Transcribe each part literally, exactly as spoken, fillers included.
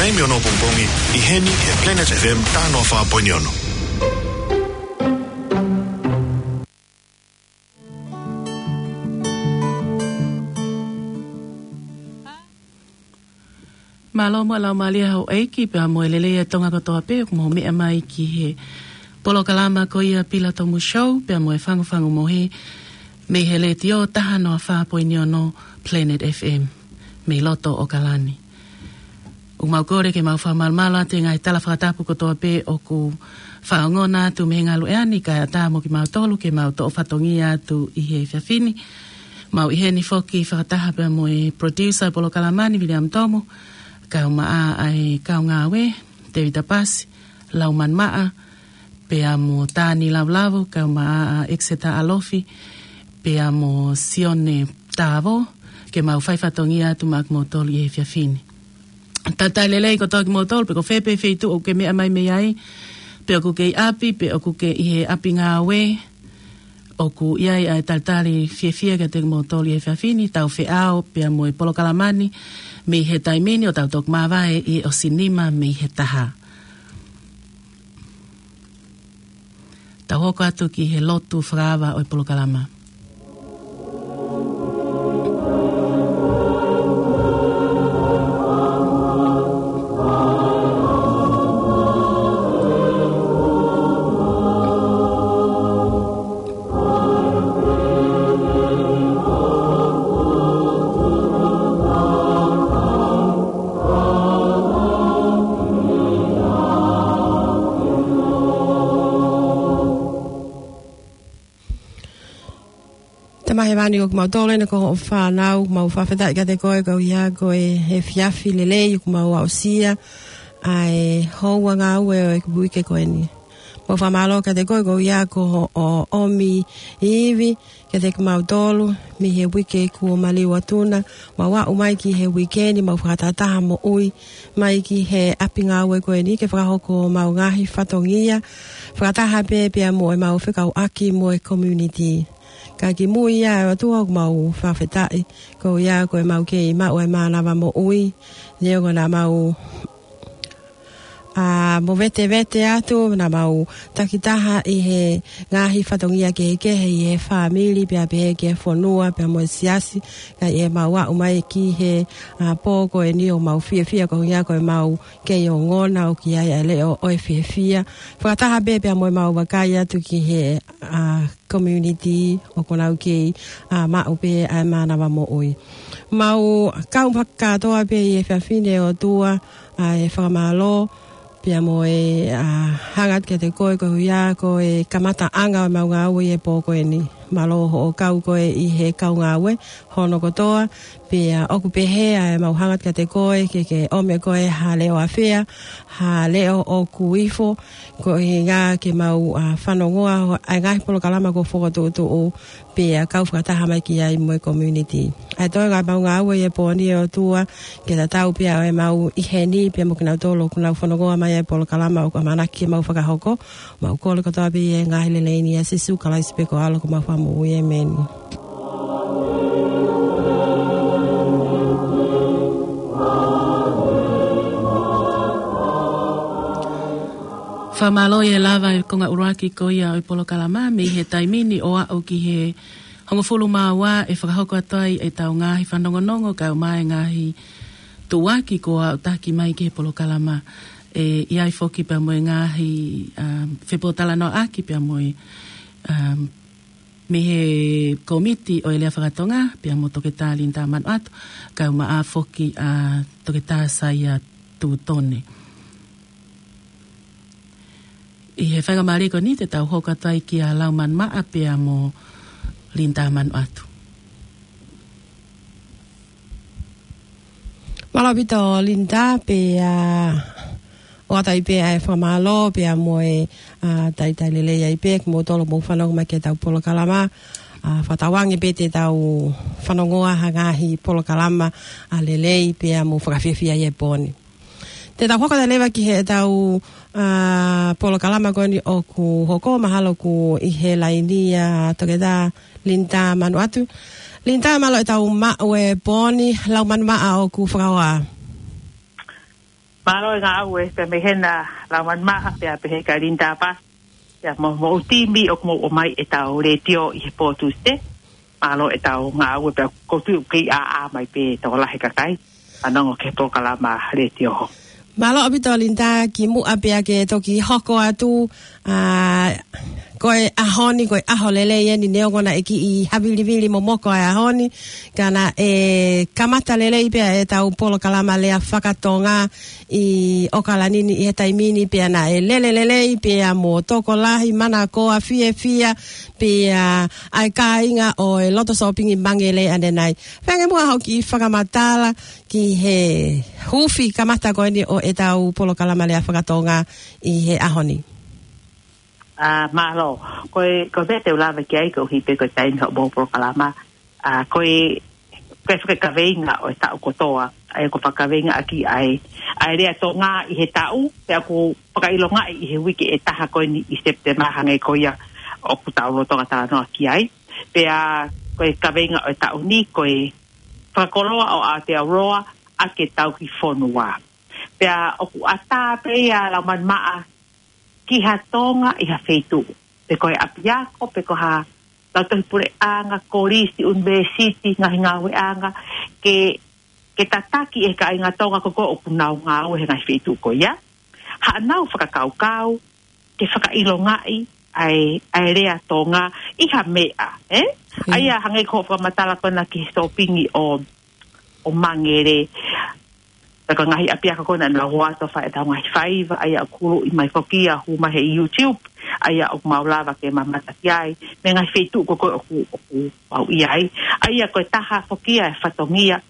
Taimi ono pongipongi, ʻi heni he Planet F M taha noa fā poini ono. Mālō mo e laumālie ʻa houʻeiki pea mo e lelei ʻa Tonga kotoa pē ʻoku mou meʻa mai ki he polokalama ko ia Pila Tomu Show pea mo e Fangufangu Mohe mei he Letiō taha noa fā poini ono Planet F M mei loto ʻAokalani. ʻOku mau kole ke mau fakamalumalu atu e ngaahi tala fakatapu kotoa pē ʻoku fakaongona atu mei he ngaluʻea ni kae ʻatā mo kimautolu ke mau toʻo fatongia atu ʻi he efiafi ni. Mau ʻi heni foki fakataha pea mo e producer polokalama ni Viliami Tomu, kau maʻa ʻa e kau ngāue, Tēvita Pasi, Laumani Maʻa, pea mo Tani Lavulavu, kau maʻa ʻa Exeter Alofi, pea mo Sione Tavo, ke mau fai fatongia atu maʻa kimoutolu ʻi he efiafi ni. Talitali lelei kotoa kimoutolu, pe ko fē pē feituʻu ʻoku ke meʻa mai mei ai, pe ʻoku ke ʻi ʻapi, pe ʻoku ke ʻi he ʻapi ngāue, ʻoku ʻi ai ʻa e talitali fiefia kiate kimoutolu ʻi he efiafi ni, tau feʻao pea mo e polokalama ni, mei he taimi ni ʻo tau toki māvae ʻi he ʻosi nima mei he taha. Tau hoko atu ki he lotu fakaava ʻo e polokalama. Tamai Hēvani, ko kimautolu eni ko hoʻo fānau, mau fakafetaʻi kiate koe koeʻuhi ko e efiafi lelei ʻoku mau aʻusia ʻa e houa ngāue ʻo e uike ko eni. Mau fakamālō kiate koe koeʻuhi ko hoʻo ʻomi ivi kiate kimautolu mei he uike kuo maliu atu na, mau aʻu mai ki he uike ni, mau fakatahataha moʻui mai ki he ʻapi ngāue ko eni ke fakahoko homau ngaahi fatongia, fakataha pē pea mo ʻemau fekauʻaki mo e community. Ka kimui ia ʻe ʻOtua ʻoku mau fakafetaʻi, koeʻuhi ko ʻemau kei maʻu e mānava moʻui, neongo naʻa mau ʻa, movetevete atu, naʻa mau takitaha ʻi he ngaahi fatongia kehekehe ʻi he fāmili, pea pehē ki he fonua, pea mo e siasi, ka ʻi heʻemau aʻu mai ki he, ʻa, pō ko eni ʻoku mau fiefia koeʻuhi ko ʻemau kei ongona ʻoku ʻi ai ʻa e leʻo ʻo e fiefia. Fakataha pē pea mo ʻemau vakai atu ki he, ʻa, community ʻoku nau kei, ʻa, maʻu pē ʻa e mānava moʻui. Mau kau fakakātoa pē ʻi he efiafi ni ʻe ʻOtua, ʻa e fakamālō, pea mo e, ʻa, hanga atu kiate koe koeʻuhi ko e kamataʻanga ʻo ʻemau ngāue ʻi he pō ko eni. Mālō hoʻo kau koe ʻi he kau ngāue hono kotoa, pea ʻoku pehē ʻa ʻemau hanga atu kiate koe ke ke ʻomi ʻe koe ha leʻo ʻafea, ha leʻo ʻoku ifo, koeʻuhi ke mau, ʻa, fanongoa ʻa e ngaahi polokalama kuo fokotuʻutuʻu, pea kau fakataha mai ki ai mo e community. ʻA e toenga ʻemau ngāue ʻi he pō ni ʻe ʻOtua, ke tatau pē ʻa ʻemau ʻi heni pea mo kinautolu ʻoku nau fanongoa mai ʻa e polokalama ʻoku ʻamanaki ke mau fakahoko, mau kole kotoa pē ʻi he ngaahi lelei ni ʻia Sīsū Kalaisi pē ko e ʻAlo ko homau Fakamoʻui, ʻēmeni. Fakamālō ʻi he lava e konga ʻuluaki ko ia ʻo e polokalama, mei he taimi ni ʻo aʻu ki he hongofulu mā ua ʻe fakahoko atu ai ʻetau ngaahi fanongonongo kae ʻumaʻā e ngaahi tuʻuaki kuo aʻutaki mai ki he polokalama. ʻE ʻi ai foki pea mo e ngaahi, um, fepōtalanoaʻaki pea mo e, um, mei he komiti ʻo e lea fakatonga, pea mo Toketā Linda Manuʻatu, kae ʻumaʻā foki ʻa Toketā Saia Tutone. ʻI he faingamālie ko eni te tau hoko atu ai kia Laumani Maʻa pea mo Linda Manuʻatu. Mālō ʻaupito Linda, pea ʻoatu ai pē ʻa e fakamālō, pea mo e, ʻa, talitali lelei ai pē kimoutolu ʻoku mou fanongo mai ki heʻetau polokalama, ʻa, fakatauange pē te tau fanongoa ha ngaahi polokalama, ʻa, lelei pea mo fakafiefia ʻi he pō ni. Te tau hoko atu leva ki heʻetau, ʻa, polokalama ko eni ʻoku hoko, mahalo ʻoku ʻi he laini ʻa Toketā Linda Manuʻatu. Linda, mālō ʻetau maʻu e pō ni, Laumani Maʻa ʻoku fakahoa. Mālō e ngāue pea mei hena Laumanimaʻa pea pehē kia Linda Pasi. Pea mo, mo e timi ʻoku mou ʻomai ʻetau letiō ʻi he pō Tūsite. Mālō ʻetau ngāue pea ʻoku ou tui ʻoku kei ʻāʻā mai pē tokolahi e kakai fanongo ki he polokalama letiō. Mālō ʻaupito Linda, kimuʻa pea ke toki hoko atu, ʻa, ko e ʻaho ni, ko e ʻaho lelei eni neongo naʻe kiʻi havilivili momoko ʻa e ʻaho ni, ka naʻe kamata lelei pea ʻetau polokalama lea fakatonga ʻi ʻAokalani ni ʻi he taimi ni pea naʻe lele lelei pea mo tokolahi, manakoa, fiefia, pea ʻa e kāinga ʻo e loto sōpingi Mangere ʻanenai. Pea ke muʻa hoʻo kiʻi fakamatala ki he huufi kamata ko eni ʻo ʻetau polokalama lea fakatonga ʻi he ʻaho ni. ʻA, mālō, ko e, ko e meʻa te u lave ki ai koeʻuhi pē ko e taimi hoʻomou polokalama, ʻa, ko e, ko e fakakaveinga ʻo e taʻu kotoa, ʻa ia ko e fakakaveinga ʻaki ʻa e, ʻa e lea Tonga ʻi he taʻu, pea ʻoku fakaʻilongaʻi ʻi he uike ʻe taha ko eni ʻi Sepitema hangē ko ia ʻoku tau lolotonga talanoa ki ai. Pea ko e kaveinga ʻo e taʻu ni, ko e fakakoloa ʻo Aotearoa ʻaki e tauhi fonua. Pea ʻoku ʻatā pē ia Laumanimaʻa ki ha Tonga ʻi ha feituʻu. Pe ko e ʻapiako, pe ko ha lautohi puleʻanga, kolisi, ʻunivēsiti, ngaahi ngāueʻanga, ke, ke tataki e kāinga Tonga ko ē ʻoku nau ngāue he ngaahi feituʻu ko ia. Haʻanau fakakaukau, ke fakaʻilongaʻi ʻa e, ʻa e lea Tonga ʻi ha meʻa, ē? Mm. ʻA ia hangē ko hoʻo fakamatala ko ena ki he sōpingi ʻo, ʻo Mangere. Pea ko e ngaahi ʻapiako ko ena naʻa nau ō atu ʻo fai ʻetau ngaahi faiva, ʻa ia ʻoku kuluʻi mai foki ia, hū mai he YouTube, ʻa ia ʻoku mau lava ke mamata ki ai, mei he ngaahi feituʻu ko ē ʻoku, ʻoku mau ʻi ai. ʻA ia ko e taha foki ia e fatongia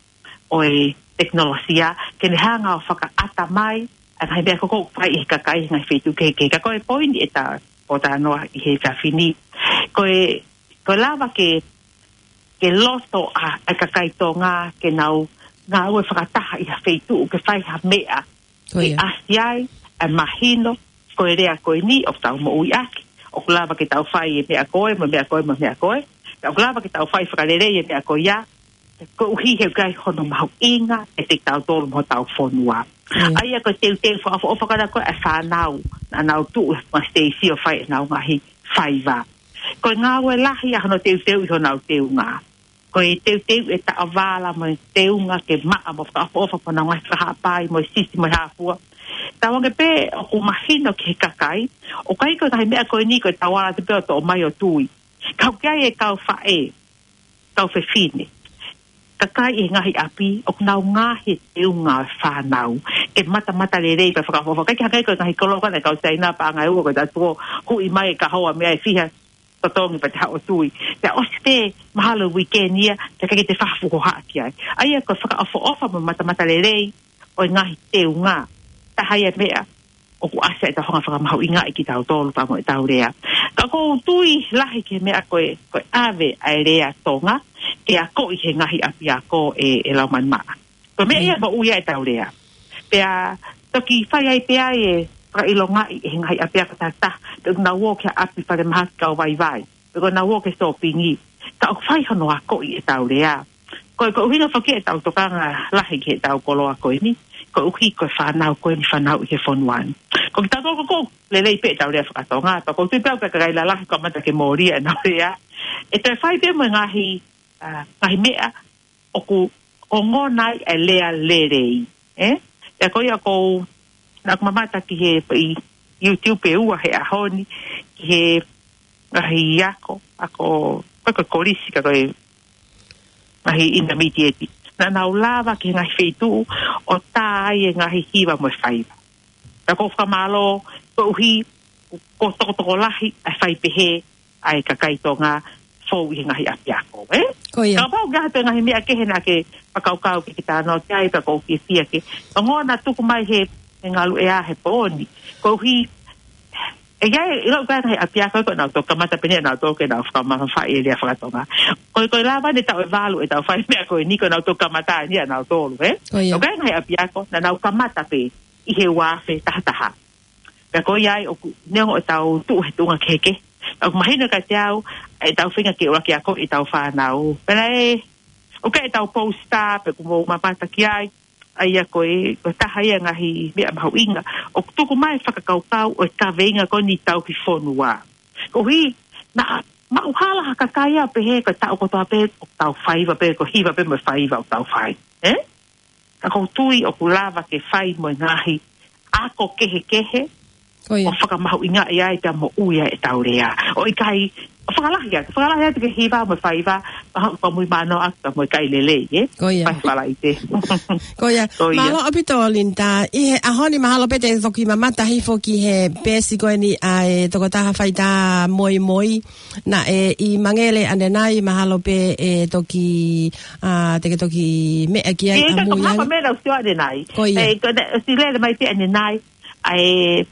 ʻo e tekinolosia, ke ne hanga ʻo fakaʻata mai ʻa e ngaahi meʻa ko ē ʻoku fai ʻe he kakai he ngaahi feituʻu kehekehe. Ka ko e poini ʻetau pōtalanoa ʻi he efiafi ni, ko e, ko e lava ke, ke loto ʻa, ʻa e kakai Tonga ke nau ngāue fakataha ʻi ha feituʻu ke fai ha meʻa. Ko ia. Ke ʻasi ai ʻa e mahino, ko e lea ko eni ʻoku tau moʻui ʻaki, ʻoku lava ke tau fai e meʻa ko ē, mo e meʻa ko ē, mo e meʻa ko ē. Pea ʻoku lava ke tau fai fakalelei e meʻa ko ia, koeʻuhi he ʻoku ʻi ai hono mahuʻinga kiate kitautolu mo hotau fonua. Mm. ʻA ia ko e teuteu fakaʻofoʻofa ko ena ko ē ʻa e fānau naʻa nau tuʻu he ma siteisi ʻo fai ʻenau ngaahi faiva. Ko e ngāue lahi ʻa hono teuteu ʻi honau teunga. Ko e teuteu e taʻovala mo e teunga ke maʻa mo fakaʻofoʻofa mo ʻenau ngaahi fakahaʻapai mo e sisi mo e hā fua. Tauange pē ʻoku mahino ki he kakai, ʻoku ʻikai ko e ngaahi meʻa ko eni ko e tauala atu pē ʻo toʻo mai ʻo tui. Ka ʻoku ʻi ai e kau faʻē, kau fefine, kakai ʻi he ngaahi ʻapi, ʻoku nau ngaohi e teunga ʻo e fānau ke matamatalelei pea fakaʻofoʻofa. ʻIkai ke hangē ko e ngaahi koloa ko ena ʻa e kau Siaina, paʻanga ʻe ua ko e taʻu tuko, huʻi mai e kahoa mei ai, fiha totongi pea te haʻu ʻo tui. Pea ʻosi pē mahalo e uike ni ia, pea ʻikai ke te fakafukohaʻa ki ai. ʻA ia ko e fakaʻofoʻofa mo e matamatalelei ʻo e ngaahi teunga, taha ia e meʻa ʻoku ʻasi ai ʻetau hanga ʻo fakamahuʻingaʻi kitautolu pea mo ʻetau lea. Ka ʻoku ou tui lahi ki he meʻa ko e, ko e ʻave ʻa e lea Tonga ke akoʻi he ngaahi ʻapiako ē, ē Laumanimaʻa. Ko e meʻa ia, mm, moʻui ai ʻetau lea. Pea toki fai ai pē ʻa e fakaʻilongaʻi ʻe he ngaahi ʻapiako takitaha, pe ʻoku nau ō ki ha ʻapi falemahaki kau vaivai, pe ʻoku nau ō ki he sōpingi, ka ʻoku fai hono akoʻi ʻetau lea. Ko e, ko e ʻuhinga foki ʻetau tokanga lahi ki heʻetau koloa ko eni, koeʻuhi ko e fānau ko eni fanauʻi he fonua ni. Ko kitautolu ko ē ʻoku lelei pē ʻetau lea fakatonga, pea ʻoku ou tui pē au ko e kakai lalahi ʻoku kamata ke mōlia ʻenau lea. ʻE toe fai pē mo e ngaahi, ʻa, ngaahi meʻa ʻoku ongona ai e lea lelei, ē? Pea ko ia ʻoku ou, naʻa ku mamata ki he, ʻi YouTube ʻe ua he ʻaho ni, ki he ngaahi ako, ako, ko e, ko e kolisi ka ko e ngaahi intermediate. Naʻa nau lava ki he ngaahi feituʻu ʻo tā ai e ngaahi hiva mo e faiva. Pea ʻoku ou fakamālō, koeʻuhi ko e tokotokolahi ʻa e fai pehē ʻa e kakai Tonga fou ʻi he ngaahi ʻapiako, ē? Ko ia. Kapau ʻoku ʻi ai ha toe ngaahi meʻa kehe naʻa ke fakakaukau ke ke talanoa ki ai, pea ʻoku ou fiefia ke ongona tuku mai he, he ngaluʻea he pō ni. Koeʻuhi, ʻe ʻi ai, ʻilo ʻoku ʻi ai e ngaahi ʻapiako ko ē naʻa nau toki kamata pē ʻe nautolu ke nau fakamamafaʻi e lea fakatonga. Ko e, ko e lava eni e taʻu ʻe valu ʻetau fai meʻa ko eni ko ē naʻa nau toki kamata eni ʻa nautolu, ē? Ko ia. ʻOku ʻi ai e ngaahi ʻapiako naʻa nau kamata pē ʻi he ua afe taha taha. Pea ko ia ai ʻoku, neongo ʻetau tuʻu he tuʻunga kehekehe, ʻoku mahino kiate au ʻetau feinga ke ʻuluaki akoʻi ʻetau fānau. Pea ʻe, ʻoku ʻi ai ʻetau poster pē ʻoku mou mamata ki ai, ʻA ia ko e, ko e taha ia ngaahi meʻa mahuʻinga ʻoku tuku mai fakakaukau ʻo e kaveinga ko eni tauhi fonua. Koeʻuhi, naʻa maʻu hala ha kakai ia pehē ko e taʻu kotoa pē ʻoku tau faiva pē, ko e hiva pē mo e faiva ʻoku tau fai. Ē? Ka ʻoku ou tui ʻoku lava ke fai mo e ngaahi ako kehekehe Ko ia. ʻo fakamahuʻingaʻi ai pea moʻui ai ʻetau lea. ʻOku ʻikai, ʻo fakalahi atu, fakalahi atu ki he hiva mo e faiva, ʻa, ka mui mano atu ka mo e kai lelei, ē? Ko ia. Fai fala i te. Ko ia. Ko ia. Mālō ʻaupito Linda, ʻi he ʻaho ni mahalo pē te toki mamata hifo ki he peesi ko eni ʻa e tokotaha faitā moimoi, naʻe ʻi Mangele ʻanenai, mahalo pē ʻe toki, ʻa, te ke toki meʻa ki ai ʻIkai ʻamui ka ai. Mapa mena usio ʻanenai. Ko ia. ʻE, ko ne, si lele mai pē ʻanenai, ʻa e,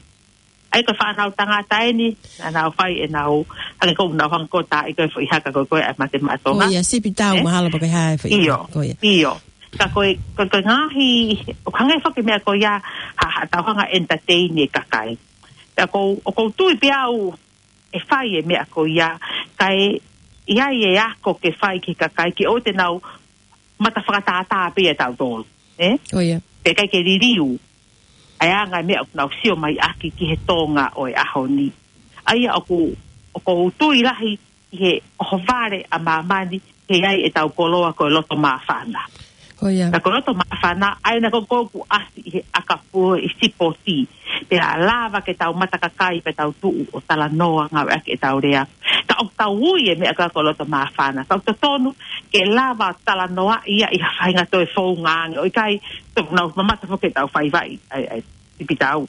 ʻa e ko e fānau tangata eni, naʻa nau fai ʻenau, hangē ko ʻenau hanga ko tā ʻi ko e foʻi haka ko e ko e ʻa e mate maʻa Tonga. Ko ia, sipi tau, Ē? mahalo pē ko e hā e foʻi. ʻIo, ko ia. ʻIo. Ka ko e, ko e, ko e ngaahi, ʻoku hangē foki meʻa ko ia, ha, ha tau hanga entertain e kakai. Pea ʻoku ou, ʻoku ou tui pē au ʻe fai e meʻa ko ia, kae ʻi ai e ako ke fai ki he kakai ke ʻoua te nau mata fakatātā pē ia tautolu, ē? Ko ia. Pea ʻikai ke liliu ʻa e anga e meʻa ʻoku nau sio mai ʻaki ki he Tonga ʻo e ʻaho ni. ʻA ia ʻoku, ʻoku ou tui lahi ʻi he ʻohovale ʻa māmani, ʻe ʻi ai ʻetau koloa ko e loto māfana. Ko ia. Ka ko e loto māfana, ʻa ia naʻa ko ʻoku ʻasi ʻi he ʻakapulu ʻi sipoti. Pea lava ke tau mata kakai, pea tau tuʻu ʻo talanoa ngāueʻaki ʻetau lea. Ka ʻoku tau ui e meʻa ko e ko e loto māfana. Ka ʻoku totonu ke lava talanoaʻi ia ʻi ha faʻahinga toe founga ange. ʻOku ʻikai, tau nau mamata foki ʻetau faiva ʻi, ʻa e, ʻa e, sipi tau.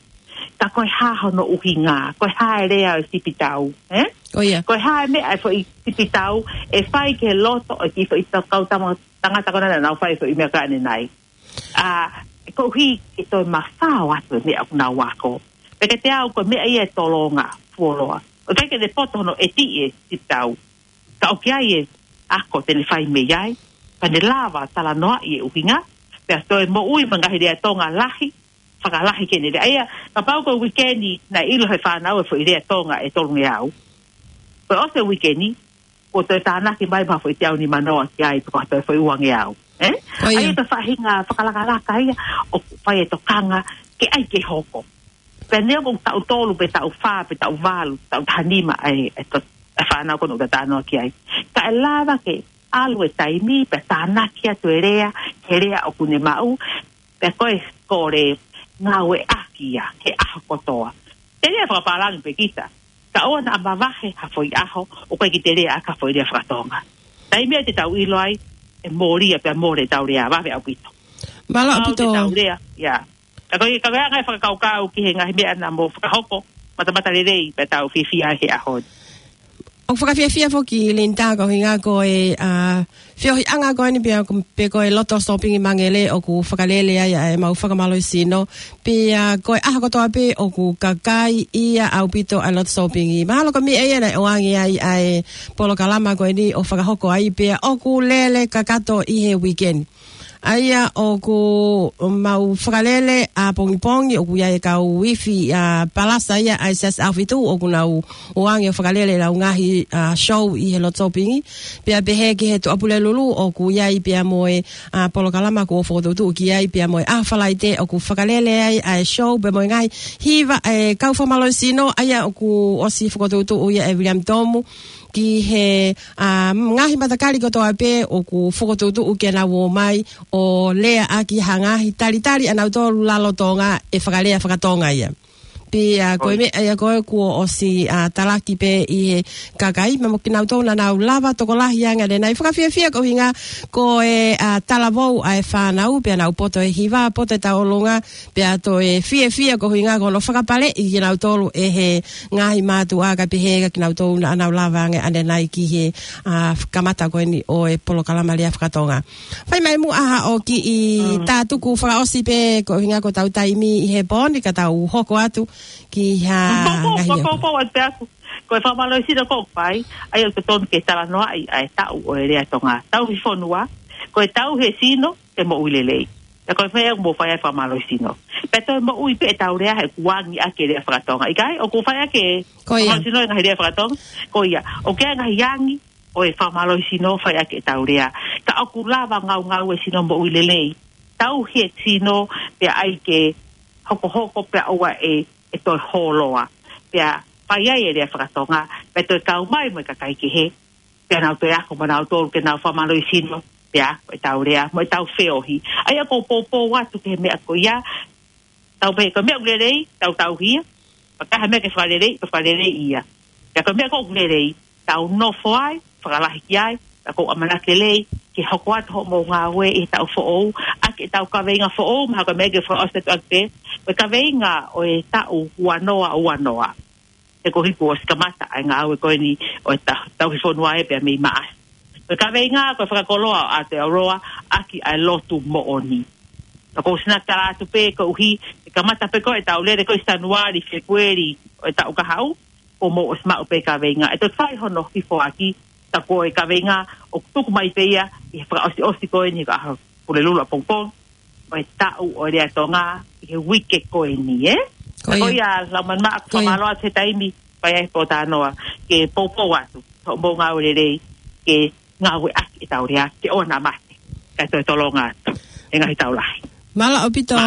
Ka ko e hā hono ʻuhinga, ko e hā e lea ʻo e sipi tau, ē? Ko ia. Ko e hā e meʻa e foʻi sipi tau, ʻe fai ki he loto ʻo e kiʻi foʻi tau kau tama-, tangata ko ena naʻa nau fai e foʻi meʻa ko ē ʻanenai. ʻA, koeʻuhi ke toe mafao atu e meʻa ʻoku nau ako. Pea kiate au ko e meʻa ia ʻe tolonga, fuoloa. ʻOku ʻikai ke ne poto hono ʻeti e sipi tau. Ka ʻoku ʻi ai e ako te ne fai mei ai, pea ne lava talanoaʻi e ʻuhinga, pea toe moʻui mo e ngaahi lea Tonga lahi, fakalahi ke ne lea. ʻA ia, kapau ko e uike ni naʻe ʻilo he fānau e foʻi lea Tonga ʻe tolungeau. Ko e ʻosi e uike ni, kuo toe tānaki mai mo ha foʻi teau nimanoa ki ai, pe ko ha toe foʻi uangeau. Ē? Ko ia. ʻA ia ko e faʻahinga fakalakalaka ia, ʻoku fai e tokanga, ke ʻai ke hoko. Pea neongo ʻoku taʻu tolu, pe taʻu fā, pe taʻu valu, taʻu taha nima, ʻa e, ʻa e to-, ʻa e fānau ko ena ʻoku ta talanoa ki ai. Ka ʻe lava ke ʻalu e taimi, pea tānaki atu e lea, he lea ʻoku ne maʻu, pea ko e kole ngāueʻaki ia, he ʻaho kotoa. Te lea fakapālangi pē kita. Ka ʻoua naʻa mavahe ha foʻi ʻaho, ʻoku ʻikai ke te lea ʻaki ha foʻi lea fakatonga. Taimi ia te tau ʻilo ai, ʻe mole ia pea mole ʻetau lea, vave ʻaupito. Mālō Kapau ʻaupito. te tau lea, ia. Ka ko e, ka ko e anga e fakakaukau ki he ngaahi meʻa naʻa mo fakahoko, matamata lelei, pea tau fiefia he ʻaho ni. ʻOku fakafiefia foki Linda ko e ʻuhinga ko e, ʻa, feohiʻanga ko eni pea ko, pe ko e loto sōpingi Mangele ʻoku fakalele ai ʻa e mau fakamālohisino. Pea ko e ʻaho kotoa pē ʻoku kakai ia ʻaupito ʻa e loto sōpingi. Mahalo ko e meʻa ia naʻe ʻoange ai ʻa e polokalama ko eni ʻo fakahoko ai pea ʻoku lele kakato ʻi he uike ni. ʻA ia ʻoku mau fakalele ʻapongipongi ʻoku ʻi ai e kau ifi ʻa Palasa ia ʻa e Siasi ʻAhofitu ʻoku nau ʻoange ʻo fakalele ʻenau ngaahi, ʻa, show ʻi he loto sōpingi. Pea pehē ki he Tuʻapulelulu ʻoku ʻi ai pea mo e, ʻa, polokalama kuo fokotuʻutuʻu ki ai pea mo e ʻaho Falaite ʻoku fakalele ai ʻa e show pea mo e ngaahi hiva e kau fakamālohisino ʻa ia ʻoku ʻosi fokotuʻutuʻu ia ʻe William Tomu ki he, ʻa, ngaahi matakali kotoa pē ʻoku fokotuʻutuʻu ke nau ō mai ʻo lea ʻaki ha ngaahi talitali ʻanautolu lalo Tonga ʻe fakalea fakatonga ia. Pea ko e Oi. meʻa ia ko ē kuo ʻosi, ʻa, talaki pē ʻi he kakai, pea mo kinautolu naʻa nau lava tokolahi ange ʻanenai fakafiefia ko e ʻuhinga ko e, ʻa, talavou ʻa e fānau, pea nau poto e hiva, poto e tauʻolunga, pea toe fiefia ko e ʻuhinga ko hono fakapaleʻi kinautolu ʻe he ngaahi mātuʻa kae pehē kia kinautolu naʻa nau lava ange ʻanenai ki he, ʻa, kamata ko eni ʻo e polokalama lea fakatonga. Fai mai muʻa haʻo kiʻi Mm. tātuku fakaʻosi pē ko e ʻuhinga ko ʻetau taimi ʻi he pō ni ka tau hoko atu ki ha Poupou, ngaahi poupou, poupou atu pē ʻaku. Ko e fakamālohisino ko ʻoku fai, ʻa ia ʻoku totonu ke talanoaʻi ʻa e tauhi ʻo e lea Tonga. Tauhi fonua, ko e tauhi e sino, ke moʻui lelei. Pea ko e fai ʻoku mou fai ai e fakamālohisino. Pea toe moʻui pē ʻetau lea he kuo angi ʻaki e lea fakatonga. ʻIkai, ʻoku fai ʻaki e Ko ia. fakamālohisino e ngaahi lea fakatonga. Ko ia, ʻoku ʻi ai e ngaahi angi ʻo e fakamālohisino fai ʻaki ʻetau lea. Ka ʻoku lava ngaungaue sino moʻui lelei. tauhi e sino, pea ʻai ke hokohoko pea ʻoua ʻe, ʻe toe hōloa. Pea fai ai e lea fakatonga, pea toe kau mai mo e kakai kehe, pea nau toe ako mo nautolu ke nau fakamālohisino, pea ko ʻetau lea, mo ʻetau feohi. ʻA ia ʻoku ou poupou atu ki he meʻa ko ia, tau pehē ko e meʻa ʻoku lelei, tau tauhi ia, pea ka ʻi ai ha meʻa ke fakalelei, pea fakalelei ia. Pea ko e meʻa ʻoku lelei, tau nofo ai, fakalahi ki ai, pea ʻoku ou ʻamanaki lelei, ke hoko atu hoʻomou ngāue ʻi he taʻu foʻou, ʻaki ʻetau kaveinga foʻou, mahalo ko e meʻa ke fakaʻosi atu ʻaki pē, ko e kaveinga ʻo e taʻu ua noa ua noa. He ko e hili kuo ʻosi kamata ʻa e ngāue ko eni ʻo e ta-, tauhi fonua ē pea mei Maʻasi. Ko e kaveinga ko e fakakoloa ʻo Aotearoa ʻaki ʻa e lotu moʻoni. Ka ʻoku ou sina tala atu pē koeʻuhi, ʻe kamata pē ko ē ʻetau lele ko ē ʻi Sānuali, Fēpueli ʻo e taʻu kahaʻu, ʻoku mou ʻosi maʻu pē kaveinga. ʻE toe fai hono hifo ʻaki, tā ko e kaveinga ʻoku tuku mai pē ia ʻi he fakaʻosiʻosi ko eni ka ha Pulelulu ʻapongipongi ʻo e taʻu ʻo e lea Tonga ʻi he uike ko eni, ē? Ko ia. Ko ia, Laumālie, ʻoku ou fakamālō atu he taimi, pea ʻi ai pē ʻo tānoa, ke poupou atu, hoʻomou ngāue lelei, ke ngāue ʻaki ʻetau lea, ke ʻoua naʻa mate, kae toe tolonga atu e ngaahi taʻu lahi. Mālō ʻaupito,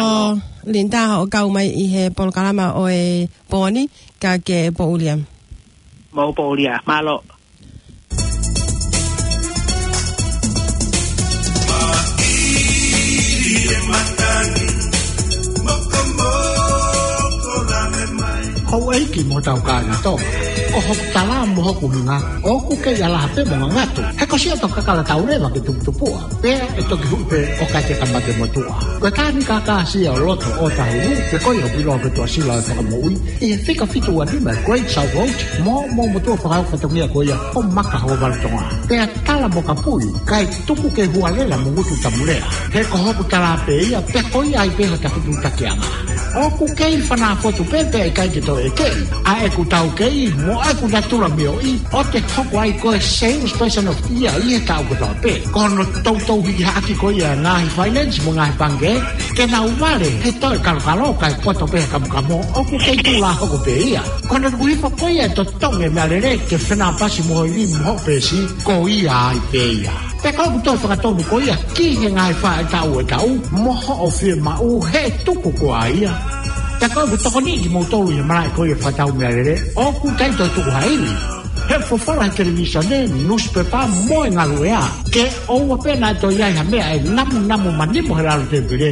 Linda, hoʻo kau mai ʻi he polokalama ʻo e pō ni, ka ke pōʻuli ā. Mou pōʻuli ā, mālō. Houʻeiki mo hotau kāinga Tonga, ko hoku tala mo hoku ʻuhinga, ʻoku kei ʻalaha pē mo ngangatu. He ko siʻa tokakala tau leva ke tuputupuʻa, pea ʻe toki huʻi pē ʻo ka te kamate motuʻa. Ko e Tani Kakasi ʻo loto ʻo Tahuhu, pe ko ia ʻoku ʻiloa ko e Tuʻasila ʻo e Fakamoʻui, ʻi he fika fitu ua nima Great South Road, mo, mo motuʻa fakaʻau fatongia ko ia ʻo Makahokovalu Tonga. Pea tala mo kapui, kae tuku ke hualela mo ngutu tamu lea. He ko hoku tala pē ia, pea ko ia ai pē hota futu takianga. ʻOku kei fanā fotu pē pea ʻikai ke toe ʻekeʻi ʻa ʻeku taukei mo ʻeku natula mioʻi ʻo te hoko ai ko e salesperson of the year ʻi he taʻu kotoa pē. Ko hono toutou hiki hake ko ia ngaahi finance mo ngaahi pangikē, ke nau vale he toe kalokalo kae poto pē he kamokamo, ʻoku kei tuʻulā hoko pē ia. Ko hono tuku hifo ko ia e totongi e meʻalele ke fenāpasi mo hoʻo ivi mo hoʻo peesi, ko ia ai pē ia. Pea ko ʻeku toe fakatonu ko ia ki he ngaahi faʻahitaʻu ʻo e taʻu mo hoʻo fiemaʻu he tuku ko ia. Pea ko ʻeku tokoni kimoutolu ʻi he malaʻe ko ia fakatau meʻalele, ʻoku ʻikai toe tuku ha ivi. He folofola he televīsone, nusipepa mo e ngaluʻea, ke ʻoua pē naʻa toe ʻi ai ha meʻa ʻe namunamu manimo he lalo tēpile,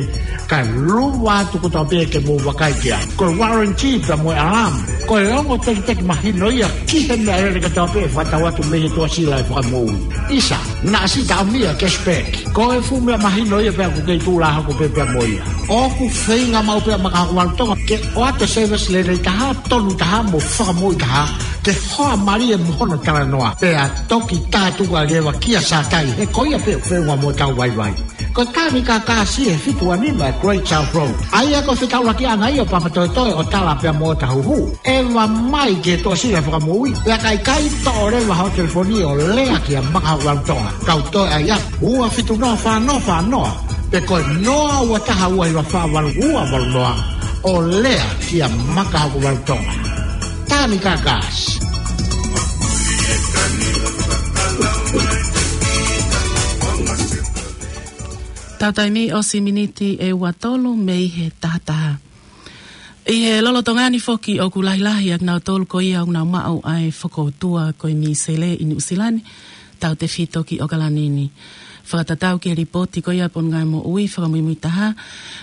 kae luva atu kotoa pē ke mou vakai ki ai. Ko e warranty pea mo e alarm, ko e ongo tekiteki mahino ia ki he meʻalele kotoa pē ʻe fakatau atu mei he Tuʻasila ʻo e Fakamoʻui. ʻIsa, naʻa si taʻamia cashback. Ko e fuʻu meʻa mahino ia pea ʻoku kei tuʻulā hoko pē pea mo ia. ʻOku feinga maʻu pē ʻa Makahokovalu Tonga ke ʻoatu e service lelei taha, tonu taha mo fakamoʻui taha, ke hoa mālie mo hono talanoa. Pea toki tātuku ʻa e leva kia Sātai, he ko ia pē ʻoku feʻunga mo hotau vaivai. Ko e Tani Kakasi ʻi he fitu ua nima Great South Road. ʻA ia ko e fetaulakiʻanga ia ʻo Papatoetoe ʻo Tala pea mo Tahuhu. ʻEva mai ki he Tuʻasila Fakamoʻui, pea ka ʻikai, toʻo leva hoʻo telefoni ʻo lea kia Makahokovalu Tonga. Kau toe ʻai atu, ua fitu noa fā noa fā noa, pe ko e noa ua taha ua hiva fā valu ua valu noa, ʻo lea kia Makahokovalu Tonga. Tani Kakasi. Tau taimi ʻosi miniti ʻe ua tolu mei he taha taha. ʻI he lolotonga ni foki ʻoku lahilahi ʻa kinautolu ko ia ʻoku nau maʻu ʻa e fokoutua ko e mīsele ʻi Nuʻusila ni, tautefito ki ʻOkalani ni. Fakatatau ki he lipooti ko ia ʻa e Potungāue Moʻui fakamuimui taha,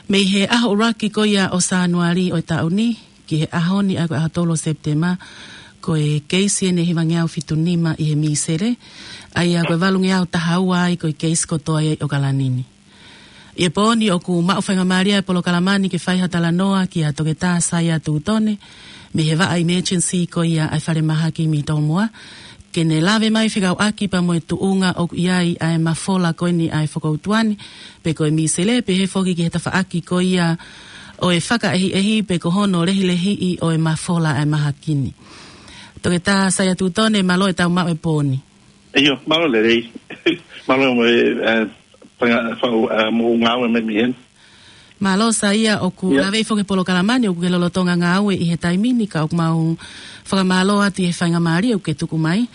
mei he ʻaho ʻuluaki ko ia ʻo Sānuali ʻo e taʻu ni, ki he ʻaho ni ʻa ia ko e ʻaho tolu ʻo Sepitema, ko e keisi ʻe hivangeau fitu nima ʻi he mīsele, ʻa ia ko e valungeau taha ua ai ko e keisi kotoa ia ʻi ʻOkalani ni. ʻI he pō ni ʻoku maʻu faingamālie ʻa e polokalama ni ke fai ha talanoa kia Toketā Saia Tutone, mei he vaʻa emergency ko ia ʻa e falemahaki mei Tomoa, ke ne lave mai fekauʻaki pea mo e tuʻunga ʻoku ʻi ai ʻa e mafola ko eni ʻa e fokoutua ni, pe ko e mīsele, pehē foki ki he tafaʻaki ko ia ʻo e fakaʻehiʻehi pe ko hono lehilehiʻi ʻo e mafola ʻa e mahaki ni. Toketā Saia Tutone, mālō e tau maʻu e pō ni. ʻIo, mālō lelei. Mālō mo e, eh, fanga-, fa-, eh, mo ngāue mai mei heni. Mālō Saia, ʻoku ʻIo. Lave foki he polokalama ni, ʻoku ke lolotonga ngāue ʻi he taimi ni, ka ʻoku mau fakamālō atu ʻi he faingamālie ʻoku ke tuku mai.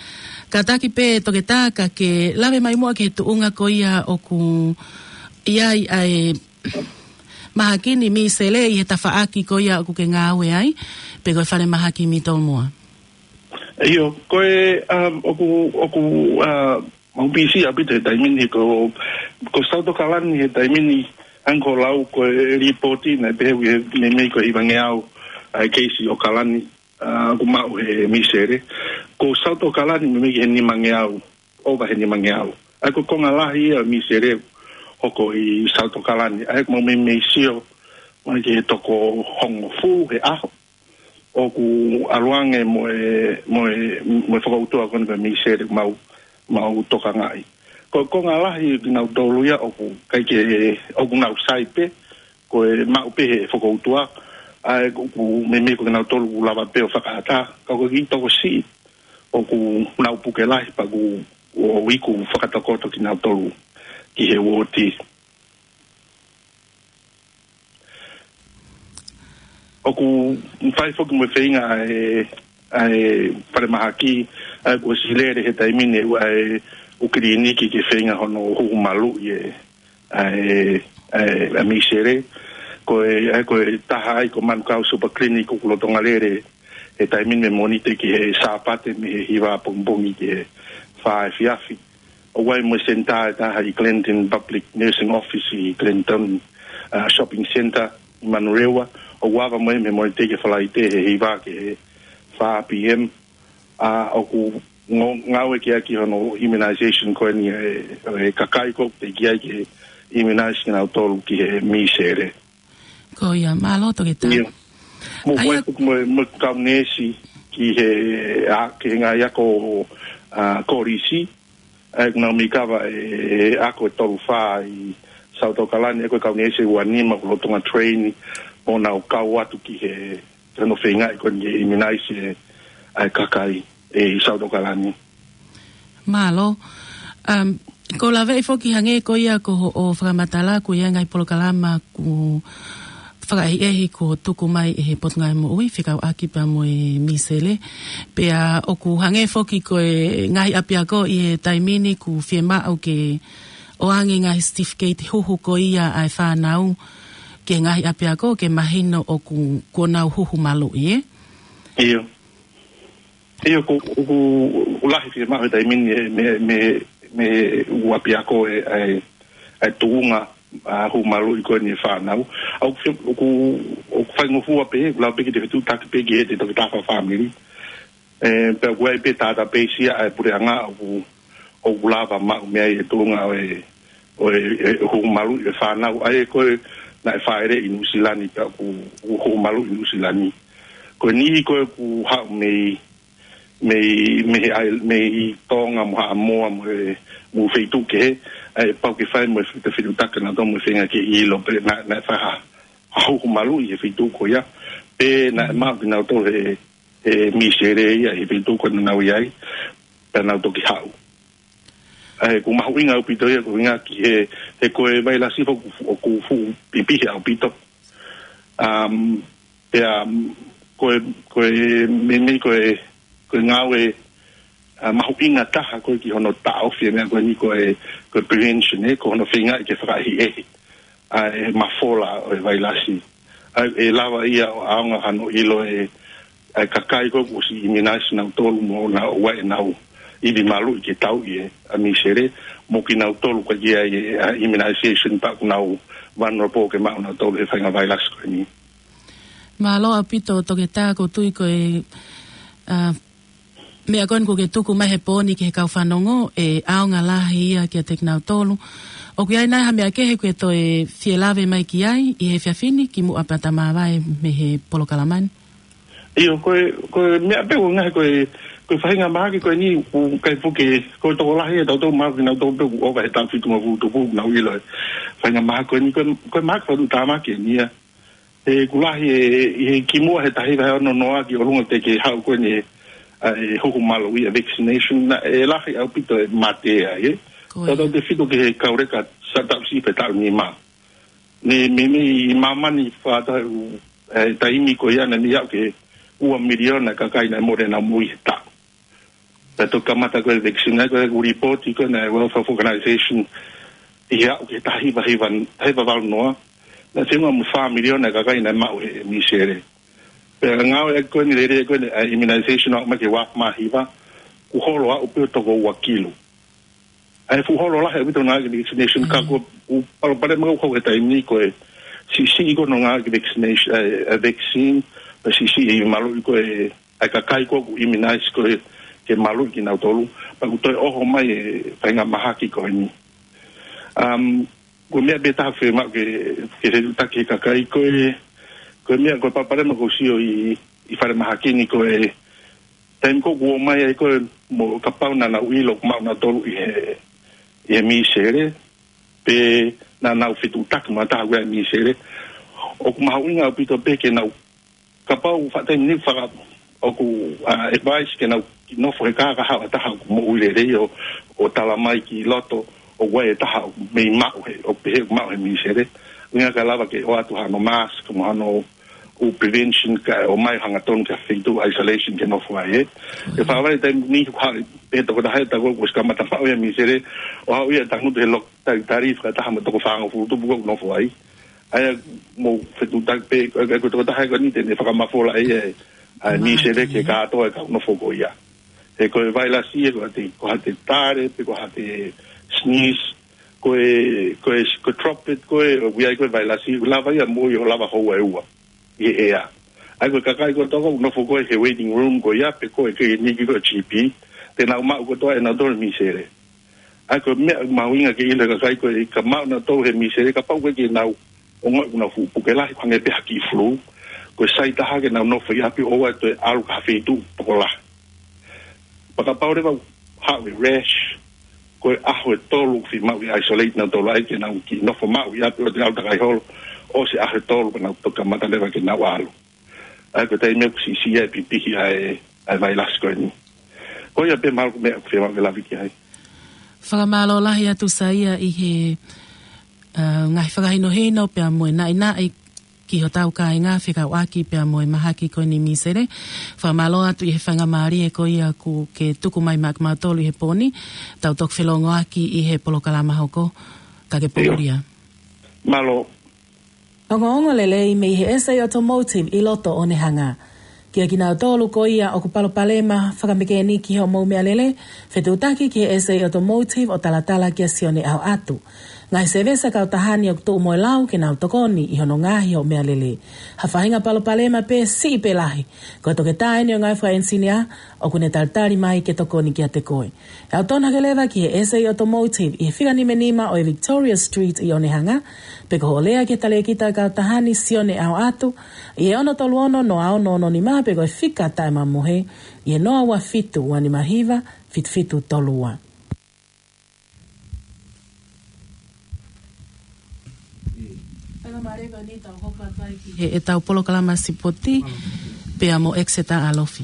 Kātaki pē Toketā ka ke lave mai muʻa ki he tuʻunga ko ia ʻoku ʻi ai ʻa e mahaki ni misele ʻi he tafaʻaki ko ia ʻoku ke ngāue ai, pe ko e falemahaki Mitomoa? ʻIo, ko e, um, ʻoku, ʻoku, uh, mau pisi ʻaupito he taimi ni ko, ko South Auckland he taimi ni, hangē ko e lau ko e lipooti naʻe pehē ʻoku meimei ko e hivangeau ʻa e keisi ʻo Kalani, uh, ʻoku maʻu he misele. Ko South Auckland meimei ki he nimangeau, ʻova he nimangeau. ʻA ia ko e konga lahi ia misele hoko ʻi South Auckland. ʻA ia ko e mau meimei sio, mai ki he toko hongofulu he ʻaho ʻoku ʻalu ange mo e, mo e, mo e fokoutua ko eni ko e misele mau, mau tokangaʻi. Ko e konga lahi kinautolu ia ʻoku ʻikai ke, ʻoku nau sai pē, ko e maʻu pē he fokoutua, ʻa ia ʻoku meimei ko kinautolu ʻoku lava pē ʻo fakaʻatā, ka ko e kiʻi tokosiʻi ʻoku nau puke lahi pea ʻoku, ʻo iku fakatokoto kinautolu ki he uooti. ʻOku fai foki mo e feinga ʻa e, ʻa e falemahaki, ʻa ia kuo ʻosi lele he taimi ni ʻa e ʻū kiliniki ke feinga hono huhu maluʻi e, ʻa e, ʻa e, ʻa e misele. Ko e, ʻa ia ko e taha ai ko Manukau Super Clinic ʻoku lolotonga lele he taimi ni mei he Mōnite ki he Sāpate mei he hiva pongipongi ki he fā efiafi. ʻOku ʻi ai mo e senitā ʻe taha ʻi Clinton Public Nursing Office ʻi Clinton, uh, Shopping Centre ʻi Manurewa. ʻOku ava mo ia mei he Mōnite ki he Falaite he hiva ki he fā P M. ʻA ia ʻoku ngāue ki ai ki hono immunization ko eni e, e kakai ko ē teʻeki ai ke immunize kinautolu ki he misele. Ko ia, mālō Toketā. ʻIo. Mo ʻa ia ko e, mo, mo e kau neesi ki he, ʻa, ki he ngaahi ako, ʻa, kolisi, ʻa ia ʻoku nau meimei kava e, e ako ʻe tolu fā ʻi South Auckland, ʻa ia ko e kau neesi ʻe ua nima ʻoku lolotonga train, mo nau kau atu ki he, ki hono feingaʻi ko eni ke immunize e, ʻa e kakai ʻi South Auckland. Mālō. Um, ʻoku ou laveʻi foki hangē ko ia ko hoʻo fakamatala, ʻoku ʻi ai e ngaahi polokalama ʻoku fakaʻehiʻehi kuo tuku mai ʻe he Potungāue Moʻui, fekauʻaki pea mo e misele. Pea ʻoku hangē foki ko e ngaahi ʻapiako ʻi he taimi ni ʻoku fiemaʻu ke ʻoange ngaahi certificate huhu ko ia ʻa e fānau ki he ngaahi ʻapiako ke mahino ʻoku, kuo nau huhu maluʻi, ē? ʻIo. ʻIo, ʻoku, ʻoku, ʻoku lahi fiemaʻu he taimi ni mei, mei, mei he ʻū ʻapiako e, e, e tuʻunga, ʻa, huhu maluʻi ko eni e fānau. ʻA, ʻoku fie-, ʻoku, ʻoku faingofua pē, ʻoku lau pē ke te fetuʻutaki pē ki he te toki tafa fāmili. E, pea ʻoku ʻi ai pē database ia ʻa e puleʻanga ʻoku, ʻoku lava maʻu mei ai e tuʻunga ʻo e, ʻo e, e huhu maluʻi e fānau. ʻA ia ko ē naʻe fāʻeleʻi ʻi Nuʻusila ni pea ʻoku, ʻoku huhu maluʻi ʻi Nuʻusila ni. Ko e niʻihi ko ē ʻoku haʻu mei, mei, mei he ʻai-, mei Tonga mo Haʻamoa mo e, mo e feituʻu kehe, ʻa ia pau ke fai mo e fe-, fetuʻutaki nautolu mo e feinga ke ʻilo pe naʻe, naʻe fai ha, ha huhu maluʻi he feituʻu ko ia, pe naʻe maʻu kinautolu he, he misele ia he feituʻu ko ē naʻa nau ʻi ai, pea nau toki haʻu. ʻA ia ʻoku mahuʻinga ʻaupito ia ko e ʻuhinga ki he, he ko e vailasi foki ʻoku fu-, ʻoku fuʻu pipihi ʻaupito. Um, pea, um, ko e, ko e, meimei ko e, ko e ngāue, ʻa, mahuʻinga taha ko ē ki hono taʻofi e meʻa ko eni ko e, ko e prevention, ē, ko hono feingaʻi ke fakaʻehiʻehi ʻa e mafola ʻo e vailasi. ʻA ia ʻe lava ia ʻo ʻaonga hano ʻilo e, ʻa e kakai ko ē kuo ʻosi immunize nautolu mo nau ʻoua ʻe nau ivi maluʻi ke tauʻi e, ʻa, misele, mo kinautolu ʻoku ʻikai ke ʻi ai e, ʻa, immunization pea ʻoku nau vulnerable ke maʻu nautolu he faʻahinga vailasi ko eni. Mālō ʻaupito Toketā, ʻoku ou tui ko e, ʻa, meʻa ko eni ʻoku ke tuku mai he pō ni ki he kau fanongo ʻe ʻaonga lahi ia kiate kinautolu. ʻOku ʻi ai nai ha meʻa kehe ʻoku ke toe fie lave mai ki ai ʻi he efiafi ni kimuʻa pea ta māvae mei he polokalama ni? ʻIo, ko e, ko e meʻa pē ʻoku ngaahi ko e, ko e faʻahinga mahaki ko eni ʻoku ʻikai fuʻu ke, ko e tokolahi ʻe tautolu mahaki nautolu pē ʻoku ʻova he taʻu fitungofulu tupu ʻoku nau ʻilo e faʻahinga mahaki ko eni, ko e, ko e mahaki faʻahinga tāmaki eni ia. He ʻoku lahi e, ʻi he kimuʻa he taha hiva ono noa ki ʻolunga teʻeki haʻu ko eni, ʻa, e huhu maluʻi, ʻa, vaccination, naʻe lahi ʻaupito e mate ai, ē. Ko ia. Tautautefito ki he kau leka sa taʻu siʻi pe taʻu nima. Ne, meimei ʻi māmani fakataha ʻū, e, taimi ko ia naʻe meimei aʻu ki he ua miliona kakai naʻe mole ʻenau moʻui he taʻu. Pea toki kamata ko e vaccine, ʻa ia ko e ʻū lipooti ko ē naʻe World Health Organization ʻi he aʻu ki he taha hiva hiva, taha hiva valu noa, Naʻe teunga mo fā miliona e kakai naʻe maʻu he misele. Pea ngāue ʻaki ko eni lele ko eni, ʻa e immunization ʻo aʻu mai ki he ua afe mā hiva, kuo holo ʻo aʻu pē ʻo toko ua kilu. ʻA e fuʻu holo lahi ʻaupito ngāue ki he vaccination, ka ko u palopalema ko ē he taimi ni ko e siʻisiʻi ko ē hono ngāue ki he vaccination, ʻa e, ʻa e vaccine, pea siʻisiʻi e maluʻi ko ē ʻa e kakai ko ē ʻoku immunize ko ē ke maluʻi kinautolu, pea kuo toe ʻoho mai e faʻahinga mahaki ko eni. Um, ko e meʻa pē taha fiemaʻu ke, ke fetuʻutaki he kakai ko e, ko e meʻa ko e palopalema ʻoku ou sio ʻi, ʻi falemahaki ni ko e, taimi ko ē kuo ʻomai ai ko ē mo kapau naʻa nau ʻilo ʻoku maʻu nautolu ʻi he, ʻi he misele, pe naʻa nau fetuʻutaki mo ha taha ʻoku ʻi ai e misele, ʻoku mahuʻinga ʻaupito pē ke nau kapau faʻa taimi ni faka-, ʻoku, ʻa, advice ke nau kiʻi nofo he kā kahaʻu ha taha ʻoku moʻui lelei ʻo, ʻo tala mai ki loto ʻoku ʻi ai e taha ʻoku mei maʻu he, ʻoku pehē ʻoku maʻu he misele. ʻUhinga kae lava ke ʻoatu hano mask, mo hano ʻū prevention kae ʻomai hangatonu ki ha feituʻu isolation ke nofo ai ē. Ke fakavahe taimi ni ʻoku haʻu pē tokotaha ʻe taha kuo ʻosi kamata maʻu ia e misele, ʻo haʻu ia ʻo tangutu he loki talitali fakataha mo e toko fāngofulu tupu ʻoku nofo ai. ʻA ia mou fetuʻutaki pē, ʻa ia ko e tokotaha ko eni te ne fakamafola ʻe ia ʻa e misele ki he kātoa e kau nofo ko ia. He ko e vailasi ē, ko haʻate, ko haʻate tale, pe ko haʻate sneeze, ko e, ko e, ko e droplet, ko e, ʻoku ʻi ai ko e vailasi, ʻoku lava ia moʻui ʻo lava houa ʻe ua ʻi he ʻea. ʻA ia ko e kakai kotoa ʻoku nofo ko ē he waiting room ko ia, pe ko e kiliniki ko e G P, te nau maʻu kotoa ʻe nautolu e misele. ʻA ia ko e meʻa mahuʻinga ke ʻilo ʻe he kakai ko ē ka maʻu nautolu he misele, kapau ko ē ke nau ongoʻi ʻoku nau fuʻu puke lahi, hangē pē ha kiʻi flu, ko e sai taha ke nau nofo ʻi ʻapi ʻo ʻoua ʻe toe ʻalu ki ha feituʻu tokolahi. Pea kapau leva ʻoku haʻu e rash, ko e ʻaho ʻe tolu ʻoku fiemaʻu ke isolate nautolu ai, ke nau kiʻi nofo maʻu ʻi ʻapi ʻo ʻoua ʻe toe ʻalu takai holo, ʻosi e ʻaho ʻe tolu pea nau toki kamata leva ke nau ʻalu. ʻA ia ko e taimi ʻoku siʻisiʻi ai e pipihi ʻa e, ʻa e vailasi ko eni. Ko ia pē mahalo ko e meʻa ʻoku fiemaʻu ke lave ki ai. Fakamālō lahi atu Saia ʻi he, ʻa, ngaahi fakahinohino pea mo e naʻinaʻi ki hotau kāinga fekauʻaki pea mo e mahaki ko eni misele. Fakamālō atu ʻi he faingamālie ko ia kuo ke tuku mai maʻa kimautolu ʻi he pō ni, tau toki felōngoaki ʻi he polokalama hoko, ka ke pō ʻIo. Mālō. Ongoongo lelei mei he S A Automotive ʻi loto ʻo Onehunga. Kiate kinautolu ko ia ʻoku palopalema fakamekeniki hoʻomou meʻalele, fetuʻutaki ki he S A Automotive ʻo talatala kia Sione ʻAhoʻatu. Ngaahi sēvesi kautaha ni ʻoku tuʻu mo e lau ke nau tokoni ʻi hono ngaohi hoʻo meʻalele. Ha faʻahinga palopalema pē siʻi pe lahi, ko e toketā eni ʻo e ngaahi fakaʻenisinia ʻoku ne talitali mai ke tokoni kiate koe. ʻE ʻautonu hake leva ki he S A Automotive ʻi he fika nima nima ʻo e Victoria Street ʻi Onehunga, pe ko hoʻo lea ki he talēkita kautaha ni Sione ʻAhoʻatu ʻi he ono tolu ono noa ono ono nima pe ko e fika taʻemamohe ʻi he noa ua fitu ua nima hiva fitu fitu tolu ua. He ʻetau polokalama sipoti pea mo Exeter ʻAlofi.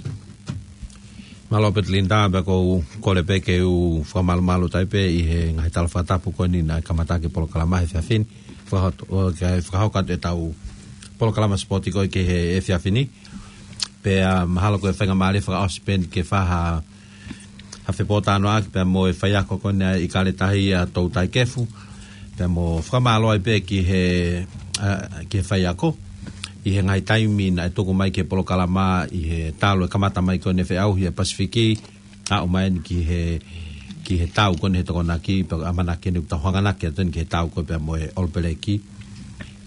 Mālō Petelinda, pea ʻoku ou kole pē ke u fakamalumalu atu ai pē ʻi he ngaahi tala fakatapu ko eni naʻe kamata ʻaki e polokalama he efiafi ni. Fakahot-, ʻo, ke fakahoko atu ʻetau polokalama sipoti ko ē ki he efiafi ni. Pea mahalo ko e faingamālie fakaʻosi pē eni ke fai ha ha fepōtalanoaʻaki pea mo e faiako ko eni ʻa e ʻIkale Tahi ʻa Toutai Kefu, pea mo fakamālō ai pē ki he, ʻa, ki he faiako, ʻi he ngaahi taimi naʻe tuku mai ki he polokalama ʻi he talu e kamata mai ko eni e feʻauhi ʻa e Pasifiki, aʻu mai eni ki he, ki he tau ko eni he Tokonaki, pea ʻamanaki eni ʻoku tau hanganaki atu eni ki he tau ko ē pea mo e ʻOlopeleki,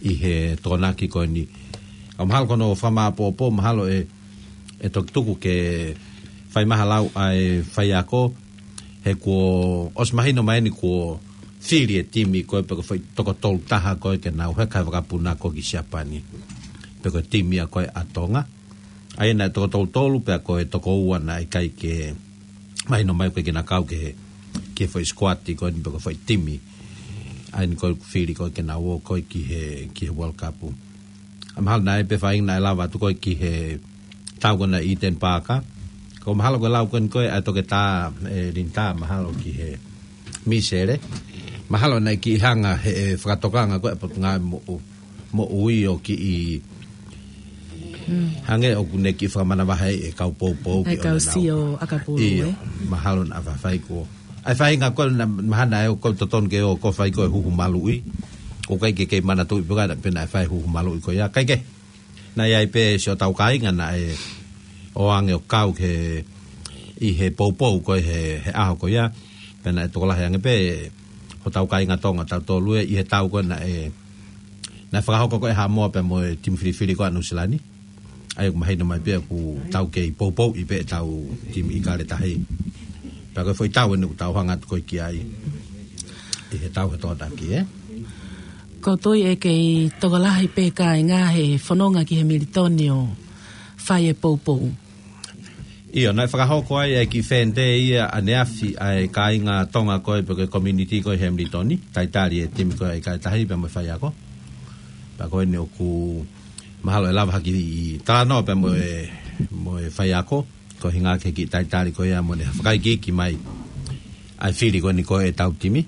ʻi he Tokonaki ko eni. ʻOku mahalo ko hono fakamāʻopoʻopo, mahalo ʻe ʻe toki tuku ke fai mai ha lau ʻa e faiako, he kuo ʻosi mahino mai eni kuo fili e timi ko ē pe ko e foʻi toko tolu taha ko ē ke nau heka he vakapuna ko ē ki Siapani. Pe ko e timi ia ko ē ʻa Tonga. ʻA ia naʻe toko tolu tolu pea ko e toko ua naʻe ʻikai ke mahino mai ko ē ke na kau ki he, ki he foʻi sikuati ko eni pe ko e foʻi timi. ʻA eni ko ē fili ko ē ke nau ō ko ē ki he, ki he World Cup. ʻA mahalo naʻe pē faʻahinga naʻe lava atu ko ē ki he tau ko ena ʻi Eden Park. Ko mahalo ko e lau ko eni ko ē ʻa e toketā, ʻe Linda, mahalo ki he misele. Mahalo naʻe kiʻi hanga he, ʻe fakatokanga ko ē ʻa e Potungāue Moʻu, Moʻui ʻo kiʻi hangē ʻoku ne kiʻi fakamanavahē ai e kau poupou ʻa e ki kau ʻona nau sio ʻakapulu, ʻio, ē? Mahalo naʻa faifai ko ē. ʻA e faʻahinga ko ē naʻa mahalo naʻe ʻoku totonu ke ō ko ē fai ko ē huhu maluʻi. ʻOku ʻikai ke kei manatuʻi pē ka naʻe pē naʻe fai huhu maluʻi ko ia. Kae kehe, naʻe ʻi ai pē siʻotau kāinga naʻe ʻoange ʻo kau ki he, ʻi he poupou ko ē he, he ʻaho ko ia. Pea naʻe tokolahi ange pē hotau kāinga Tonga tautolu ē ʻi he tau ko ē naʻe, naʻe fakahoko ko ē ʻe Haʻamoa pea mo e timi filifili ko ē ʻa Nuʻusila ni. ʻA ia ʻoku mahino mai pē ʻoku tau kei poupouʻi pē ʻetau timi ʻIkale Tahi. Pea ko e foʻi tau eni ʻoku tau hanga atu ko ē ki ai ʻi he tau he Tokonaki, ē? ʻOku ou tui ʻe kei tokolahi pē kāinga he fononga ki he Militoni ʻo fai e poupou. ʻIo, naʻe fakahoko ai e kiʻi fan day ia ʻaneafi ʻa e kāinga Tonga ko ē pe ko e community ko ē he Militoni, talitali e timi ko ē ʻIkale Tahi pea mo e faiako. Pea ko eni ʻoku mahalo ʻe lava hake ʻo talanoa pea mo e, mo e faiako, ko e ʻuhinga ki he kiʻi talitali ko ia mo ʻene fakaikiiki mai ʻa e fili ko eni ko ē ʻetau timi,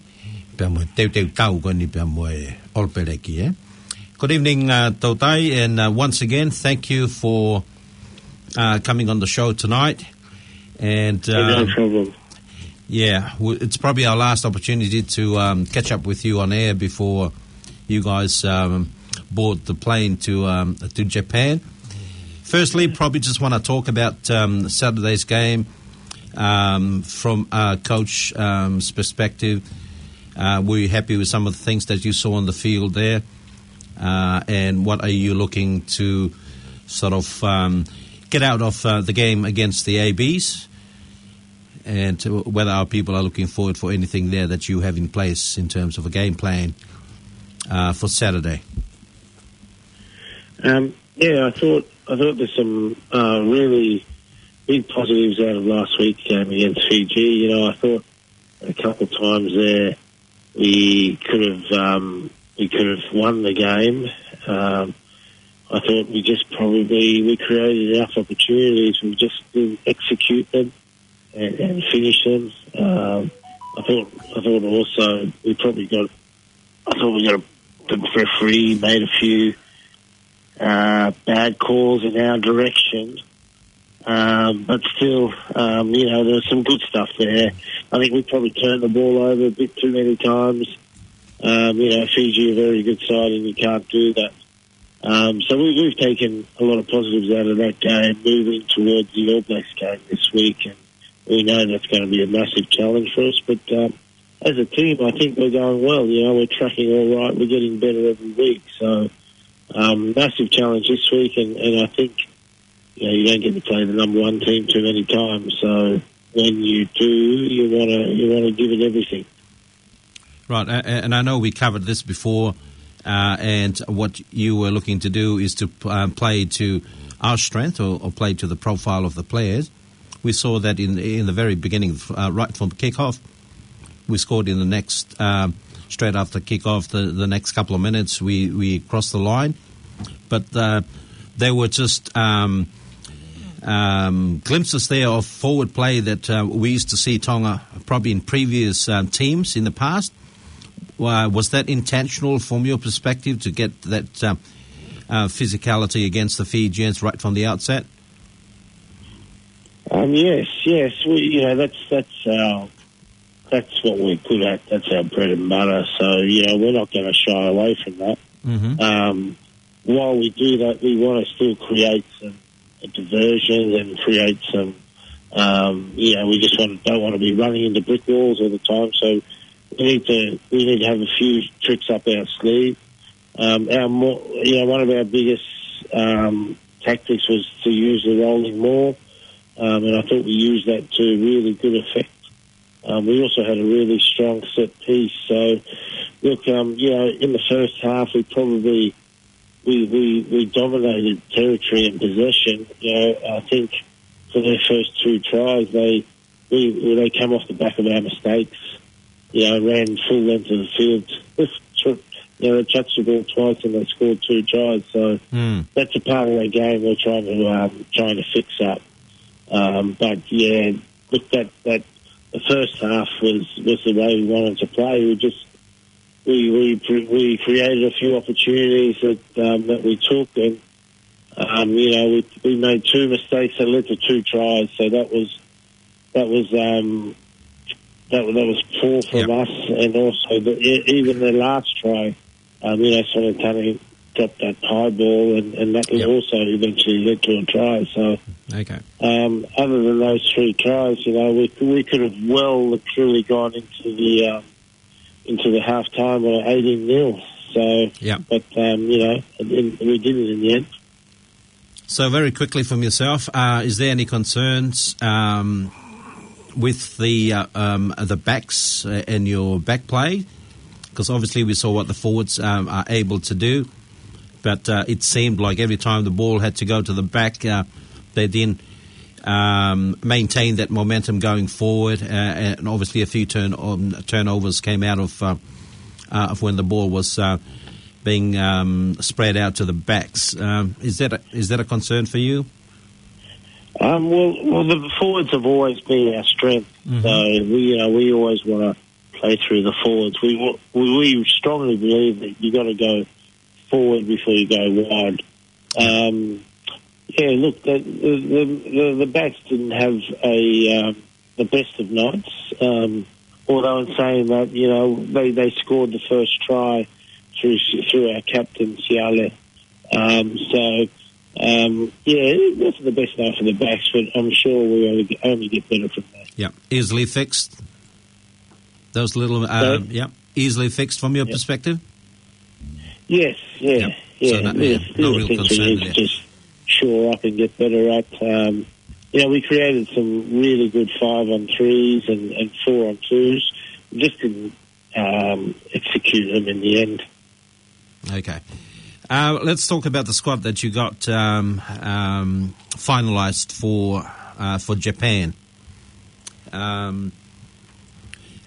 pea mo e teuteu tau ko eni pea mo e All Blacks, ē? Good evening, uh, Toutai, and, uh, once again, thank you for, uh, coming on the show tonight. And, no um, problem. Yeah, w-, it's probably our last opportunity to, um, catch up with you on air before you guys, um, board the plane to, um, to Japan. Firstly, probably just wanna talk about, um, Saturday's game, um, from, uh, coach, um, 's perspective. Uh, were you happy with some of the things that you saw on the field there? Uh, and what are you looking to sort of, um, get out of, uh, the game against the A Bs? And whether our people are looking forward for anything there that you have in place in terms of a game plan, uh, for Saturday? Um, yeah, I thought, I thought there's some, uh, really big positives out of last week's game against Fiji. You know, I thought a couple of times there we could have, um, we could have won the game. Um, I thought we just probably, we created enough opportunities. We just didn't execute them and, and finish them. Um, I thought, I thought also we probably got, I thought we got a, the referee made a few, uh, bad calls in our direction. Um, but still, um, you know, there's some good stuff there. I think we probably turned the ball over a bit too many times. Um, you know, Fiji are a very good side and you can't do that. Um, so we, we've taken a lot of positives out of that game, moving towards the All Blacks game this week, and we know that's gonna be a massive challenge for us. But, um, as a team, I think we're going well. You know, we're tracking all right. We're getting better every week. So, um, massive challenge this week, and, and I think, you know, you don't get to play the number one team too many times. So when you do, you wanna, you wanna give it everything. Right, a-, a-, and I know we covered this before, uh, and what you were looking to do is to, um, play to our strength or, or play to the profile of the players. We saw that in, in the very beginning, uh, right from kickoff. We scored in the next, um, straight after kickoff, the, the next couple of minutes, we, we crossed the line. But, uh, there were just, um, um, glimpses there of forward play that, uh, we used to see Tonga probably in previous, um, teams in the past. Uh, was that intentional from your perspective to get that, um, uh, physicality against the Fijians right from the outset? Um, yes, yes. We, you know, that's, that's our, that's what we're good at. That's our bread and butter. So, you know, we're not gonna shy away from that. Mm-hmm. Um, while we do that, we wanna still create some diversions and create some, um, you know, we just want, don't wanna be running into brick walls all the time. So we need to, we need to have a few tricks up our sleeve. Um, our more, you know, one of our biggest, um, tactics was to use the rolling maul, um, and I thought we used that to really good effect. Um, we also had a really strong set piece. So, look, um, you know, in the first half, we probably, we, we, we dominated territory and possession. You know, I think for their first two tries, they, we, they came off the back of our mistakes. You know, ran full length of the field. Took, you know, they touched the ball twice and they scored two tries. So, mm, that's a part of that game we're trying to, um, trying to fix up. Um, but yeah, look, that, that the first half was, was the way we wanted to play. We just, we, we, we created a few opportunities that, um, that we took, and, um, you know, we, we made two mistakes that led to two tries. So that was, that was, um, that, that was poor from, yep, us, and also the, e-, even the last try, Um, you know, Sonatane dropped that high ball, and, and that was also eventually led to a try. So, okay. Um, other than those three tries, you know, we, we could have well and truly gone into the, um, into the half time at eighteen nil. So, yeah. But, um, you know, it, it, we did it in the end. So very quickly from yourself, uh, is there any concerns, um, with the, uh, um, the backs, uh, and your back play? 'Cause obviously we saw what the forwards, um, are able to do, but, uh, it seemed like every time the ball had to go to the back, uh, they didn't, um, maintain that momentum going forward, uh, and obviously a few turn, um, turnovers came out of, uh, uh, of when the ball was, uh, being, um, spread out to the backs. Um, is that a, is that a concern for you? Um, well, well, the forwards have always been our strength. Mm-hmm. So we, you know, we always wanna play through the forwards. We wa-, we, we strongly believe that you gotta go forward before you go wide. Um, yeah, look, the, the, the, the, the backs didn't have a, um, the best of nights. Um, although in saying that, you know, they, they scored the first try through, through our captain, Siale. Um, so, um, yeah, it wasn't the best night for the backs, but I'm sure we only, only get better from that. Yeah, easily fixed. Those little, um, yeah, easily fixed from your perspective? Yes, yeah, yeah. So no, yeah, no real concern there. Just shore up and get better at. Um, you know, we created some really good five on threes and, and four on twos. Just didn't, um, execute them in the end. Okay. Uh, let's talk about the squad that you got, um, um, finalized for, uh, for Japan. Um,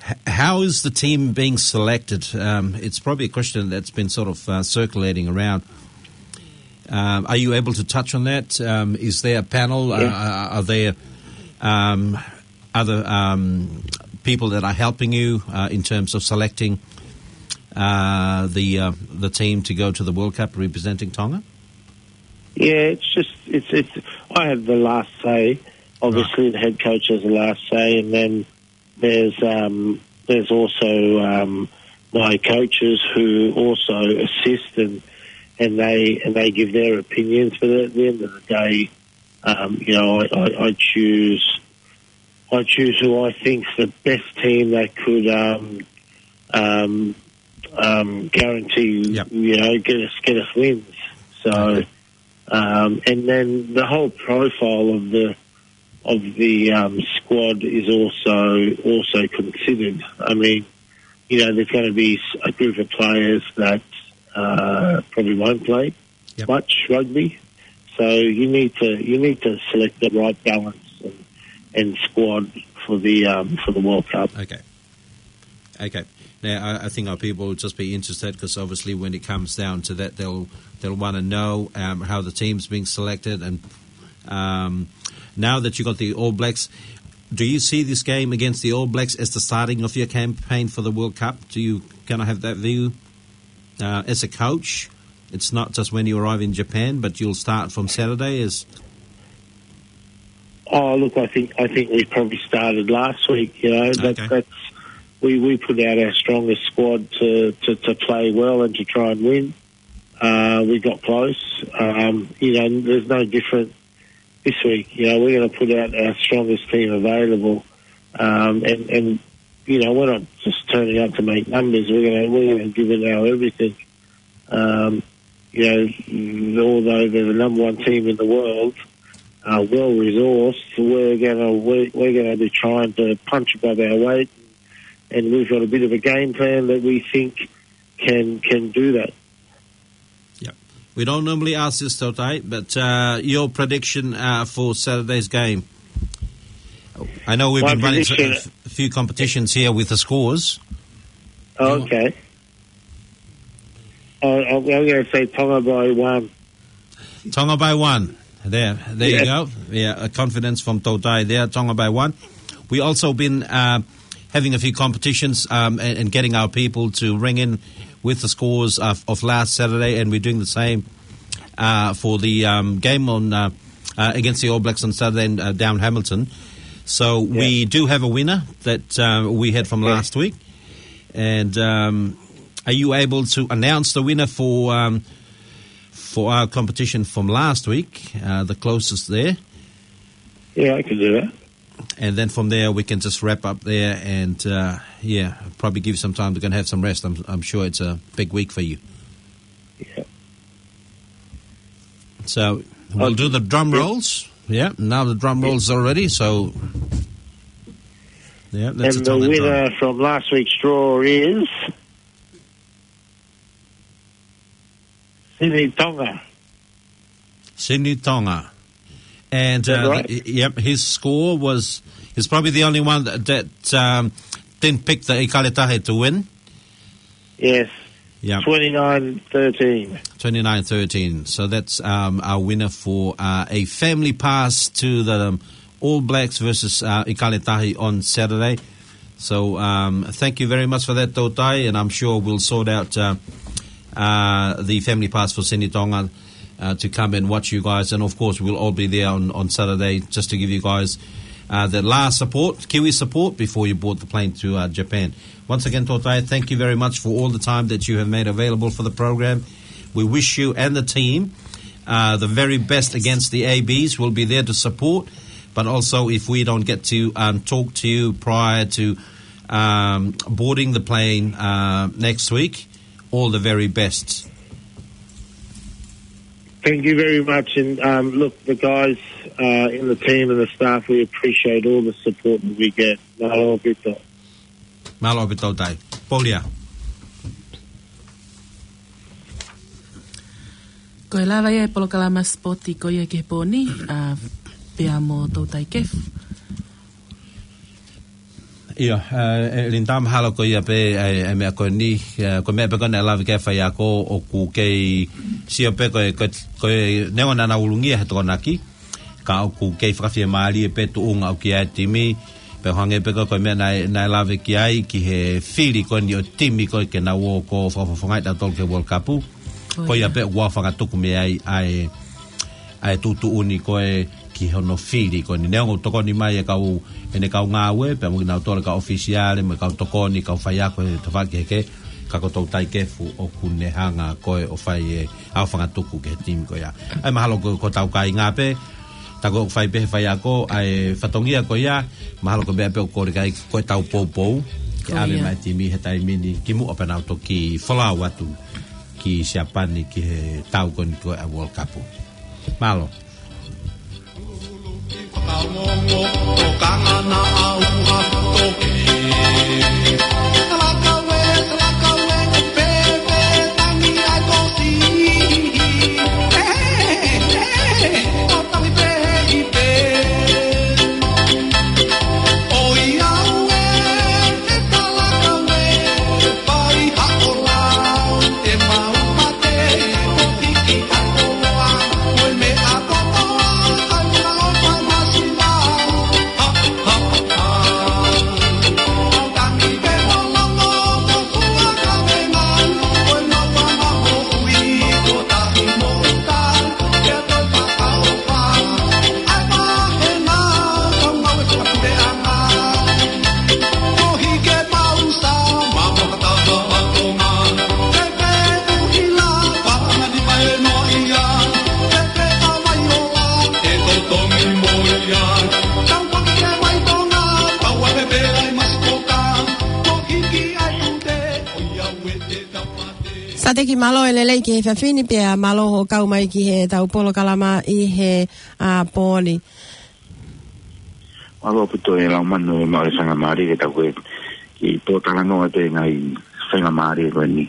h-, how is the team being selected? Um, it's probably a question that's been sort of, uh, circulating around. Um, are you able to touch on that? Um, is there a panel? Yeah. Uh, are, are there, um, other, um, people that are helping you, uh, in terms of selecting, uh, the, uh, the team to go to the World Cup representing Tonga? Yeah, it's just, it's, it's, I have the last say. Obviously, the head coach has the last say, and then there's, um, there's also, um, my coaches who also assist, and, and they, and they give their opinions. But at the end of the day, um, you know, I, I, I choose, I choose who I think's the best team that could, um, um, um, guarantee, you know, get us, get us wins. So, um, and then the whole profile of the, of the, um, squad is also, also considered. I mean, you know, there's gonna be s-, a group of players that, uh, probably won't play much rugby. So you need to, you need to select the right balance and, and squad for the, um, for the World Cup. Okay. Okay. Now, I, I think our people will just be interested 'cause obviously when it comes down to that, they'll, they'll wanna know, um, how the team's being selected. And, um, now that you've got the All Blacks, do you see this game against the All Blacks as the starting of your campaign for the World Cup? Do you kinda have that view, uh, as a coach? It's not just when you arrive in Japan, but you'll start from Saturday as... Oh, look, I think, I think we probably started last week, you know, that, that's, we, we put out our strongest squad to, to, to play well and to try and win. Uh, we got close. Um, you know, there's no different this week. You know, we're gonna put out our strongest team available. Um, and, and, you know, we're not just turning up to make numbers. We're gonna, we're gonna give it our everything. Um, you know, although they're the number one team in the world, uh, well resourced, we're gonna, we're, we're gonna be trying to punch above our weight, and we've got a bit of a game plan that we think can, can do that. Yep. We don't normally ask this, Tautai, but, uh, your prediction, uh, for Saturday's game. I know we've been running a, a few competitions here with the scores. Oh, okay. I, I'm gonna say Tonga by one. Tonga by one. There, there you go. Yeah, a confidence from Tautai there. Tonga by one. We also been, uh, having a few competitions, um, and, and getting our people to ring in with the scores of, of last Saturday, and we're doing the same, uh, for the, um, game on, uh, uh, against the All Blacks on Saturday in, uh, down Hamilton. So we do have a winner that, uh, we had from last week, and, um, Are you able to announce the winner for, um, for our competition from last week, uh, the closest there? Yeah, I can do that. And then from there, we can just wrap up there and, uh, yeah, probably give you some time to go and have some rest. I'm, I'm sure it's a big week for you. Yeah. So we'll do the drum rolls. Yeah, now the drum rolls are ready. So, yeah, that's the time. And the winner from last week's draw is Sini Tonga. Sini Tonga. And, uh, yep, his score was, he's probably the only one that, that, um, didn't pick the ʻIkale Tahi to win. Yes. Yep. Twenty-nine thirteen. Twenty-nine thirteen. So that's, um, our winner for, uh, a family pass to the, um, All Blacks versus, uh, ʻIkale Tahi on Saturday. So, um, thank you very much for that, Toutai, and I'm sure we'll sort out, uh, uh, the family pass for Sini Tonga, uh, to come and watch you guys. And of course, we'll all be there on, on Saturday just to give you guys, uh, the last support, Kiwi support, before you board the plane to, uh, Japan. Once again, Toutai, thank you very much for all the time that you have made available for the program. We wish you and the team, uh, the very best against the A Bs. We'll be there to support. But also, if we don't get to, um, talk to you prior to, um, boarding the plane, uh, next week, all the very best. Thank you very much. And, um, look, the guys, uh, in the team and the staff, we appreciate all the support that we get. Mālō ʻaupito. Mālō ʻaupito, Toutai. Polia. Ko e lava ia e polokalama sipoti ko ia ki he pō ni, ʻa, pea mo Toutai Kefu. ʻIo, ʻe, ʻe Linda, mahalo ko ia pē, ʻa e, ʻa e meʻa ko eni, ʻa, ko e meʻa pē ko ē naʻe lave ki ai e faiako ʻoku kei sio pē ko e, ko e, ko e neongo naʻa nau ulungia he Tokonaki, ka ʻoku kei fakafiemālie pē tuʻunga ʻoku ʻi ai e timi, pea hangē pē ko e, ko e meʻa naʻe, naʻe lave ki ai ki he fili ko eni ʻo e timi ko ē ke nau ō ʻo fakafofongaʻi tautolu ki he World Cup. Ko ia pē ʻoku aofangatuku mei ai ʻa e, ʻa e tuʻutuʻuni ko ē ki hono fili ko eni. Neongo ʻoku tokoni mai e kau, ʻene kau ngāue, pea mo kinautolu e kau ʻofisiale, mo e kau tokoni, kau faiako he tafaʻaki kehekehe, ka ko Toutai Kefu ʻoku ne hanga ko ē ʻo fai e aofangatuku ki he timi ko ia. ʻA ia mahalo ko, ko hotau kāinga pē, tā ko ē ʻoku fai pē he faiako ʻa e fatongia ko ia, mahalo ko e meʻa pē ʻoku kole ki ai ko ʻetau poupou, ke ʻave mai e timi he taimi ni ki muʻa pea nau toki folau atu ki Siapani ki he tau ko eni ko ē ʻa e World Cup. Mālō. Sateki, mālō e lelei ki he efiafi ni pea mālō hoʻo kau mai ki heʻetau polokalama ʻi he, ʻa, pō ni. Mālō ʻaupito e Laumanu, e maʻu e faingamālie ke tau ko ē kiʻi pōtalanoa atu e ngaahi faingamālie ko eni.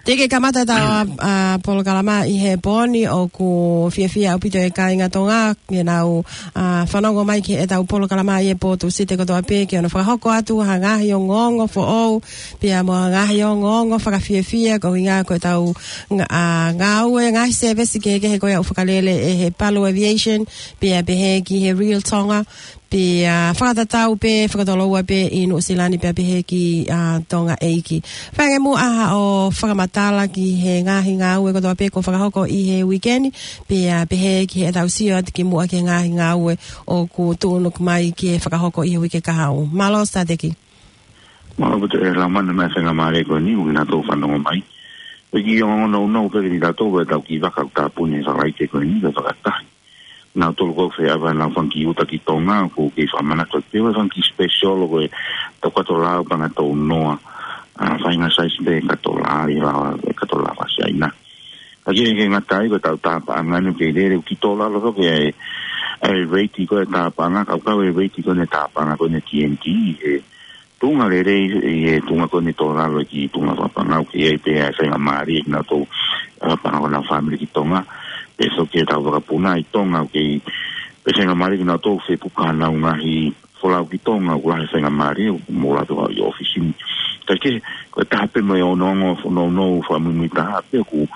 Teʻeki ke kamata ʻetau, ʻa, ʻa, polokalama ʻi he pō ni, ʻoku fiefia ʻaupito e kāinga Tonga ke nau, ʻa, fanongo mai ki heʻetau polokalama ʻi he pō Tūsite kotoa pē, ke ʻoua naʻa fakahoko atu ha ngaahi ongoongo foʻou, pea mo ha ngaahi ongoongo fakafiefia, ko e ʻuhinga ko ʻetau nga-, ʻa, ngāue, ngaahi sēvesi kehekehe ko ia ʻoku fakalele ʻe he Palu Aviation, pea pehē ki he Real Tonga, pea fakatatau pē, fakatoloua pē ʻi Nuʻusila ni pea pehē ki, ʻa, Tonga ʻeiki. Fai ange muʻa haʻo fakamatala ki he ngaahi ngāue kotoa pē kuo fakahoko ʻi he uike ni, pea pehē ki heʻetau sio atu ki muʻa ki he ngaahi ngāue ʻoku tuʻunuku mai ke fakahoko ʻi he uike kahaʻu. Mālō Sateki. Mālō ʻaupito Laumani, meʻa faingamālie ko eni ʻoku kinautolu fanongo mai. Pea kiʻi ongoongo nounou pē kiate kitautolu ʻetau kiʻi vaka ʻoku tāpuni he Falaite ko eni, ko e fakataha. Nautolu ko ē feʻava nau fanga kiʻi uta ki Tonga, ʻoku kei fakamanatu atu pē ʻa e fanga kiʻi special ko e tau kato lau panga tau noa, ʻa, faʻahinga size pē kato lau, ʻi he lau, kato lau Siaina. Ka ʻoku ʻikai ke ngata ai, ko ʻetau tāpaʻanga ni ʻoku kei lele, ʻoku kei tō lalo foki ʻa e, ʻa e rate ko ē tāpaʻanga, kae kau e rate ko ē ʻene tāpaʻanga ko ē ʻene T N T, ʻi he tuʻunga lelei, ʻi he tuʻunga ko ē ʻene tō lalo ki he tuʻunga fakapangau, ʻoku ʻi ai pē ʻa e faingamālie kinautolu, ʻa, fakapangau ʻenau fāmili ki Tonga, pea foki ʻetau vakapuna ʻi Tonga, ʻoku ʻi ai pē faingamālie kinautolu fepuka ʻenau ngaahi folau ki Tonga, ʻoku lahi e faingamālie, ʻoku mou lava ʻo ʻi ʻōfisi ni. Kae kehe, ko e taha pē mo e ongoongo nounou fakamuimui taha pē ʻoku,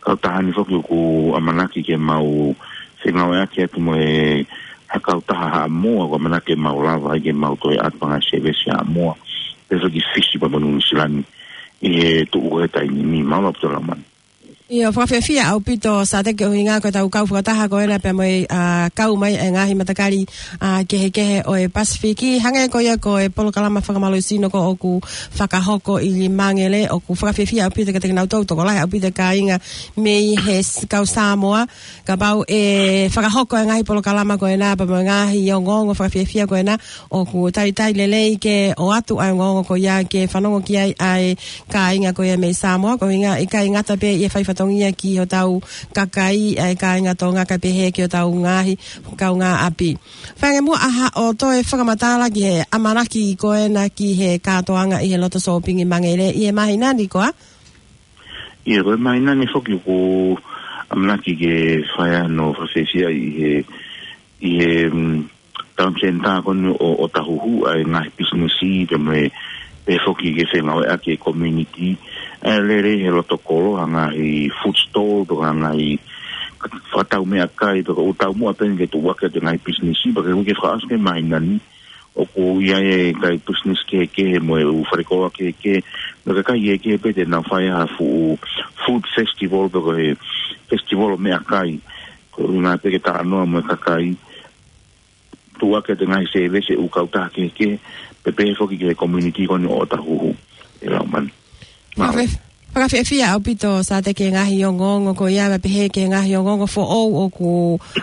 kautaha ni foki ʻoku ʻamanaki ke mau fengāueʻaki atu mo e ha kautaha Haʻamoa, ʻoku ʻamanaki ke mau lava ai ke mau toe ʻatu pē ngaahi service Haʻamoa, pea foki Fisi pea mo Nuʻu Sila ni, ʻi he tuʻu ko ē he taimi ni. Mālō ʻaupito Laumani. ʻIo, fakafiefia ʻaupito Sateki, ʻuhinga ko ʻetau kau fakataha ko ena pea mo e, ʻa, kau mai e ngaahi matakali, ʻa, kehekehe ʻo e Pasifiki. Hangē ko ia ko e polokalama fakamālohisino ko ē ʻoku fakahoko ʻi Mangere, ʻoku fakafiefia ʻaupito kiate kinautolu, tokolahi ʻaupito e kāinga mei he s-, kau Samoa. Kapau ʻe fakahoko e ngaahi polokalama ko ena pea mo e ngaahi ongoongo fakafiefia ko ena, ʻoku talitali lelei ke ʻoatu ʻa e ongoongo ko ia ke fanongo ki ai ʻa e kāinga ko ia mei Samoa, koeʻuhinga ʻikai ngata pē ʻi he fai fatongia ki hotau kakai ʻa e kāinga Tonga kae pehē ki hotau ngaahi kaungāʻapi. Feinga muʻa ha ʻo toe fakamatala ki he ʻamanaki ko ena ki he kātoanga ʻi he loto sōpingi Mangere ʻi he māhina ni, ko ia? ʻIo, ko e māhina ni foki ʻoku ʻamanaki ke fai hano fakafiefia ʻi he, ʻi he, mm, Town Centre ko eni ʻo, ʻo Ōtāhuhu, ʻa e ngaahi pisinisi pea mo e, pea foki ke fengāueʻaki e community. ʻA e lele he loto kolo, ha ngaahi food stall, pe ko ha ngaahi fakatau meʻakai, pe ko e ʻū taumuʻa pē eni ke tuʻuaki atu e ngaahi pisinisi, pea ke ui ke fakaʻosi e māhina ni, ʻoku ʻi ai e kakai pisinisi kehekehe mo e ʻū fale koloa kehekehe, mo e kakai kehekehe pē te nau fai ha fuʻu food festival pe ko e festival ʻo meʻakai. Ko e ʻuhinga pē ke talanoa mo e kakai, tuʻuaki atu e ngaahi service e ʻū kautaha kehekehe, pea pehē foki ki he community ko eni ʻo Ōtāhuhu, ʻe Laumani. Mālō. Fakafe-, fakafiefia ʻaupito Sateki e ngaahi ongoongo ko ia, pea pehē ki he ngaahi ongoongo foʻou ʻoku,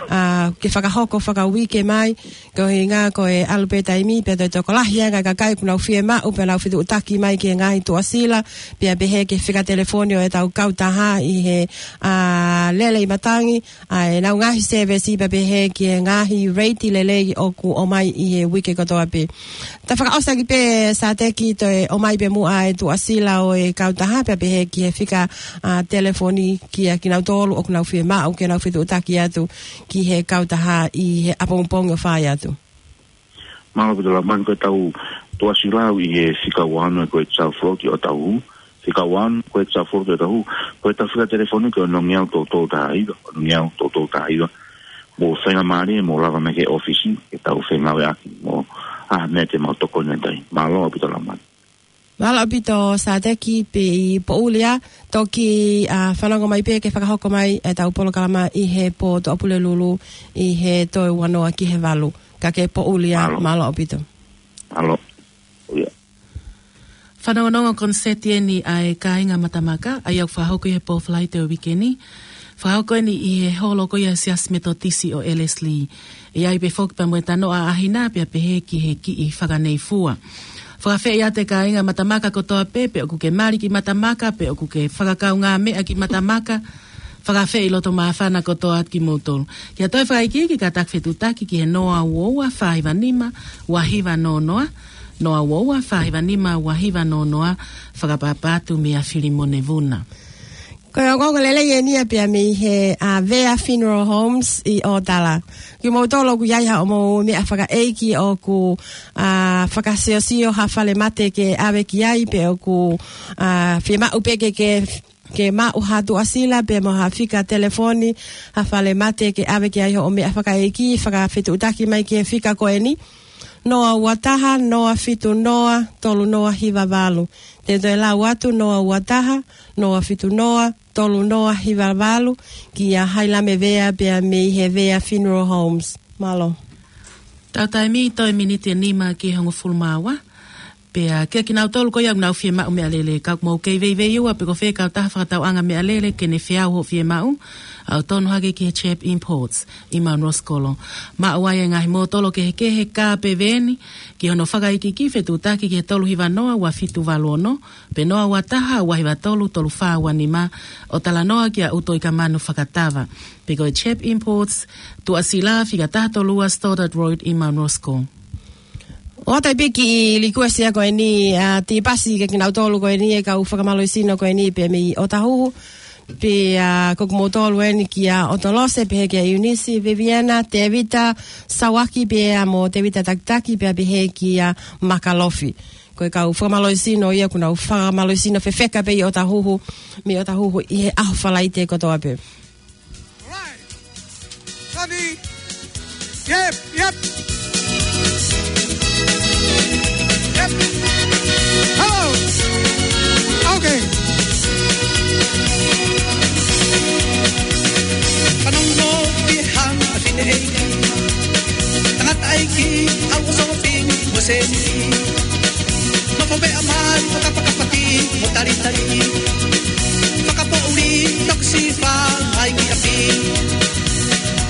ʻa, ke fakahoko fakauike mai, koeʻuhinga ko e ʻalu pē taimi, pea toe tokolahi ange e kakai ʻoku nau fiemaʻu, pea nau fetuʻutaki mai ki he ngaahi tuʻasila, pea pehē ki he fika telefoni ʻo ʻetau kautaha ʻi he, ʻa, lele ʻi matangi, ʻa ʻenau ngaahi service pea pehē ki he ngaahi rate lelei ʻoku ʻomai ʻi he uike kotoa pē. Ta fakaʻosi ʻaki pē Sateki toe ʻomai pē muʻa e tuʻasila ʻo e kautaha pea pehē ki he fika, ʻa, telefoni kiate kinautolu ʻoku nau fiemaʻu ke nau fetuʻutaki atu ki he kautaha ʻi he ʻapongipongi ʻo fai atu. Mālō ʻaupito Laumani, ko ʻetau tuʻasila ʻi he fika ua ono ko e South Road ʻi Ōtāhuhu, fika ua ono ko e South Road ʻi Ōtāhuhu, ko ʻetau fika telefoni ko e ono ngeau tolu tolu taha hiva, ono ngeau tolu tolu taha hiva. Mou faingamālie, mou lava mai ki he ʻōfisi, ke tau fengāueʻaki mo ha meʻa te mau tokoni atu ai. Mālō ʻaupito Laumani. Mālō ʻaupito Sateki, pea ʻi Pōʻuli ā, toki, ʻa, fanongo mai pē ke fakahoko mai ʻetau polokalama ʻi he pō Tuʻapulelulu ʻi he toe ua noa ki he valu. Ka ke Pōʻuli ā, mālō. Mālō ʻaupito. Mālō. ʻIo. Fanongonongo koniseti eni ʻa e Kāinga Matamaka, ʻa ia ʻoku fakahoko ʻi he pō Falaite ʻo e uike ni. Fakahoko eni ʻi he holo ko ia ʻa e Siasi Metotisi ʻo Ellerslie. ʻE ʻi ai pē foki pea mo e tanoʻa ʻaʻahina pea pehē ki he kiʻi fakaneifua. Fakaafeʻi atu e Kāinga Matamaka kotoa pē, pe ʻoku ke mali ki Matamaka, pe ʻoku ke fakakaungāmeʻa ki Matamaka, fakaafeʻi loto māfana kotoa atu kimoutolu. Kia toe fakaikiiki kātaki fetuʻutaki ki he noa ua ua fā hiva nima ua hiva noa noa, noa ua ua fā hiva nima ua hiva noa noa, fakapapa atu meia Filimone Vuna. Ko e ongoongo lelei eni ia pea mei he, ʻa, Vea Funeral Homes ʻi ʻŌtala. Kimoutolu ʻoku ʻi ai haʻamou meʻa fakaʻeiki ʻoku, ʻa, fakasiosio ha falemate ke ʻave ki ai pe ʻoku, ʻa, fiemaʻu pē ke, ke ke maʻu ha tuʻasila pea mo ha fika telefoni ha falemate ke ʻave ki ai hoʻo meʻa fakaʻeiki, fakafetuʻutaki mai ki he fika ko eni. Noa ua taha, noa fitu noa, tolu noa hiva valu. Te u toe lau atu, noa ua taha, noa fitu noa, tolu noa hiva valu, kia Hailame Vea pea mei he Vea Funeral Homes. Mālō. Tau taimi toe miniti ʻe nima ki he hongofulu mā ua. Pea kia kinautolu ko ia ʻoku nau fiemaʻu meʻalele, ka ʻoku mou kei veiveiua pe ko fē kautaha fakatauʻanga meʻalele ke ne feau hoʻo fiemaʻu, ʻalu ʻo tonu hake ki he Chep Imports ʻi Mount Roskill. Maʻu ai e ngaahi mōtolo kehekehe, kā pe veeni, ki hono fakaikiiki, fetuʻutaki ki he tolu hiva noa ua fitu valu ono, pe noa ua taha ua hiva tolu tolu fā ua nima, ʻo talanoa kia ʻUtoikamanu Fakatava. Pe ko e Chep Imports, Tuʻasila, fika taha tolu ua Stoddart Road ʻi Mount Roskill. ʻOatu pē kiʻi likuesi ia ko eni, ʻa, Tipasi, kia kinautolu ko eni e kau fakamālohisino ko eni pē mei ʻOtahuhu. Pea, ʻa, ko kimoutolu eni kia ʻOtolose, pehē kia ʻIunisi, Viviana, Tevita, Sauaki, pea mo Tevita Takitaki, pea pehē kia Makalofi. Ko e kau fakamālohisino ia ʻoku nau fakamālohisino fefeka pē ʻi ʻOtahuhu, mei ʻOtahuhu ʻi he ʻaho Falaite kotoa pē. All right. Savi. Yep, yep. Yep. Hello. Okay. Fanongo ki he haʻa fineʻeiki. Tangataʻeiki, ʻalu ʻo shopping mo e sēniti. Nofo pē ʻa mai, ʻo kapakapaki mo talitali. Fakapoʻuli, toki sifa, ʻai ki ʻapi.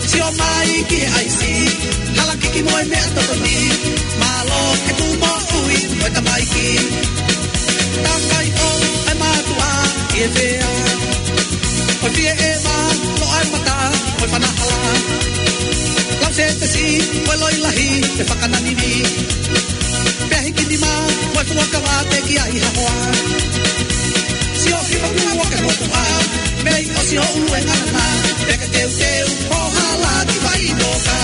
Sio mai ki he ʻaisi, halakiki mo e meʻatokoni. Mālō e kū moʻui mo e tamaiki. Takai ʻo e mātuʻa ki he fea. ʻO fie ʻeva, loʻa e mata, ʻo e fanahala. Lau sētesi, ʻo e loi lahi, ʻe fakananini. Pea hiki nima, ʻo e fuakava teʻeki ai ha hoa. Sio ki he motuʻa ke motuʻa, mei ʻosi hoʻo ʻuluʻi ngana, pea ke teuteu, ʻo hala ki vai noka.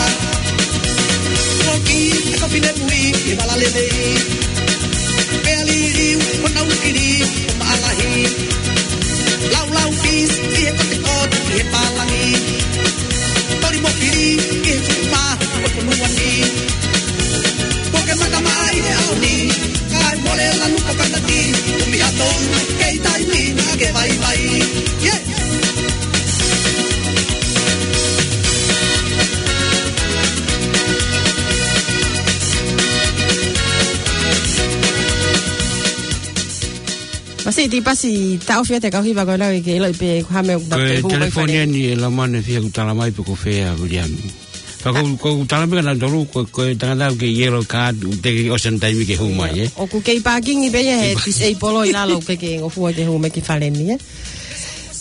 Foki, e ko fine mui, ʻi vala lelei. Pea liliu, ʻo nau kiri, ʻo maʻalahi. Laulau pisi, ʻi he kotekote, ʻi he pālangi. Toli mo kiri, ʻi he fupa, ʻo e fonua ni. Poke mata mai he ʻaho ni, kae mole lanu ka kanati, ʻumi hatou, kei taimi na ke vaivai. Yeah! Masi Tipasi, taʻofi atu e kau hiva ko ena ke ʻiloʻi pē ko e hā e meʻa ʻoku Ko e tau hū mai telefoni fale. Eni e lamane fia kutala mai pe ko fē ʻa Viliami. Ka ko, ko u tala mai kia nautolu, ko, ko e tangata ʻoku kei yellow card, ʻoku teʻeki ʻosi ʻene taimi ke hū mai, ē? ʻOku kei pākingi pē ia he Kei pā- disabled ʻi lalo, ʻoku kei ngofua ke hū mai ki fale ni, ē?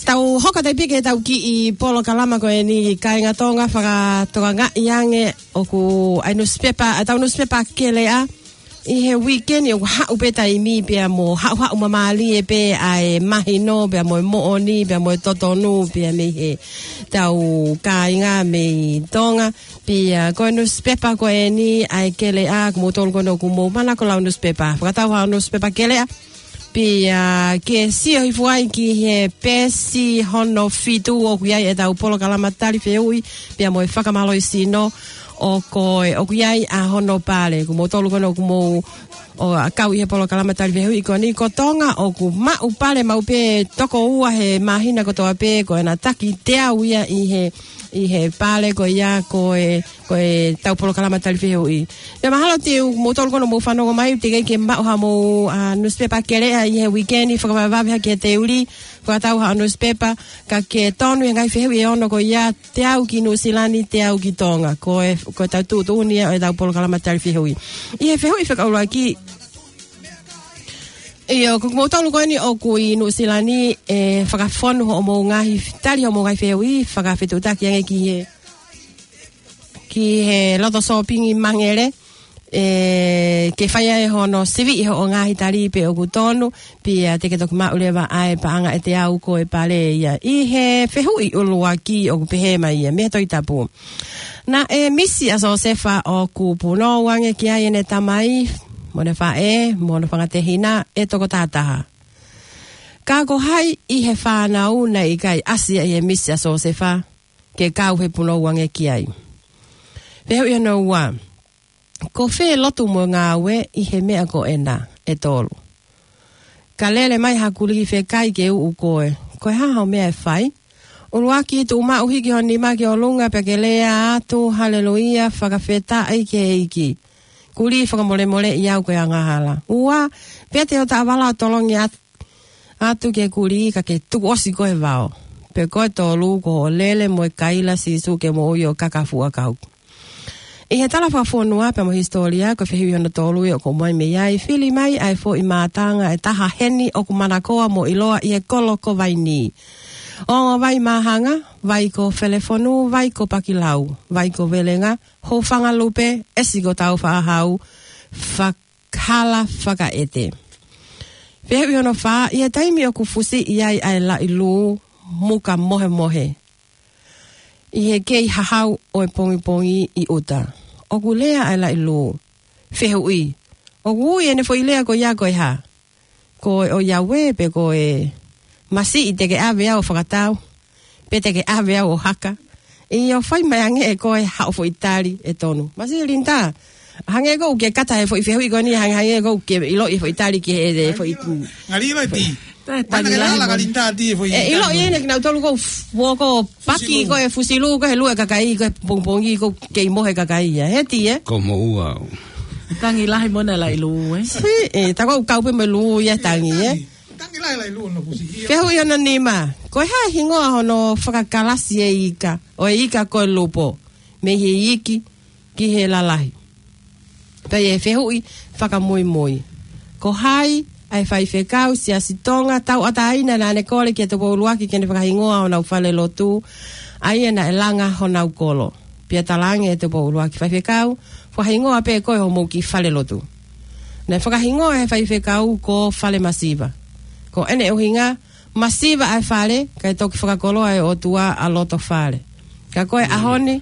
Tau hoko atu pē ki heʻetau kiʻi polokalama ko eni, kāinga Tonga, fakatokangaʻi ange ʻoku ʻi ai e nusipepa, ʻa e tau nusipepa Keleʻa, ʻi he uikeni ʻoku haʻu pē taimi pea mo haʻuhaʻu māmālie pē ʻa e mahino, pea mo e moʻoni, pea mo e totonu, pea mei he tau kāinga mei Tonga. Pea ko e nusipepa ko eni ʻa e Keleʻa, ko moutolu ko ena ʻoku mou manako lau nusipepa. Fakatau haʻo nusipepa Keleʻa. Pea ke sio hifo ai ki he peesi hono fitu ʻoku ʻi ai ʻetau polokalama tali fehuʻi, pea mo e fakamālohisino ʻo ko e ʻoku ʻi ai ʻa hono pale. Ko moutolu ko ena ʻoku mou ō ʻo kau ʻi he polokalama tali fehuʻi ko eni ko Tonga ʻoku maʻu pale maʻu pē toko ua he māhina kotoa pē ko ena taki teau ia ʻi he, ʻi he pale ko ia ko e, ko e tau polokalama tali fehuʻi. Pea mahalo te u, moutolu ko ena mou fanongo mai, teʻeki ke maʻu haʻamou, ʻa, nusipepa Keleʻa ʻi he uikeni, fakavavevave hake he teuli, fakatau haʻo nusipepa, ka ke tonu he ngaahi fehuʻi ʻe ono ko ia, teau ki Nuʻusila ni, teau ki Tonga. Ko e, ko e tau tuʻutuʻuni ia ʻo ʻetau polokalama tali fehuʻi. ʻI he fehuʻi fakaʻuluaki, ʻio, ko moutolu ko eni ʻoku ʻi Nuʻusila ni, ʻe fakafonu hoʻomou ngaahi, tali hoʻomou ngaahi fehuʻi, fakafetuʻutaki ange ki he, ki he loto sōpingi Mangele, ʻe, ke fai ai hono sivi ʻi hoʻo ngaahi tali pe ʻoku tonu, pea te ke toki maʻu leva ʻa e paʻanga ʻe teau ko e pale ia. ʻI he fehuʻi ʻuluaki ʻoku pehē mai ia, mei he Tohi Tapu. Naʻe misi ʻa Siosefa ʻoku punou ange ki ai ʻene tamai, mo ʻene faʻē, mo hono fanga tehina, ʻe toko taha taha. Ka ko hai ʻi he fānau naʻe ʻikai ʻasi ia ʻi he misi ʻa Siosefa, ke kau he punou ange ki ai. Fehuʻi hono ua. Ko fē lotu mo e ngāue ʻi he meʻa ko ena ʻe tolu? Ka lele mai ha kuliki fekai ke uʻu koe, ko e hā hoʻo meʻa ʻe fai? ʻUluaki, tuʻu maʻu, hiki ho nima ki ʻolunga pea ke lea atu, Haleluia, fakafetaʻi ki he ʻEiki. Kulī, fakamolemoleʻi au ko e angahala. Ua, pete ho taʻavala ʻo tolongi at-, atu ki he kulī ka ke tuku ʻosi koe e vao. Pea ko e tolu, ko hoʻo lele mo e kaila Sīsū ke moʻui ʻo kakafuʻa kau. ʻI he tala fakafonua pea mo e hisitōlia, ko e fehuʻi hono tolu ia ʻoku ʻomai mei ai: Fili mai ʻa e foʻi mātanga ʻe taha heni ʻoku manakoa mo ʻiloa ʻi he kolo ko Vainī. Ongo Vai Māhanga, Vai ko Felefonu, Vai ko Pakilau, Vai ko Velenga, Houfangalupe, ʻEsi ko Taufaʻahau, Fak-, Hala Fakaʻete. Fehuʻi hono fā: ʻI he taimi ʻoku fusiʻi ai ʻa e laʻi lū muka mohemohe ʻi he kei hahau ʻo e pongipongi ʻi ʻuta, ʻoku lea ʻa e laʻi lū. Fehuʻi: ʻoku ui ʻene foʻi lea ko ia ko e hā? Ko e ʻoiauē pe ko e masiʻi te ke ʻave au ʻo fakatau, pe te ke ʻave au ʻo haka? ʻIo, fai mai ange ʻe koe haʻo foʻi tali ʻe tonu. Masiʻi Linda, hangē ʻoku ke kata he foʻi fehuʻi ko eni, hangē, hangē ʻoku ke ʻiloʻi e foʻi tali ki he, he foʻi. Ngaliʻi mai pē. Tae, mana ke lala ka Linda ti e foʻi. E, ʻiloʻi ʻene kinautolu ko fuoko paki fusilu. Ko e fusilu, ko e lue kakai, ko e pongipongi, ko e kei mohe kakai ia. He ti, ē? Ko moʻua. Tangi lahi mo ʻene laʻi lū, ē? Si, ē, ta ko kau pē mo e lū ia tangi, ē? Tangi lahi laʻi lū hono fusi ia. Fehuʻi hono nima: ko e hā e hingoa hono fakakalasi e ika, ʻo e ika ko e lupo, mei he iiki ki he lalahi? Pea ʻi he fehuʻi fakamuimui: ko hai ʻa e faifekau Siasi Tonga tauʻatāina naʻa ne kole kia Tupou ʻUluaki ke ne fakahingoa honau fale lotu, ʻa ia naʻe langa honau kolo? Pea talaange ʻe Tupou ʻUluaki: Faifekau, fakahingoa pē ʻe koe homou kiʻi fale lotu. Naʻe fakahingoa ʻe he faifekau ko Fale Masiva. Ko ʻene ʻuhinga, masiva ʻa e fale, kae toki fakakoloa ʻe he ʻOtua ʻa Lotofale. Ka ko e ʻaho ni,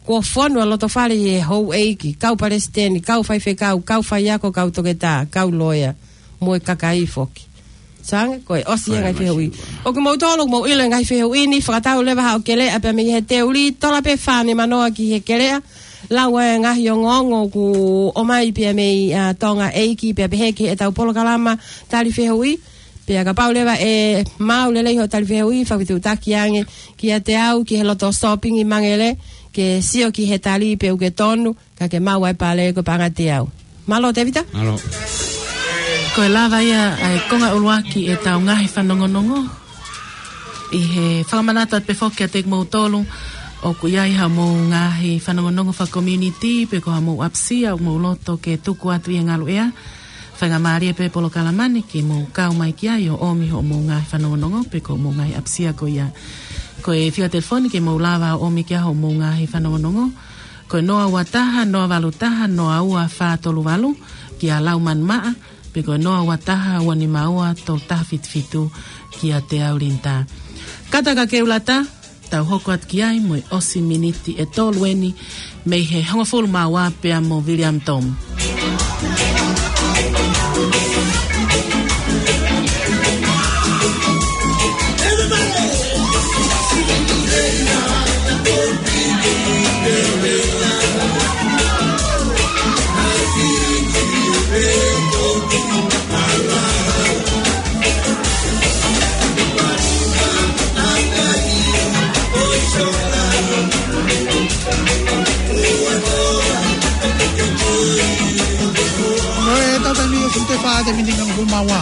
kuo fonu ʻa Lotofale ʻi he houʻeiki, kau palesiteni, kau faifekau, kau faiako, kau toketā, kau loea, mo e kakai foki. Sange, ko e ʻosi e ngaahi fehuʻi. ʻOku mou tolo, mou ʻilo e ngaahi fehuʻi ni, fakatau leva haʻo keleʻa pea mei he teuli, tola pē fā nima noa ki he keleʻa, lau e ngaahi ongoongo ʻoku ʻomai pea mei, ā, Tonga ʻEiki, pea pehē ki heʻetau polokalama tali fehuʻi. Pea kapau leva ʻe maʻu lelei hoʻo tali fehuʻi, fakafetuʻutaki ange kiate au ki he loto sōpingi Mangele, ke sio ki he tali pe ʻoku ke tonu, ka ke maʻu ʻa e pale ko e paʻanga ʻe teau. Mālō, Tēvita. Mālō. Ko e lava ia ʻa e konga ʻuluaki ʻetau ngaahi fanongonongo. ʻI he fakamanatu atu pē foki kiate kimoutolu, ʻoku ʻi ai haʻamou ngaahi fanongonongo fakakomiunitī, pe ko haʻamou ʻapisia ʻoku mou loto ke tuku atu ʻi he ngaluʻea, faingamālie pē polokalama ni ke mou kau mai ki ai ʻo ʻomi hoʻomou ngaahi fanongonongo, pe ko hoʻomou ngaahi ʻapisia ko ia. Ko e fika telefoni ke mou lava ʻo ʻomi ki ai hoʻomou ngaahi fanongonongo, ko e noa ua taha, noa valu taha, noa ua fā tolu valu, kia Laumanimaʻa, pe ko e noa ua taha, ua nima ua, tolu taha fitu fitu, kiate au Linda. Kata ka ke u lata, tau hoko atu ki ai mo e ʻosi miniti ʻe tolu eni mei he hongofulu mā ua pea mo William Tom. Ko e tau taimi ʻoku te fā te miniti hongofulu mā ua.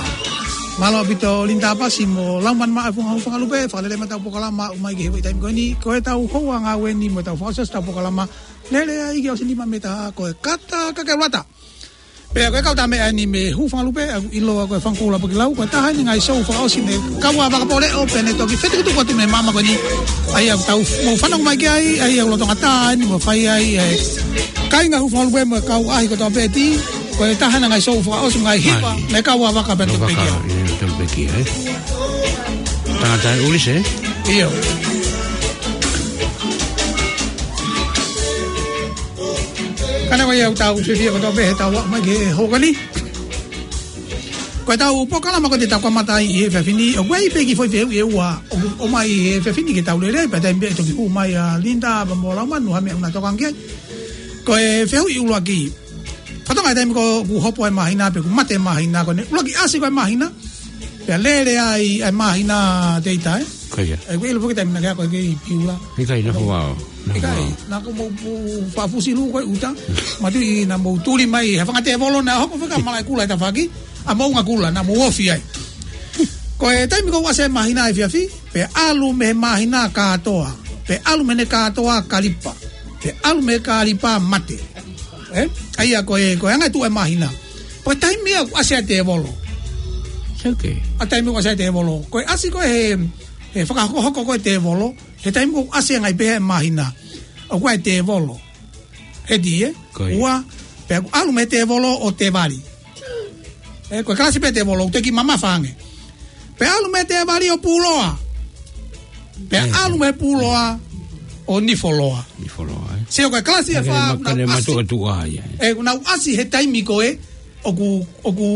Mālō ʻaupito Linda Pasi mo Laumanimaʻa Funga Houfangalupe, fakalele mai ʻetau polokalama ʻo aʻu mai ki he foʻi taimi ko eni. Ko ʻetau houa ngāue ni mo ʻetau fakaʻosi ʻetau polokalama. Lele ai ki he ʻosi nima mei he taha, ko e Kata ka ke u lata. Pea ko e kau tā meʻa eni mei Hūfangalupe, ʻoku ʻiloa ko e Fanga Koula Pakilau, ko e taha eni e ngaahi sou fakaʻosi mei he kau ʻa Vakapōleʻo, pea ne toki fetukutuku atu mei he māmani ko eni. ʻA ia ʻoku tau mou fanongo mai ki ai, ʻa ia ʻoku lolotonga tā eni mo fai ai, ʻe kāinga Hūfangalupe mo e kau ʻaʻahi kotoa pē ʻi, ko e taha eni e ngaahi sou fakaʻosi ngaahi hiva, mei he kau ʻa Vaka pea toki pekia. Ia, toki pekia, ē? Tangata ʻe ʻuli se? ʻIo. Ka neongo ia ʻoku tau fiefia kotoa pē heʻetau aʻu mai ki he houa ko eni. Ko ʻetau polokalama ko eni te tau kamata ai ʻi he efiafi ni, ʻoku ʻi ai pē kiʻi foʻi fehuʻi ʻe ua ʻoku ʻomai he efiafi ni ke tau lele, pea taimi pē ʻe toki hū mai ʻa Linda pea mo Laumanu ha meʻa ʻoku na tokanga ki ai. Ko e fehuʻi ʻuluaki. Fakatokangaʻi e taimi ko ē ʻoku hopo ai e māhina pe ʻoku mate e māhina, ko ʻene ʻuluaki ʻasi ko ē e māhina, pea lele ai e māhina, Tēvita, ē? Ko ia. ʻOku ʻilo foki e taimi naʻa ke ako ai ki Piula. ʻIkai, naʻe fuʻu vao. ʻIkai, naʻa ko mou pu-, fafusi lū ko ē ʻuta. Mātuʻi naʻa mou tuli mai, he fanga tēvolo naʻe hoko fika malaʻe kula e tafaʻaki, ʻa Moʻungakula, naʻa mou ofi ai. Ko e taimi ko ē ʻoku ʻasi ai e māhina efiafi, pea ʻalu mei he māhina kātoa, pea ʻalu mei he kātoa kalipa, pea ʻalu mei he kalipa mate. Ē? ʻA ia ko e, ko e anga e tuʻu e māhina. Ko e taimi ia ʻoku ʻasi ai e tēvolo. Okay. ʻA e taimi ʻoku ʻasi ai e tēvolo. Ko e ʻasi ko ē he, he fakahokohoko ko ē e tēvolo, he taimi ko ē ʻoku ʻasi ai e ngaahi pehē e māhina, ʻoku ʻi ai e tēvolo. Heti, ē? Ko ia. Ua, pea ʻoku ʻalu mei he tēvolo ʻo Tēvali. Ē, ko e kalasi pē e tēvolo, ʻoku teʻeki mamafa ange. Pea ʻalu mei he Tēvali ʻo Pūloa. Pea ʻalu mei he Pūloa ʻo Nifoloa. Nifoloa, ē? Sio ko e kalasi ʻe fā, ʻoku nau ʻasi. Ē, ʻoku nau ʻasi he taimi ko ē, ʻoku, ʻoku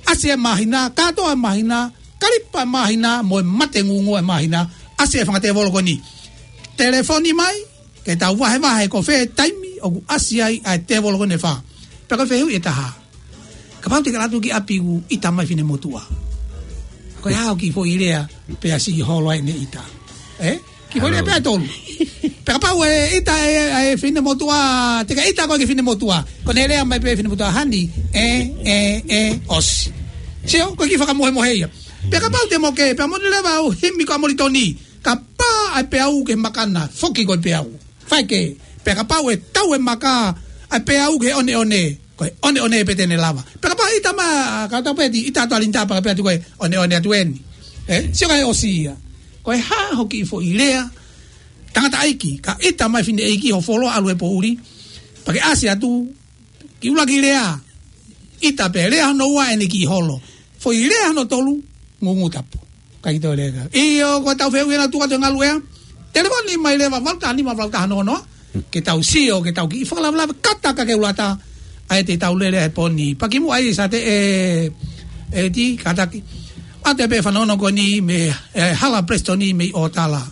ʻasi e māhina, kātoa e māhina, kalipa e māhina, mo e mate ngūngū e māhina, ʻasi e fanga tēvolo ko eni. Telefoni mai, ke tau vahevahe ko fē taimi ʻoku ʻasi ai ʻa e tēvolo ko eni ʻe fā. Pea ko e fehuʻi ʻe taha. Kapau te ke ʻalu atu ki ʻapi ʻoku ʻita mai e finemotuʻa. Ko e hā hoʻo kiʻi foʻi lea pea siʻi holo ai ʻene ʻita. Ē? Kiʻi foʻi lea pē ʻe tolu. Pea kapau ʻe ʻita e, e finemotuʻa, te ke ʻita koe ki he finemotuʻa. Ko ʻene lea mai pē e finemotuʻa, honey, ē, ē, ē, ʻosi. Sio, ko e kiʻi fakamohemohe ia. Pea kapau te mo ke, pea mo ne leva ʻo himi ko ʻAmolitoni. Ka pā ʻa e peau ki he makana, foki ko e peau. Faike, pea kapau ʻe tau e maka ʻa e peau ki he ʻoneʻone, ko e ʻoneʻone pē te ne lava. Pea kapau ʻe ʻita mai, ka tau pē ti, ʻita atu ʻa Linita pea pehē atu ko e ʻoneʻone atu eni. Ē, sio ka ʻe ʻosi ia. Ko e hā hoʻo kiʻi foʻi lea, tangataʻeiki, ka ʻita mai e fineʻeiki hoʻo fuoloa ʻalu he poʻuli, pea ke ʻasi atu, kiʻi ʻuluaki lea, ʻita pē, lea hono ua ʻene kiʻi holo. Foʻi lea hono tolu, ngūngū tapu. Kae kiʻi toe lea ka. ʻIo, ko ʻetau fehuʻi ʻe taha ʻoku tuku atu he ngaluʻea. Telefoni mai leva, valu taha nima, valu taha noa noa. Ke tau sio, ke tau kiʻi fakalavelave, kata ka ke ʻuluaki ʻa e te tau lele he pō ni. Pea kimuʻa ia Sate ē, ē ti, kātaki. ʻA e pē fanongo ko eni mei, ē, Hala Preston mei ʻOtala.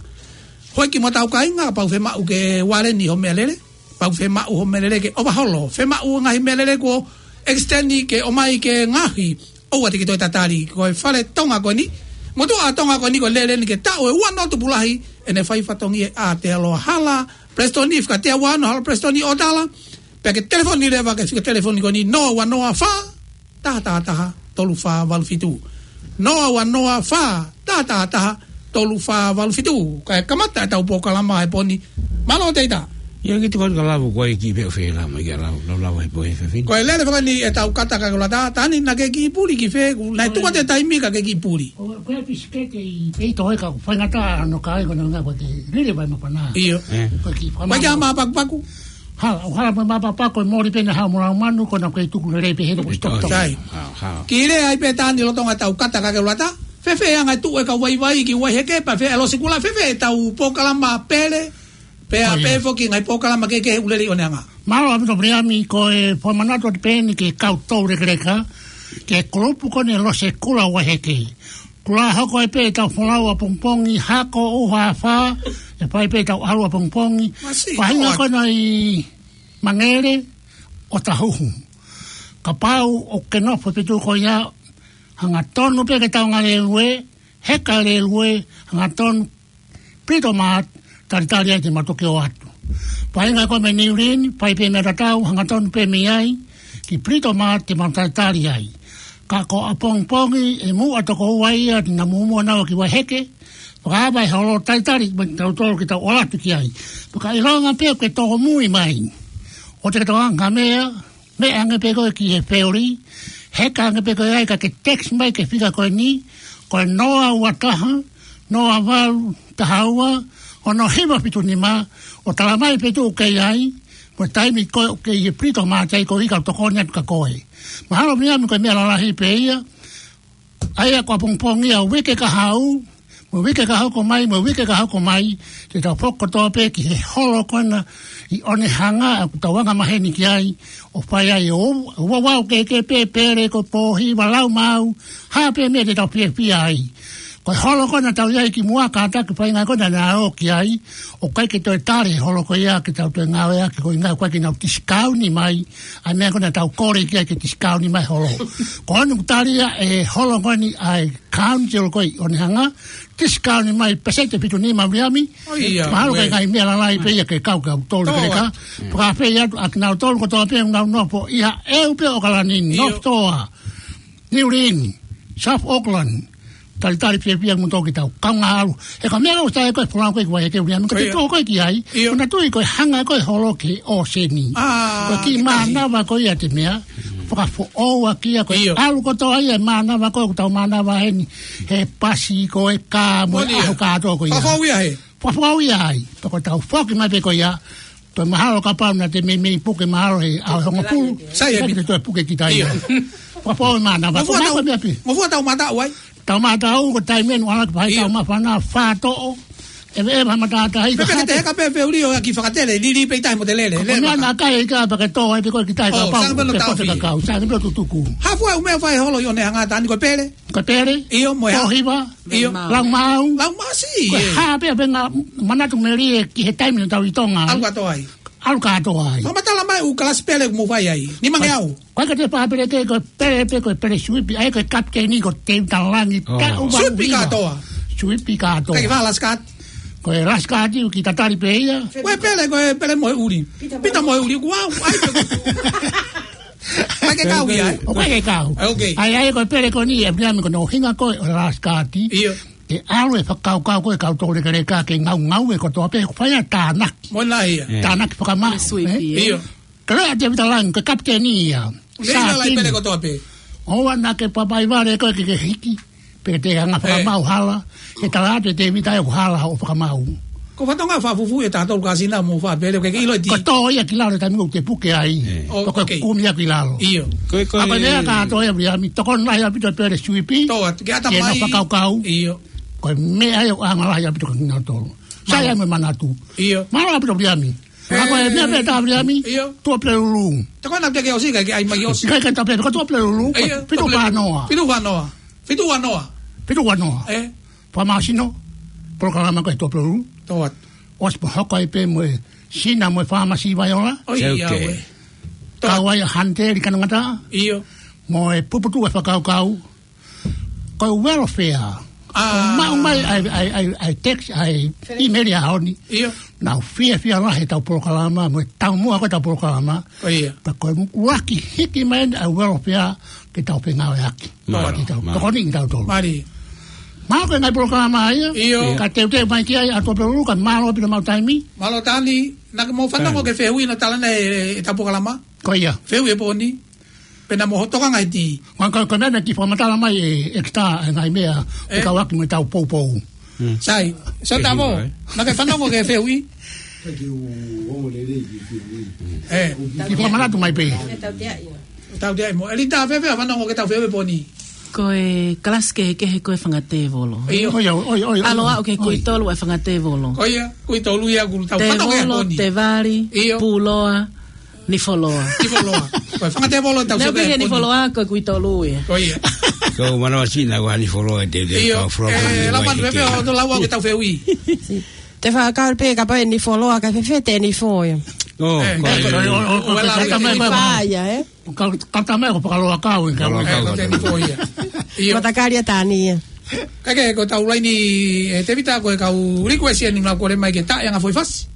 Hoi ki mo tau kāinga, kapau ʻoku fiemaʻu ke ualeni hoʻo meʻalele. Kapau ʻoku fiemaʻu hoʻo meʻalele ke ʻova holo, fiemaʻu ngaahi meʻalele kuo extend ke ʻomai ke ngaohi, ʻoua te ke toe tatali, ko e fale Tonga ko eni, motuʻa Tonga ko eni ko e lele ni ke taʻu ʻe ua noa tupulahi, ʻene fai fatongia ʻa Aotearoa. Hala Preston, fika tea ua noa Hala Preston ʻOtala, pea ke telefoni leva ki he fika telefoni ko eni noa ua noa fā, taha taha taha, tolu fā valu fitu. Noa ua noa fā, taha taha taha, tolu fā valu fitu. Kae kamata ʻetau polokalama he pō ni. Mālō Teita. ʻIo, kiʻi tuku atu ka lava ko e kiʻi pē ʻo fēlama, kiʻi lava, lava, lava he pō he fefine. Ko e lele faka ni ʻetau kata ka ke ʻuluaki ʻa Tani, naʻa ke kiʻi puli ki fē, naʻe tuku atu e taimi ka ke kiʻi puli. Ko e pisikete ʻi pē ʻi toʻo e ka, faingataʻa hono kai ko e ngā ko e te lele vai mapana. ʻIo. Ē. Ko e kiʻi faka- Ko e kiʻi mā pakupaku. Hala, ʻo hala mo e mā pakupaku, ko e moli pē ʻene hao mo lau manu, ko ena ko e tuku lelei pē he ko e stop, stop. Sai. Hao, hao. Kiʻi lea ai pē Tani lolotonga ʻetau kata ka ke ʻuluaki ʻa, fēfē e anga e tuʻu e kau vaivai ki Waiheke, pea fē e losi kula, fēfē ʻetau polokalama pele, pea pē foki ngaahi polokalama kehekehe ʻoku lele ʻi ʻoneʻanga. Mālō ʻaupito Viliami, ko e fakamanatu atu pē eni ki he kau toulekeleka, ki he kulupu ko eni Losi Kula Waiheke. Kula hoko ai pē ʻetau folau ʻapongipongi, hako ʻuha afā, ʻe fai pē ʻetau ʻalu ʻapongipongi. Masiʻi, faʻahinga ʻoatu. Ko ena ʻi Mangele ʻo Tahuhu. Kapau ʻoku ke nofo ʻi he feituʻu ko ia, hangatonu pē ke tau ngalelue, heka lelue, hangatonu Pito Mart, talitali ai te mau toki ō atu. Faʻahinga ko ē mei Niu Lini, fai pē meʻa tatau, hangatonu pē mei ai, ki Pito Mart te mau talitali ai. Ka ko ʻapongipongi ʻe muʻa toko ua ia, te nau muʻomuʻa nau ki Waiheke, fakaava e holo talitali, mo tautolu ke tau ō atu ki ai. Fakaʻilonga pē ʻoku ke tōmui mai. ʻOua te ke toʻo ange ha meʻa, meʻa ange pē koe ki he feoli, heka ange pē koe ai ka ke text mai ki he fika ko eni, ko e noa ua taha, noa valu taha ua, ono hiva fitu nima, ʻo tala mai e feituʻu ʻoku ke ʻi ai, mo e taimi ko ē ʻoku ke ʻi he Pito Mart ai koeʻuhi ka u tokoni atu kia koe. Mahalo Viliami ko e meʻa lalahi pē ia, ʻa ia ko ʻapongipongi ia uike ka haʻu, mo e uike ka hoko mai, mo e uike ka hoko mai, te tau foki kotoa pē ki he holo ko ena ʻi ʻOnehanga ʻoku tau anga maheni ki ai, ʻo fai ai ʻo, ʻo, ʻo, ʻo, ke, ke pē, pele ko e pō hiva lau maau, hā pē meʻa te tau fiefia ai. Ko e holo ko ē naʻa tau ʻi ai kimuʻa, kātaki, faʻahinga ko ē naʻa nau ō ki ai, ʻoku ʻikai ke toe tali e holo ko ia ke tau toe ngāueʻaki, ko e ʻuhinga ʻoku ʻikai ke nau discount mai ʻa e meʻa ko ē naʻa tau kole ki ai ke discount mai holo. Ko eni ʻoku tali ia ʻe he holo ko eni ʻa e council ko ē ʻi ʻOnehunga, discount mai pēseti ʻe fitu nima, Viliami. ʻIo, mahalo ko e ngaahi meʻa lalahi pē ia ke kau kia kitautolu, Lekeleka. Fakafeʻiloaki atu kia kinautolu kotoa pē ʻoku nau nofo ʻi he ʻEua pē ʻo ʻAokalani, North Shore, New Lynn, South Auckland. Talitali fiefia mo tō kitautolu kaungā ʻalu. He ko e meʻa ʻoku sai ko e folau ko ē ki Vaihekehe, Viliami, ko e tō ko ē ki ai. Ko ʻena tui ko e hanga ko ē holo ki he ʻōseni. Ko e kiʻi mānava ko ia te meʻa. Fakafoʻou ʻaki ia ko e ʻalu kotoa ia e mānava ko ē ʻoku tau mānava heni. He pasi ko e kā mo e ʻaho kātoa ko ia. Fakafoʻou ia ai. Pea ko ʻetau foki mai pē ko ia, toe mahalo kapau naʻa te meimei puke mahalo he ʻaho hongofulu. Sai, ʻikai ke te toe puke kita ia. Pea pau e mānava. Ko e meʻa pē. Ngofua tau mataʻu ai. Tau mataʻu ko e taimi ʻeni ʻoku ʻalu ki ai, tau māfana, fātoʻo. ʻEve, ʻeve ha matātahi. Pea ke te heka pē feuli ʻo ʻaki fakatele, lili pē ʻi tahi mo te lele. Ko e meʻa naʻa kai ʻikai pē ke tō ai pē ko e kitai, kapau sai pē tutuku. Hā fua e ʻū meʻa fai holo ʻi ʻOnehunga, Tani? Ko e pele. Ko e pele. ʻIo, mo e hā? Tōhiva. ʻIo. Laumāu. Laumāu, sai. Ko e hā pē ʻa e ngaahi manatu melie ki he taimi naʻa tau ʻi Tonga ai. ʻAlu kātoa ai. ʻAlu kātoa ai. Fakamatala mai ʻū kalasi pele ʻoku mou fai ai. Nimangeau. Ko e ka te pā pele ke, ko e pele pē, ko e pele suipi, ʻa ia ko e kapiteni ko Tēvita Langi. Taʻu suipi kātoa. Suipi kātoa. ʻIkai ke fai last card? Ko e last card ʻoku tatali pē ia. Ko e pele, ko e pele mo e ʻuli. Pita mo e ʻuli, kuo ʻai pē. ʻIkai ke kau ia, ē? ʻOku ʻikai ke kau. ʻAi, ʻai, ko e pele ko eni, ʻe Viliami, ko hono ʻuhinga ko ē ʻo e last card. ʻIo. ʻE ʻalu e fakakaukau ko ē ʻa kitautolu, Lekeleka, ke ngaungaue kotoa pē, fai ʻa e tānaki. Tānaki fakamāu, ē? ʻIo. Ka lea ʻa Tēvita Langi, ko e kapiteni ia. Lea ʻa e pele kotoa pē. ʻOua naʻa ke papaivale ko ē ke ke hiki. Pea te hanga fakamāu hala. He tala atu ʻe Tēvita ʻoku hala hoʻo fakamāu. Ko e fatongia fakafuofua ʻa e tolu kasina mo e fā pele, ʻoku ke ʻilo ʻe Ti. Ko e tō ia ki lalo taimi ʻoku te puke ai. Ko e kumi ia ki lalo. ʻIo. Ko e, ko e meʻa kātoa ia, Viliami, tokoni lahi ʻaupito pele suipi. Tō atu, ke ʻata mai. Fakakaukau. ʻIo. Ko e meʻa ia ʻoku ʻaonga lahi ʻaupito kia kinautolu. Sai ai mo e manatu. ʻIo. Mālō ʻaupito, Viliami. Ka ko e meʻa pē ʻa Viliami. ʻIo. Tuʻapulelulu. Te ko ena te ke ʻosi, ʻikai ke ʻai mai ʻosi. ʻIkai ke tape, ko Tuʻapulelulu, ko e fitu ua noa. Fitu ua noa. Fitu ua noa. Fitu ua noa. Ē? Fakamāsino, polokalama ko ē Tuʻapulelulu. Tō atu. ʻOsi pē hoko ai pē mo e Sina mo e Fāmasi Vaiola. ʻOi, ʻia ue. Kau ai ʻa Hanteli Kanangata. ʻIo. Mo e puputuʻu e fakakaukau. Ko e welfare. Maʻu mai ʻa e, ʻa e, ʻa e, ʻa e text, ʻa e email ʻaho ni. ʻIo. Naʻa ku fiefia lahi he ʻetau polokalama, mo e taumuʻa ko ē ʻetau polokalama. Ko ia. Pea ko e ʻuluaki hiki mai ʻa e welfare ke tau fengāueʻaki. Mālō, mālō. Tokoni kitautolu. Mālie. Mālō ko e ngaahi polokalama ia. ʻIo. Ka teuteu mai ki ai ʻa Tuʻapulelulu, ka mālō ʻaupito maʻu taimi. Mālō Tani, naʻa ke mou fanongo ki he fehuʻi naʻe tala ʻe he, ʻetau polokalama. Ko ia. Fehuʻi ʻo e pō ni. Pea naʻa mo hoto kanga iti. Ka, ka, ka naʻe kiʻi fakamatala mai ʻe, ʻe kita e ngaahi meʻa, ʻe kau ʻaki mo ʻetau poupou. Sai, so tamo, naʻa ke fanongo ki he fehuʻi? Kiʻi fakamanatu mai pē. Tau te ai mo. ʻElita, fēfē fanongo ki heʻetau fehuʻi pō ni? Ko e kalasi kehekehe ko e fanga tēvolo. ʻIo. ʻOi, ʻoi, ʻoi, ʻoi. ʻAlu aʻu ki he kui tolu e fanga tēvolo. ʻOi, kui tolu ia ʻoku tau fanongo ki ai pō ni. Tēvolo, tēvali, puloa, nifoloa. Nifoloa. Ko e fanga tēvolo ʻetau sio ki ai pō ni. Nifoloa ko e kui tolu ia. Ko ia. Ko manavasina ua nifoloa te te. ʻIo. Ka foloa pō ni. Ē, lau atu pē ʻo tau lau ʻetau fehuʻi. Te fakakaukau pē kapau ʻe nifoloa, kae fēfē te nifo ia. ʻO, ko e. Ka, ka tamai ko e fakaloa kau, ʻikai ko e nifo ia. ʻIo. Matakali ʻa Tani ia. Kae kehe ko ʻetau laini, ē, Tēvita, ko e kau request ʻeni naʻa nau kole mai ke taʻe anga foʻi fasi.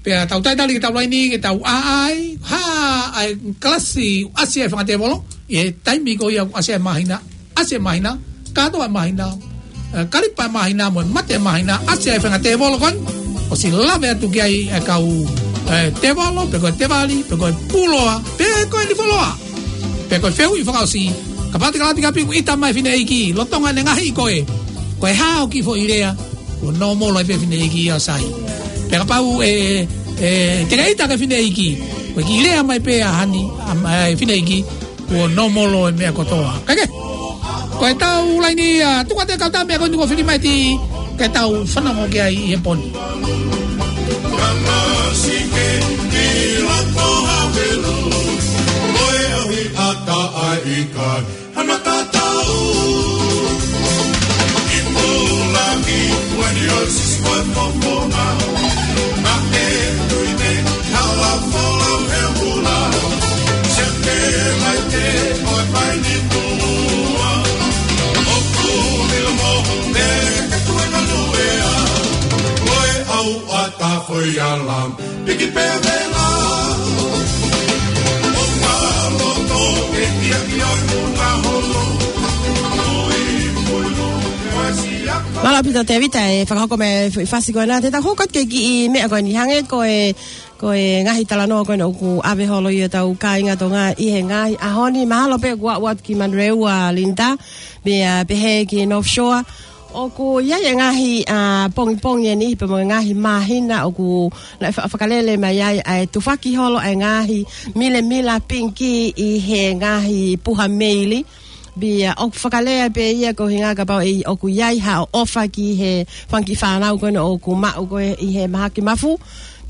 Pea tau talitali ki heʻetau laini, ke tau ʻai, hā, ʻa e kalasi ʻasi ai e fanga tēvolo, ʻi he taimi ko ia ʻoku ʻasi ai e māhina, ʻasi ai e māhina, kātoa e māhina, ē, kalipa e māhina, mo e mate e māhina, ʻasi ai e fanga tēvolo ko eni, ʻosi lave atu ki ai e kau, ē, tēvolo, pe ko e tēvali, pe ko e puloa, pe ko e nifoloa. Pea ko e fehuʻi fakaʻosi, kapau te ke lata ki ʻapi kuo ʻita mai e fineʻeiki, lolotonga ʻene ngaohi koe, ko e hā hoʻo kiʻi foʻi lea, kuo nōmolo ai pē fineʻeiki ia ʻo sai. Pea kapau ʻe, ʻe, te ke ʻita ki he fineʻeiki, ko e kiʻi lea mai pē ʻa Hani, ʻa, ʻa e fineʻeiki, kuo nōmolo e meʻa kotoa. Kae kehe, ko ʻetau laini ia, tuku atu e kau tā meʻa ko eni kuo fili mai ʻe Ti, ke tau fanongo ki ai ʻi he pō ni. Ata ai kai. Hana tatau. Ki pō. Ia la, piki pē vela. O ka loto e kia kia o ka holo. Ui, ui, ui, ui, si a ka. Mālō ʻaupito Tēvita e fakahoko mai e fasi ko ena. Te tau hoko atu ki he kiʻi meʻa ko eni hangē ko e, ko e ngaahi talanoa ko ena ʻoku ʻave holo ʻi hotau kāinga Tonga ʻi he ngaahi ʻaho ni. Mahalo pē kuo aʻu atu ki Manurewa Linda, pea pehē ki North Shore. ʻOku ʻi ai e ngaahi, ʻa, pongipongi eni, pea mo e ngaahi māhina ʻoku naʻe fa-, fakalele mai ai ʻa e tufaki holo ʻa e ngaahi milemila pinki ʻi he ngaahi puha meili. Pea ʻoku fakalea pē ia ko e hinga kapau ʻe ʻoku ʻi ai ha ʻofa ki he fanga kiʻi fānau ko ena ʻoku maʻu ko ē ʻi he mahaki mafu.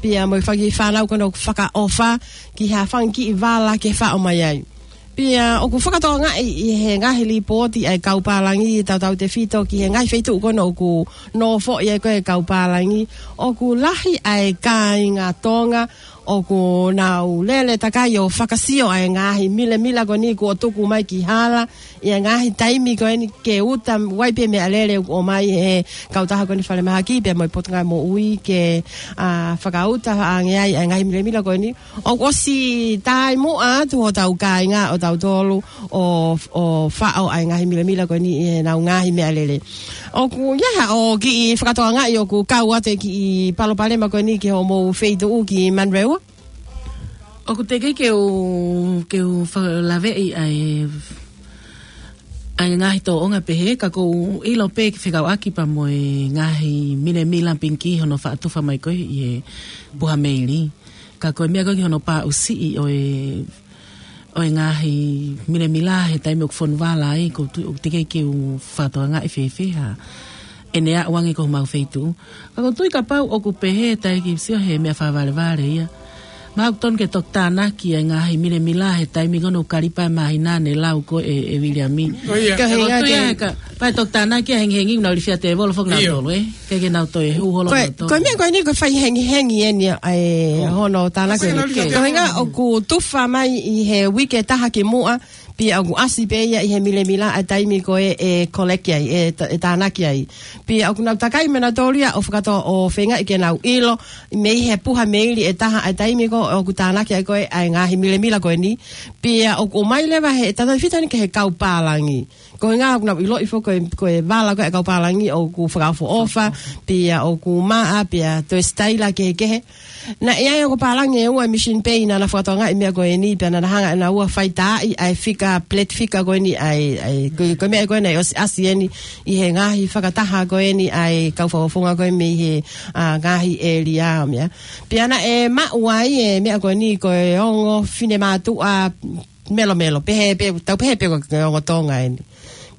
Pea mo e fanga kiʻi fānau ko ena ʻoku fakaʻofa ki ha fanga kiʻi vala ke faʻo mai ai. Pea ʻoku fakatokangaʻi ʻi he ngaahi lipooti ʻa e kau pālangi tautautefito ki he ngaahi feituʻu ko ena ʻoku nofoʻi ai ko ē kau pālangi, ʻoku lahi ʻa e kāinga Tonga ʻoku nau lele takai ʻo fakasio ʻa e ngaahi milemila ko eni kuo tuku mai ki hala ʻi he ngaahi taimi ko eni ke uta ai pē meʻalele ʻoku ʻomai he kautaha ko eni falemahaki pea mo e Potungāue Moʻui ke, ʻa, fakauta ange ai ʻa e ngaahi milemila ko eni. ʻOku ʻosi taimi atu hotau kāinga ʻo tautolu ʻo, ʻo faʻo ʻa e ngaahi milemila ko eni ʻi heʻenau ngaahi meʻalele. ʻOku ʻi ai haʻo kiʻi fakatokangaʻi ʻoku kau atu e kiʻi palopalema ko eni ki homou feituʻu ki Manurewa? ʻOku teʻeki ke u, ke u fakalaveʻi ʻa e, ʻa e ngaahi tōʻonga pehē, ka ʻoku ou ʻilo pē ke fekauʻaki pea mo e ngaahi milemila pinki hono faʻa tufa mai ko ē ʻi he puha meili. Ka ko e meʻa ko ē ki hono paʻusiʻi ʻo e, ʻo e ngaahi milemila he taimi ʻoku fonu vala ai, ʻoku ou tui ʻoku teʻeki ke u fakatokangaʻi fēfē ha ʻene aʻu ange ki homau feituʻu. Ka ʻoku ou tui kapau ʻoku pehē taʻe kiʻi sio he meʻa fakavalevale ia. Mahalo ʻoku tonu ke toki tānaki ʻa e ngaahi milemila he taimi ko ena ʻoku kalipa e māhina ne lau ko ē ʻe, ʻe Viliami. ʻO ia. Ka ʻoku ou tui ʻa e ka, pea toki tānaki ʻa e hengihengi naʻa nau ilifia tēvolo foki nautolu, ē? Ke, ke nau toe hū holo nautolu. Ko e meʻa ko eni ko e fai hengihengi eni ʻa e hono tānaki. Ko e hinga ʻoku tufa mai ʻi he uike ʻe taha kimuʻa, pea ʻoku ʻasi pē ia ʻi he milemila ʻa e taimi ko ē ʻe collect ai, ʻe ta-, ʻe tānaki ai. Pea ʻoku nau takai mai nautolu ia ʻo fakato-, ʻo feingaʻi ke nau ʻilo, mei he puha meili ʻe taha ʻa e taimi ko ē ʻoku tānaki ai ko ē ʻa e ngaahi milemila ko eni. Pea ʻoku ʻomai leva he tautautefito eni ki he kau pālangi. Ko e hinga ʻoku nau ʻiloʻi foki ko e, ko e vala ko ē ʻa e kau pālangi ʻoku fakaʻofoʻofa, pea ʻoku maʻa, pea toe sitaila kehekehe. Naʻe ʻi ai e ongo pālangi ʻe ua mission pē naʻa na fakatokangaʻi e meʻa ko eni, pea naʻa na hanga ʻe naua ʻo fai taaʻi ʻa e fika, plate fika ko eni ʻa e, ʻa e, ko e, ko e meʻa ko ē naʻe ʻosi ʻasi eni ʻi he ngaahi fakataha ko eni ʻa e kau fakafofonga ko ē mei he, ʻa, ngaahi ʻēlia ʻo meʻa. Pea naʻe maʻu ai e meʻa ko eni ko e ongo finemātuʻa melomelo, pehē pē, tau pehē pē ko e ongo Tonga eni.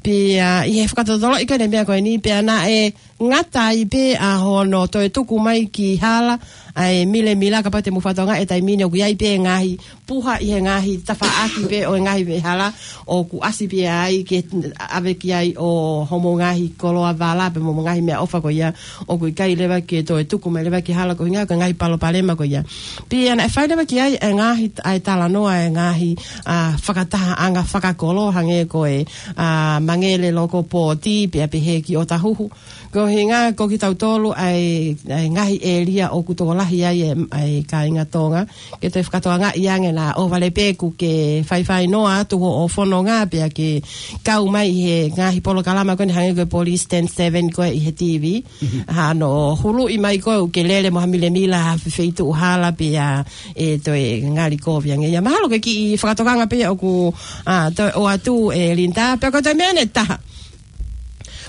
Pea ʻi he fakatotoloʻi ko ē ʻene meʻa ko eni, pea naʻe ngata ai pē ʻa hono toe tuku mai ki hala ʻa e milemila, kapau te mou fakatokangaʻi e taimi ni ʻoku ʻi ai pē ngaahi puha ʻi he ngaahi tafaʻaki pē ʻo e ngaahi veʻehala ʻoku ʻasi pē ai ke ʻave ki ai ʻo homou ngaahi koloa vala pea mo e ngaahi meʻaʻofa ko ia, ʻoku ʻikai leva ke toe tuku mai leva ki hala ko e hinga ko e ngaahi palopalema ko ia. Pea naʻe fai leva ki ai e ngaahi, ʻa e talanoa e ngaahi, ʻa, fakatahaʻanga fakakolo hangē ko e, ʻa, Mangele Local Board, pea pehē ki ʻŌtāhuhu. Ko e hinga ko kitautolu ʻa e, ʻa e ngaahi ʻēlia ʻoku tokolahi ai e, ʻa e kāinga Tonga. Ke toe fakatokangaʻi ange naʻa ʻOvalepeku ke faifai noa atu hoʻo fononga pea ke kau mai ʻi he ngaahi polokalama ko eni hangē ko e Police ten seven ko ē ʻi he TV. Mhm. Hano huluʻi mai ko ē ʻoku ke lele mo ha milemila ha feituʻu hala pea ʻe toe ngali kovi ange ia. Mahalo ke kiʻi fakatokanga pē ʻoku, ʻa, toe ʻoatu ʻe Linda, pea ko e toe meʻa ʻe taha.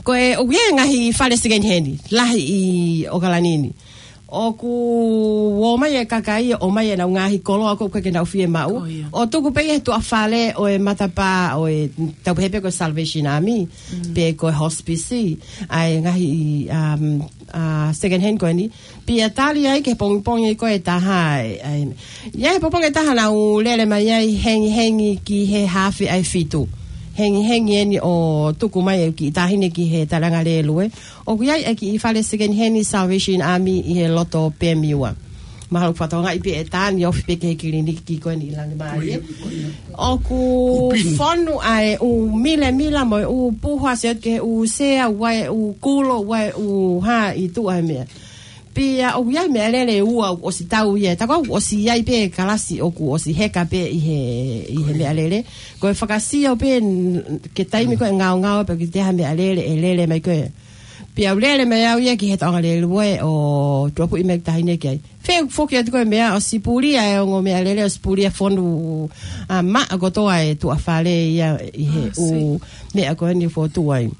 Ko e ʻoku ʻi ai e ngaahi fale second hand lahi ʻi ʻOkalani ni. ʻOku ō mai e kakai, ō mai ʻenau ngaahi koloa ko ē ʻoku ʻikai ke nau fiemaʻu. Ko ia. ʻO tuku pē ia he tuʻa fale ʻo e matapā ʻo e tau pehē pē ko e Salvation Army, mm, pe ko e hospice, ʻa e ngaahi, um, ʻa, second hand ko eni. Pea tali ai ki he pongipongi ko ē ʻe taha, ʻa e, ʻa e, ʻi ai he pongipongi ʻe taha naʻa nau lele mai ai hengihengi ki he hafe ʻa e fitu. Hengihengi eni ʻo tuku mai e kiʻi taʻahine ki he taliʻanga lēlue. ʻOku ʻi ai e kiʻi fale second hand Salvation Army ʻi he loto Pemiua. Mahalo ʻoku fakatokangaʻi pē ʻe Tani ofi pē ki he kiliniki ko eni ʻi Langimalie. Ko ia, ko ia. ʻOku fonu ʻa e ʻū milemila mo e ʻū puha, sio atu ki he ʻū sea, ʻū ʻai, ʻū kulo, ʻū ʻai, ʻū hā ʻi tuʻa he meʻa. Pea ʻoku ʻi ai meʻalele ʻe ua ʻoku ʻosi tau ia. Taku ʻoku ʻosi ʻi ai pē kalasi ʻoku ʻosi heka pē ʻi he, ʻi he meʻalele. Ko e fakasio pē n-, ke taimi ko e ngaongao pē ki te ha meʻalele ʻe lele mai ko ē. Pea u lele mai au ia ki he taʻonga lele ue ʻo tuʻapuʻi mai ki tahi nei ki ai. Fē foki atu ko e meʻa ʻosi pulia e ongo meʻalele ʻosi pulia fonu, ʻa, maʻa kotoa e tuʻa fale ia ʻi he ʻū meʻa ko eni fotu ai.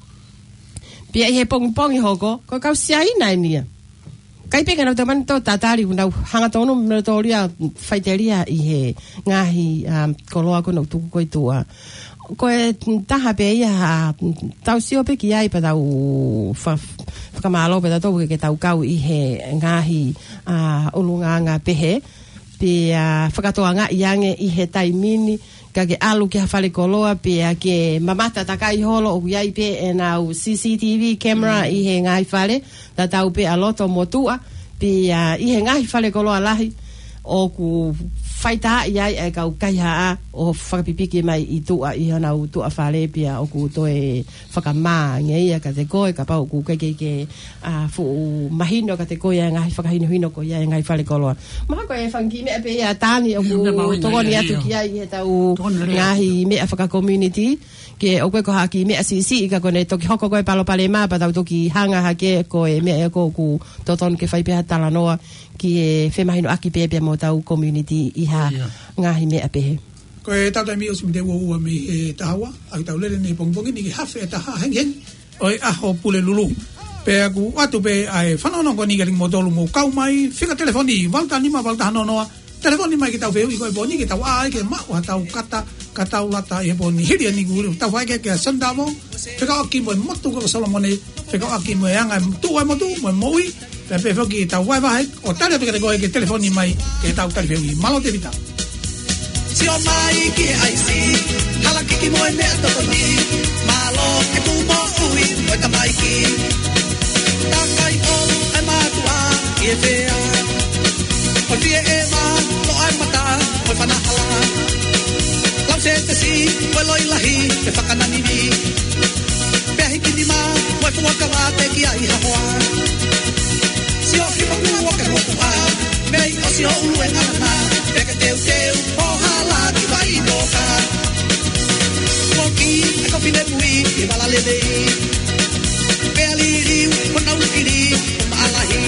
Pea ʻi he pongipongi hoko, ko e kau Siaina eni ia. ʻIkai pē ke nau tau mani tō tatali, ʻoku nau hangatonu mei tō lia faitelia ʻi he ngaahi, um, koloa ko ē ʻoku tuku ko ē tuʻa. Ko e taha pē ia, ʻa, tau sio pē ki ai pea tau fa-, fakamālō pē tautolu ke, ke tau kau ʻi he ngaahi, ʻa, ʻulungaanga pehē. Pea, ʻa, fakatokangaʻi ange ʻi he taimi ni, ka ke ʻalu ki ha fale koloa, pea ke mamata takai holo ʻoku ʻi ai pē ʻenau C C T V camera ʻi he ngaahi fale, tatau pē ʻa loto mo tuʻa, pea, ʻa, ʻi he ngaahi fale koloa lahi, ʻoku faitaaʻi ai e kau kaihaʻa ʻo fakapipiki mai ʻi tuʻa ʻi honau tuʻa fale pea ʻoku toe fakamā ange ia kiate koe, kapau ʻoku ʻikai ke, ke, ʻa, fuʻu mahino kiate koe ʻa e ngaahi fakahinohino ko ia ʻa e ngaahi fale koloa. Mahalo ko e fanga kiʻi meʻa pē ia Tani ʻoku tokoni atu ki ai ʻi he tau ngaahi meʻa fakakomiunitī. Ke ʻoku ʻikai ko ha kiʻi meʻa siʻisiʻi ka ko ʻene toki hoko ko e palopalema pea tau toki hanga hake ko e meʻa ia ʻoku totonu ke fai pē ha talanoa ki he femahinoʻaki pē pea mo hotau komiunitī ʻi ha ngaahi meʻa pehē. Ko e tau taimi ʻosi miniti ua ua mei he taha ua, ʻa ia tau lele nei pongipongi ni ki he hafe ʻe taha hengihengi ʻo e ʻaho Pulelulu. Pea ʻoku ʻoatu pē ʻa e fanongonongo ko eni kiate kimoutolu mou kau mai, fika telefoni, valu taha nima, valu taha noa noa, telefoni mai ke tau fehuʻi ko e pō ni, ke tau ʻai ke maʻu ha tau kata, ka tau lata ʻi he pō ni. Hili ʻeni ʻoku tau fai ke, ke Sonitavo, fekauʻaki mo e motu ko Solomone, fekauʻaki mo e anga e tuʻu e motu, mo e moʻui, pea pehē foki ʻetau vahevahe, ʻo tali atu kiate koe ke telefoni mai, ke tau tali fehuʻi. Mālō Tēvita. Sio mai ki he ʻaisi, hala kiki mo e meʻa tokoni, mālō e kū moʻui, mo e tamaiki. Takai ʻo e mātuʻa, ʻi he fea. ʻO fie ʻe mā, lo ʻai mata, ʻo e fanahala. Lau se te si, ʻo e loi lahi, pe fakananini. Pea hiki nima, mo e fuakava te ki ai ha hoa. Sio ki moku o ke moku a, mei ʻosi ʻo ʻulu e ngana, pea ke teuteu, ʻo hala ki vai noka. Moki, e ko fine mui, i vala lelei. Pea liliu, ko nau kili, ko maʻalahi.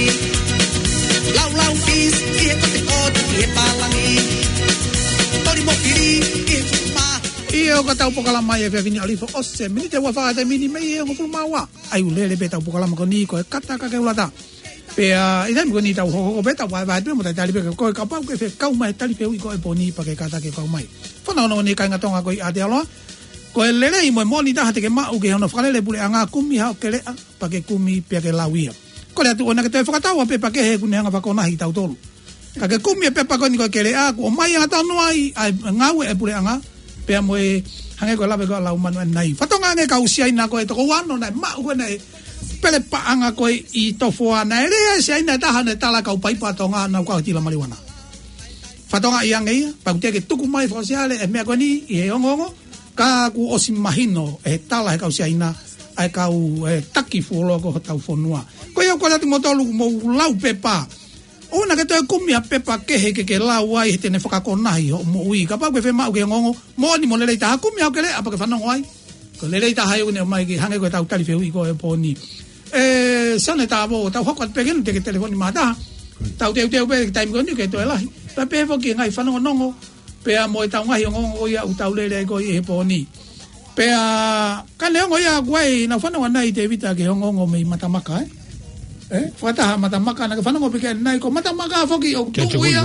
Lau lau kis, ʻi he kote kote, ʻi he pālangi. Toli mo kili, ʻi he fuma. ʻIo, ko ʻetau polokalama ʻi he efiafi ni ʻo lifo ʻosi e miniti ua fā te mini mei he hongofulu mā ua. ʻA ia ʻoku lele pē ʻetau polokalama ko eni ko e kata ka ke u lata. Pea ʻi he taimi ko eni tau hokohoko pē ʻetau vahevahe pē mo talitali pē ko e kapau ke fekau mai tali fehuʻi ko e pō ni pea ke kātaki ke kau mai. Fanongonongo ni kāinga Tonga ko ia ʻi Aotearoa. Ko e lelei mo e moʻoni taha te ke maʻu ki hono fakalele puleʻanga, kumi haʻo keleʻa pea ke kumi pea ke lau ia. Kole atu ʻoua naʻa ke toe fakatau ha pepa kehe ʻoku ne hanga fakakonahi kitautolu. Ka ke kumi e pepa ko eni ko e keleʻa, kuo ʻomai angatonu ai ʻa e ngāue e puleʻanga, pea mo e hangē ko e lave ko ē ʻa Laumanu ʻanenai. Fakatokangaʻi ange kau Siaina ko e toko ua noa naʻe maʻu ko ē naʻe pele paʻanga ko ē ʻi Tofoa, naʻe lea Siaina ʻe taha naʻe tala kau paipa Tonga naʻa nau kau tila maliuana. Fakatokangaʻi ange ia, pea ʻoku teʻeki ke tuku mai fakaʻosiʻale e meʻa ko eni ʻi he ongoongo, ka kuo ʻosi mahino ʻe he tala he kau Siaina, ʻa e kau, e, taki fuoloa ko hotau fonua. Ko ia ʻoku ou kole atu kimoutolu mou lau pepa. ʻOua naʻa ke toe kumi ha pepa kehe ke ke lau ai he te ne fakakonahi hoʻo moʻui. Kapau ʻoku ke fiemaʻu ke ongoongo, moʻoni mo lelei taha, kumi haʻo keleʻa pea ke fanongo ai. Ko e lelei taha ia ʻoku ne ʻomai ke hangē ko ʻetau tali fehuʻi ko e pō ni. ʻE, Sonitavo, tau hoko atu pē ke nu te ke telefoni mā taha. Tau teuteu pē ki he taimi ko eni ke toe lahi. Pea pehē foki ki he ngaahi fanongonongo. Pea mo ʻetau ngaahi ongoongo ia ʻoku tau lele ai ko ē ʻi he pō ni. Pea ka neongo ia ʻoku ʻi ai ʻenau fanongo ʻanenai Tēvita ki he ongoongo mei Matamaka, ē? Ē? Fakataha Matamaka, naʻa ke fanongo pē ki ai ʻanenai ko Matamaka foki ʻoku tuʻu ia.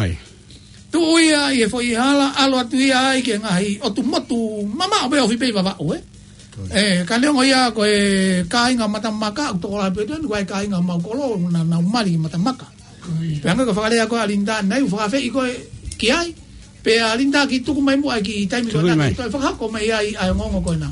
Tuʻu ia ʻi he foʻi hala, ʻalu atu ia ai ki he ngaahi ʻotu motu mamaʻo pē ofi pē ʻi Vavaʻu, ē? Ē, ka neongo ia ko e kāinga Matamaka, ʻoku tokolahi pē tuʻu, ko e kāinga mau kolo, naʻa nau mali ʻi Matamaka. Pea hangē ko e fakalea ko ē ʻa Linda ʻanenai, ʻoku fakaafeʻi koe ki ai. Pea Linda kiʻi tuku mai muʻa e kiʻi taimi ko ē naʻa ke toe fakahoko mai ai ʻa e ongoongo ko ena.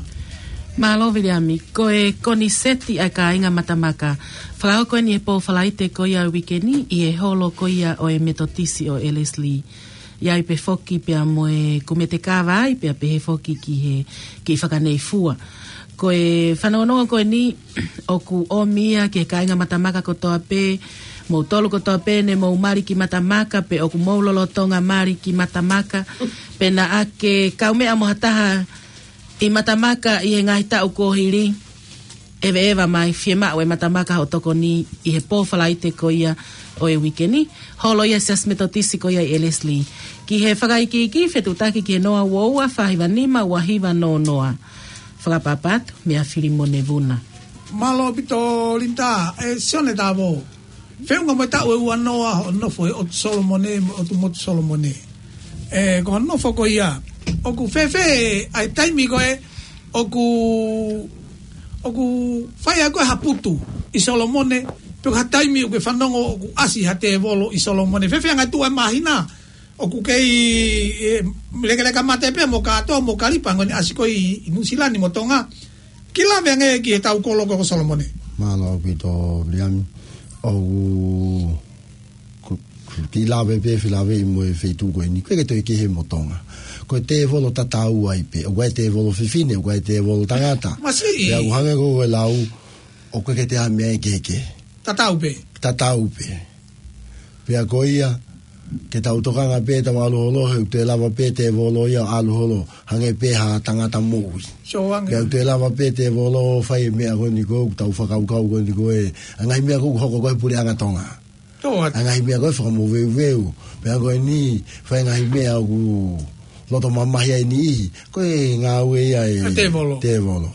Mālō Viliami, ko e koniseti ʻa e kāinga Matamaka. Fakahoko eni he pō Falaite ko ia uike ni, ʻi he holo ko ia ʻo e Metotisi ʻo Ellerslie. ʻI ai pē foki pea mo e kumete kava ai, pea pehē foki ki he, ki Fakaneifua. Ko e fanongonongo ko eni, ʻoku ʻomi ia ki he kāinga Matamaka kotoa pē, Mou tolu kotoa pē ne mou mali ki Matamaka, pe ʻoku mou lolotonga mali ki Matamaka, pe naʻa ke kaumeʻa mo ha taha ʻi Matamaka ʻi he ngaahi taʻu kuo hili, ʻeveʻeva mai, fiemaʻu ʻe Matamaka hoʻo tokoni ʻi he pō Falaite ko ia ʻo e uike ni. Holo ia Siasi Metotisi ko ia ʻi Ellerslie. Ki he fakaikiiki, fetuʻutaki ki he noa ua ua fā hiva nima ua hiva noa noa. Fakapapatu, meia Filimone Vuna. Mālō ʻaupito Linda, ʻe Sione Tavo. Feʻunga mo e taʻu ʻe ua noa hoʻo nofo he ʻotu Solomone, mo e ʻotu motu Solomone. ʻE, ko hoʻo nofo ko ia, ʻoku fēfē ʻa e taimi ko ē, ʻoku, ʻoku fai ai ko ē ha putu ʻi Solomone, pe ko ha taimi ʻoku ke fanongo ʻoku ʻasi ha tēvolo ʻi Solomone. Fēfē anga tuʻu ʻa e māhina, ʻoku kei, ʻe, lekeleka mate pē mo kātoa mo Kalipa, hangē ko ʻene ʻasi ko ē ʻi, ʻi Nuʻusila ni mo Tonga. Kiʻi lave ange ki he tau kolo ko Solomone. Mālō ʻaupito, Liami. ʻOku, ku, ku, kiʻi lave pē, fie lave ʻi mo e feituʻu ko eni. ʻOku ʻikai ke toe kehe mo Tonga. Ko e tēvolo tatau ai pē. ʻOku ʻi ai e tēvolo fefine, ʻoku ʻi ai e tēvolo tangata. Masiʻi. Pea ʻoku hangē ko e lau, ʻoku ʻikai ke toe ʻi ai ha meʻa ʻe kehekehe. Tatau pē. Tatau pē. Pea ko ia, ke tau tokanga pē, tau ʻalu holo, he ʻoku toe lava pē tēvolo ia ʻo ʻalu holo, hangē pē ha tangata moʻui. Sio ange. Pea ʻoku toe lava pē tēvolo ʻo fai e meʻa ko eni ko ē, ʻoku tau fakakaukau ko eni ko ē, ʻa e ngaahi meʻa ko ē ʻoku hoko ko ē he puleʻanga Tonga. Sio ange. ʻA e ngaahi meʻa ko ē fakamoveuveu. Pea ko eni, fai e ngaahi meʻa ʻoku loto mamahi ai e niʻihi, ko e ngāue ia ʻa e ʻa e tēvolo. Tēvolo.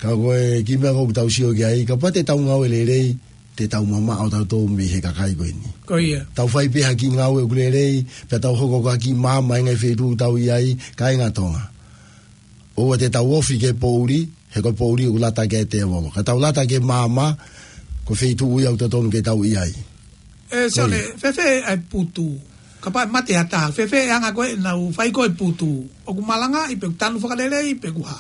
Ka ko e kiʻi meʻa ko ē ʻoku tau sio ki ai, kapau te tau ngāue lelei, te tau mamaʻo tautolu mei he kakai ko eni. Ko ia. Tau fai pē ha kiʻi ngāue ʻoku lelei, pea tau hoko ko ha kiʻi maama ʻi he ngaahi feituʻu ʻoku tau ʻi ai, kāinga Tonga. ʻOua te tau ofi ki he poʻuli, he ko e poʻuli ʻoku lata ki ai e tēvolo. Ka tau lata ki he maama, ko e feituʻu ia ʻoku totonu ke tau ʻi ai. ʻE, Sione, Ko ia. fēfē ʻa e putu. Kapau ʻe mate ha taha, fēfē ʻe anga ko ē ʻenau fai ko ē putu. ʻOku malangaʻi pe ʻoku tanu fakalelei pe ʻoku hā.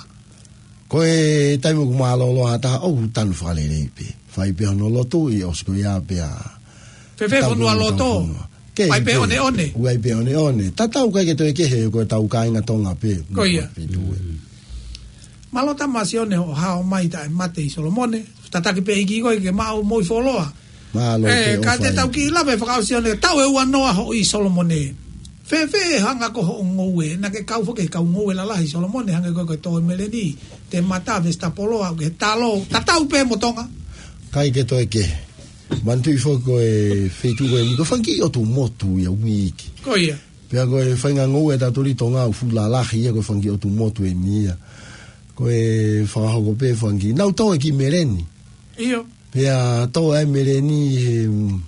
Ko e taimi ʻoku mālōlō ha taha, ʻoku tanu fakalelei pē. Fai pē hono lotu ʻi ʻosi ko ia pea. Fēfē Tau fonua pē loto? fonua. Ke, Fai pē ke. ʻoneʻone? ʻOku ʻi ai pē ʻoneʻone. Tatau ʻikai ke toe kehe ko e tau kāinga Tonga pē. Ko ia. Pē tu e. Mālō Tama Sione hoʻo hao mai taʻe mate ʻi Solomone. Tataki pē ʻEiki koe ke maʻu moʻui fuoloa. Mālō ʻE, pē ka ʻofa te ia. tau kiʻi lave fakaʻosi ʻo ne, taʻu ʻe ua noa hoʻo ʻi Solomone. Fēfē hanga ko hoʻo ngoue, naʻa ke kau foki he kau ngoue lalahi ʻi Solomone, hangē ko e, ko e tō e meleni, te mata, vesitapolo, ʻa e talo, tatau pē mo Tonga. ʻIkai ke toe kehe. Manatuʻi foki ko e feituʻu ko eni, ko e fanga kiʻi ʻotu motu ia ʻoku ʻi ai. Ko ia. Pea ko e faʻahinga ngoue ʻa tautolu ʻi Tonga ʻoku fuʻu lalahi ia ko e fanga kiʻi ʻotu motu eni ia. Ko e fakahoko pē fanga kiʻi, nau tō e kiʻi meleni. ʻIo. Pea tō e meleni he, mm,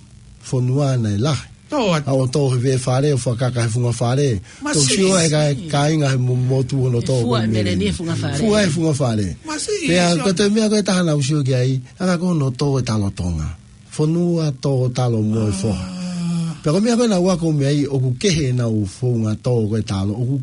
fonua naʻe lahi. Tō atu. ʻA ʻo tō he veʻe fale ʻo fakakaka he funga fale. Masiʻi. Tau sio ai ka, kāinga he mo-, motu hono tō Fua ko e meleni meleni. he funga fale. Fua he funga fale. Masiʻi, Pea sio. ko e toe meʻa ko e taha naʻa ku sio ki ai, ʻa ia ko hono tō e talo Tonga. Fonua tō talo mo e foha. Ah. Pea ko e meʻa ko ē naʻa ku ako mei ai ʻoku kehe ʻenau founga tō ko e talo. ʻOku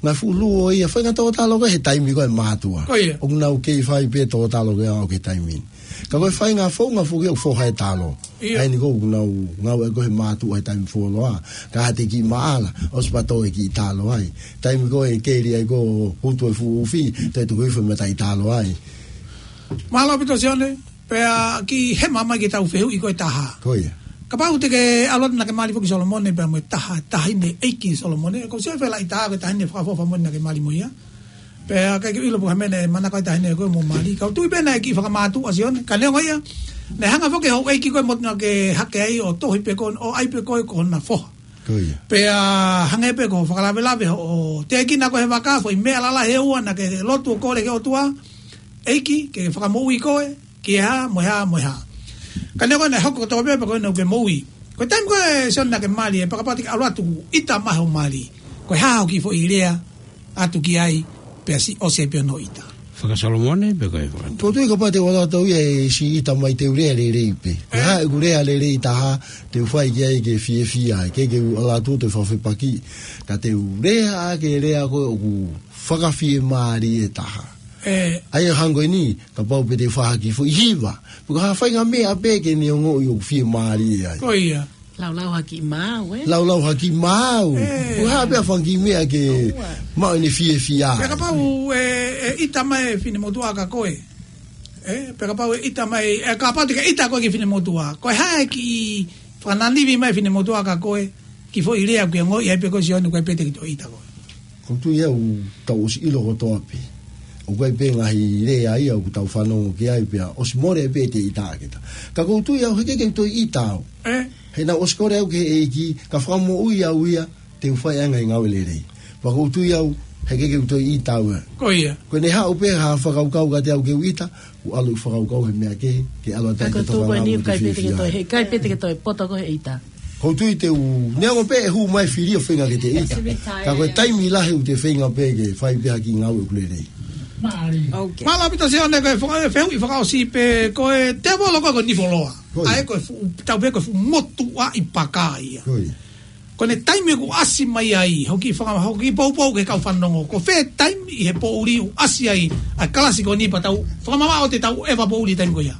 ngaahi fuʻu luo ia, faʻahinga tō talo ko ē he taimi ko ē mātuʻa. Ko ia. ʻOku nau kei fai pē tō talo ko ia ʻo e taimi ni. Ka ko e faʻahinga founga foki ʻoku foha e talo. ʻIo. ʻA eni ko ē ʻoku nau ngāue ko ē he mātuʻa he taimi fuoloa. Ka ha te kiʻi maʻala, ʻosi pea tō e kiʻi talo ai. Taimi ko ē keli ai ko ē ʻo utu e fuʻu ufi, te tuku hifo e mataʻi talo ai. Mālō ʻaupito Sione, pea kiʻi hema mai ki he tau fehuʻi ko e taha. Ko ia. Kapau te ke ʻalu atu naʻa ke mali foki Solomone, pea mo e taha, taʻahine ʻeiki Solomone, ko e sio fēfē ʻa e taha ko e taʻahine fakaʻofoʻofa mo eni naʻa ke mali mo ia. Pea ʻikai ke u ʻilo pe ko e hā e meʻa naʻe manako ai e taʻahine ko ē mo mali. Ka u tui pē naʻe kiʻi fakamaʻa ʻa Sione. Ka neongo ia, naʻe hanga foki hoʻo ʻeiki ko ē mo naʻa ke hake ai ʻo tohi pē ko ē, ʻo ʻai pē ko ē ko hona foha. Ko ia. Pea hangē pē ko e fakalavelave hoʻo tēkina ko ē he vaka, foʻi meʻa lalahi ʻe ua naʻa ke lotu ʻo kole ki he ʻOtua. ʻEiki, ke fakamoʻui koe, ki he hā, mo e hā, mo e hā. Ka neongo naʻe hoko kotoa pē, pea ko ena ʻoku ke moʻui. Ko e taimi ko ē Sione naʻa ke mali, ʻe pakapati ke ʻalu atu, ʻita mai hoʻo mali. Ko e hā hoʻo kiʻi foʻi lea atu ki ai, pea siʻi ʻosi ai pē hono ʻita. Faka-Solomone, pe ko e faka- Ko e tui kapau te u ʻalu atu ia ʻe siʻi ʻita mai te u lea lelei pē. Ko e Eh? hā ʻeku lea lelei taha, te u fai ki ai ke fiefia, ke ke u ʻalu atu te u fakafepaki. Ka te u lea ʻa e kiʻi lea ko ē ʻoku fakafiemālie taha. Eh. ʻA ia hangē ko eni, kapau pē te u fai ha kiʻi foʻi hiva. Pe ko ha faʻahinga meʻa pē ke ne ongoʻi ʻoku fiemālie ai. Ko ia. Laulau ha kiʻi maau, ē? Laulau ha kiʻi maau. Eh. Ko e hā pē ha fanga kiʻi meʻa ke Aua. maʻu ʻene fiefia. Pea kapau, ē, ʻe ʻita mai e finemotuʻa kia koe. ʻE, pea kapau ʻe ʻita mai, ʻe, kapau te ke ʻita koe ki he finemotuʻa. Ko e hā e kiʻi fakananivi mai finemotuʻa kia koe, kiʻi foʻi lea ʻoku ke ongoʻi ai pē ko Sione ʻoku ʻikai pē te ke toe ʻita koe. ʻOku ou tui au tau ʻosi ʻilo kotoa pē. ʻOku ʻi ai pē ngaahi lea ia ʻoku tau fanongo ki ai pea ʻosi mole pē te ʻita kita. Ka ʻoku ou tui au he ʻikai ke u toe ʻita au. ʻE? He naʻe ʻosi kole au ki he ʻEiki, ka fakamoʻui au ia, te u fai ʻa e ngaahi ngāue lelei. Pea ʻoku ou tui au, he ʻikai ke u toe ʻita au ia. Ko ia. Ko ʻene haʻu pē ha fakakaukau kiate au ke u ʻita, ʻoku ʻalu ʻeku fakakaukau he meʻa kehe, ke ʻalu atu ai ke tau fakalangi ki he fiefia. He ʻikai pē te ke toe poto koe he ʻita. ʻOku ou tui te u, neongo pē ʻe hū mai fili ʻo feinga ke te ʻita. Ka ko e taimi lahi ʻoku te feinga pē ke fai pē ha kiʻi ngāue ʻoku lelei. Mālō ʻaupito Sione, ko e faka-, fehuʻi fakaʻosi pē, ko e tēvolo ko ē ko Nifoloa. Ko ia. ʻA ia ko e fuʻu, tau pehē ko e fuʻu motuʻaʻi paka ia. Ko ia. Ko ʻene taimi ʻoku ʻasi mai ai, hoʻo kiʻi faka-, hoʻo kiʻi poupou ki he kau fanongo. Ko fē taimi ʻi he poʻuli ʻoku ʻasi ai ʻa e kalasi ko eni pea tau fakamamaʻo ʻo te tau ʻeva poʻuli taimi ko ia.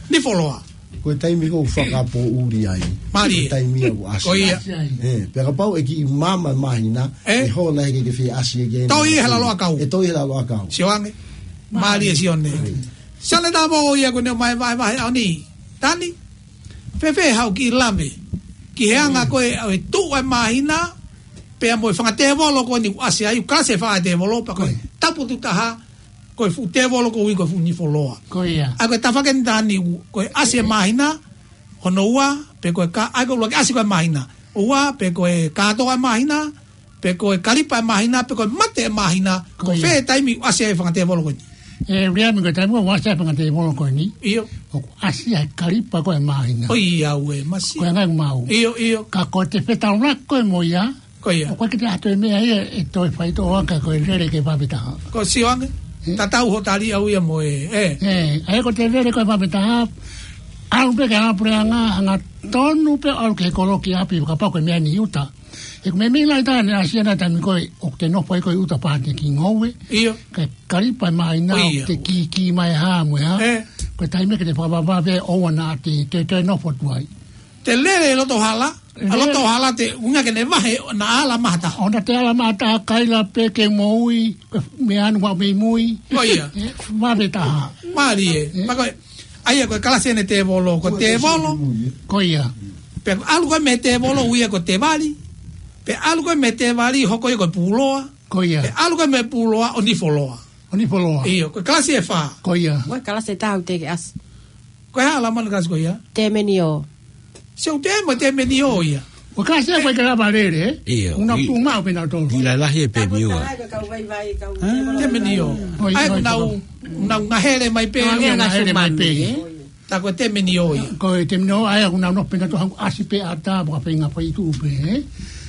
Nifoloa. Ko e taimi ʻoku fakapoʻuli ai. Mālie. Ko e taimi ia ʻoku ʻasi. Ko ia. ʻE, pea kapau ʻe kiʻi maama māhina, ʻe? ʻE hola he ʻikai ke fie ʻasi ʻe ke. Toe ʻi he lalo ʻakau. ʻE toe ʻi he lalo ʻakau. Sio ange. Mālie Sione. Mālie. Sione Tāupoʻou ia ko ʻene ʻomai vahevahe ʻaho ni. Tani? Fēfē haʻo kiʻi lave ki he anga ko ē ʻo e tuʻu ʻa e māhina, pea mo e fanga tēvolo ko eni ʻoku ʻasi ai, ʻoku kalasi e fanga tēvolo, pea ko e tapu tuʻo taha, ko e fuʻu tēvolo ko ē ʻoku ui ko e fuʻu Nifoloa. Ko ia. ʻA ia ko e tafaʻaki eni Tani, ko e ʻasi e māhina, hono ua, pe ko e ka-, ʻa ia ko e ʻuluaki ʻasi ko ē māhina, ua, pe ko e kātoa e māhina, pe ko e kalipa e māhina, pe ko e mate e māhina, ko fē taimi ʻoku ʻasi ai e fanga tēvolo ko eni? ʻE, Viliami, ko e taimi ʻoku ʻasi ai e fanga tēvolo ko eni. ʻIo. ʻOku ʻasi ai e kalipa ko ē e māhina. ʻOiauē, masiʻi. Ko e ngaahi ʻoku mau. ʻIo, ʻio. Ka ko e te fetaulaki ko ē mo ia. Ko ia. ʻOku ʻikai ke te ʻatu e meʻa ia ʻe toe faitoʻo ʻaki ko e lele ki he vave taha. Ko Sione, tatau hoʻo tali au ia mo e, ʻe. ʻE, ʻa ia ko e te lele ki he vave taha, ʻalu pē ki he anga puleʻanga, angatonu pē ʻalu ki he kolo ki ʻapi, kapau ko e meʻa ni ʻi ʻuta. He ko e meʻa mai taha naʻe ʻasi ai ʻa e taimi ko ē, ʻoku te nofo ai ko ē ʻi ʻuta pea te kiʻi ngoue. ʻIo. Ka e kalipa e māhina, ʻoku te kī, kī mai hā mo e hā. ʻE. Ko e taimi ke te fakavavevave ʻoua naʻa te, te, te nofo atu ai. Te lele ʻi loto hala, ʻa loto hala te, ʻuhinga ke ne vahe, naʻa ala maha taha. ʻOua naʻa te ala maha taha, kaila pē ke moʻui, meʻa anu ua mei mui. Ko ia. ʻE, vave taha. Mālie. ʻE. Pea ko e, ʻa ia ko e kalasi eni e tēvolo, ko e tēvolo. Ko ia. Pea ʻalu ko ē mei he tēvolo ui ia ko Tēvali. Pea ʻalu ko ē mei he Tēvali hoko ia ko Pūloa. Ko ia. Pea ʻalu ko ē mei he Pūloa ʻo Nifoloa. ʻO Nifoloa. ʻIo, ko e kalasi ʻe fā. Ko ia. Ko e kalasi ʻe taha ʻoku teʻeki ke ʻasi. Ko e hā ʻa e lamani kalasi ko ia? Tēmenio. Sio te mo Tēmenio ia. Ko e kalasi ʻe fā ʻoku ʻikai ke lava lele, ʻe? ʻIo, ʻoku nau ʻi-, tuʻu maʻu pē nautolu. ʻIo, lalahi ʻe Pēmio. Tēmenio. ʻA ia ʻoku nau, ʻoku nau ngahele mai pē. ʻOku nau ngahele mai pē. Tā ko Tēmenio ia. Ko Tēmenio, ʻa ia ʻoku nau nofo pē nautolu hangē ʻoku ʻasi pē ʻatā, pea feinga fai tuʻu pē, ʻe?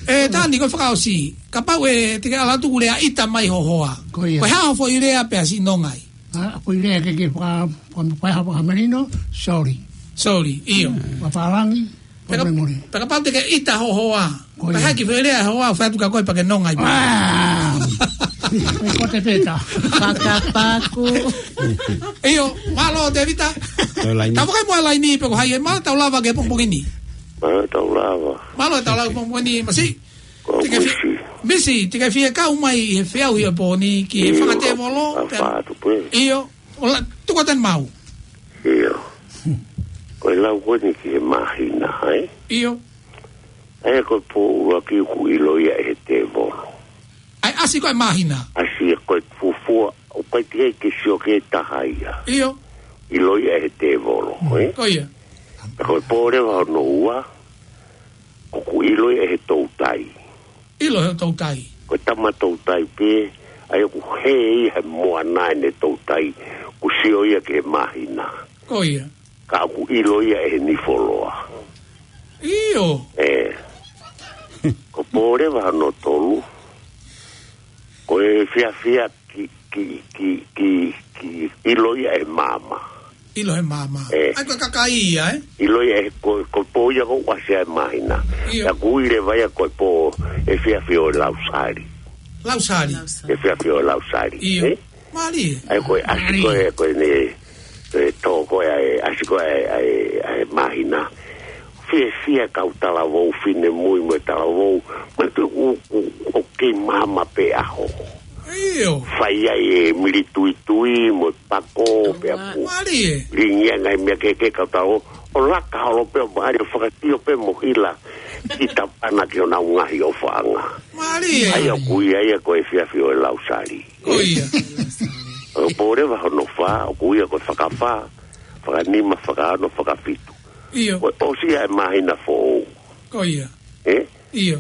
ʻE, Tani, ko e fakaʻosi. Kapau ʻe te ke ala atu ʻo lea ʻita mai ho hoa. Ko ia. Ko e hā hoʻo foʻi lea pea siʻi nonga ai? ʻA, foʻi lea ke ke faka-, faka-, faka-, fakamelino, sorry. Sorry, ʻio. Fakapālangi, pea ka-, pea kapau te ke ʻita ho hoa. Ko ia. Pea hā e kiʻi foʻi lea hoa, ʻo fai atu kia koe pea ke nonga ai. ʻA! Ko e kote pē ta. Fakapaku. ʻIo, mālō Tēvita. Tau laini. Tau vakai mo e laini pe ko hai ē, mālō tau lava ki he pongipongi ni. Mālō tau lava. Mālō tau lava pongipongi ni, Masi. Ko Te ke fi-, Misi. Misi, te ke fie kau mai he feʻauhi ʻo e pō ni ki he fanga tēvolo, ʻio, pea fā atu pē. ʻIo, ʻo la, tuku atu eni maʻau. ʻIo. Ko e lau ko eni ki he māhina, ē? ʻIo. ʻA ia ko e pō ʻuluaki ʻoku ʻilo ia ʻe he tēvolo. ʻA ia ʻasi ko ē māhina. ʻAsi ko e fuofua, ʻoku ʻikai ke sio ki he taha ia. ʻIo. ʻIlo ia ʻe he tēvolo, ē? Ko ia. Ko e pō leva hono ua, ʻoku ʻilo ia ʻe he toutai. ʻIlo he toutai. Ko e tama toutai pē, ʻa ia ʻoku hē ia he moana ʻene toutai, ʻoku sio ia ki he māhina. Ko ia. Ka ʻoku ʻilo ia ʻe he Nifoloa. ʻIo. ʻE. Ko e pō leva hono tolu, ko e fiefia ki, ki, ki, ki, ki ʻilo ia ʻe he maama. ʻIlo he maama. ʻE. ʻA ia ko e kakai ia, ē? ʻIlo ia ʻe he ko, ko e pō ia ʻoku ʻasi ai e māhina. ʻIo. ʻA ia ʻoku ui leva ia ko e pō ʻe fiefia ʻo e lausali. Lausali. Lausali. ʻE fiefia ʻo e lausali. ʻIo. Ē? Mālie. ʻA ia ko e ʻasi ko ē, ko ʻene, ʻe tō ko ē ʻa e, ʻasi ko ē ʻa e, ʻa e, ʻa e māhina. Fiefia kau talavou finemui mo e talavou. Mo e tuʻu ʻoku, ʻoku kei maama pē ʻaho. ʻIo. Fai ai e mili tuitui mo e pako pea ku. Mālie. Lingi ai ngaahi meʻa kehekehe kautau. ʻO laka holo pē ʻo mālie ʻo fakasio pē mo hila ki Tapana ki honau ngaahi ʻofaʻanga. Mālie. ʻA ia ʻoku ui ia ko e efiafi ʻo e Lausali. Ko ia. ʻO pō leva hono fā, ʻoku ui ia ko e fakafā, fakanima, fakaono, fakafitu. ʻIo. Ko e ʻosi ia e māhina foʻou. Ko ia. Ē? ʻIo.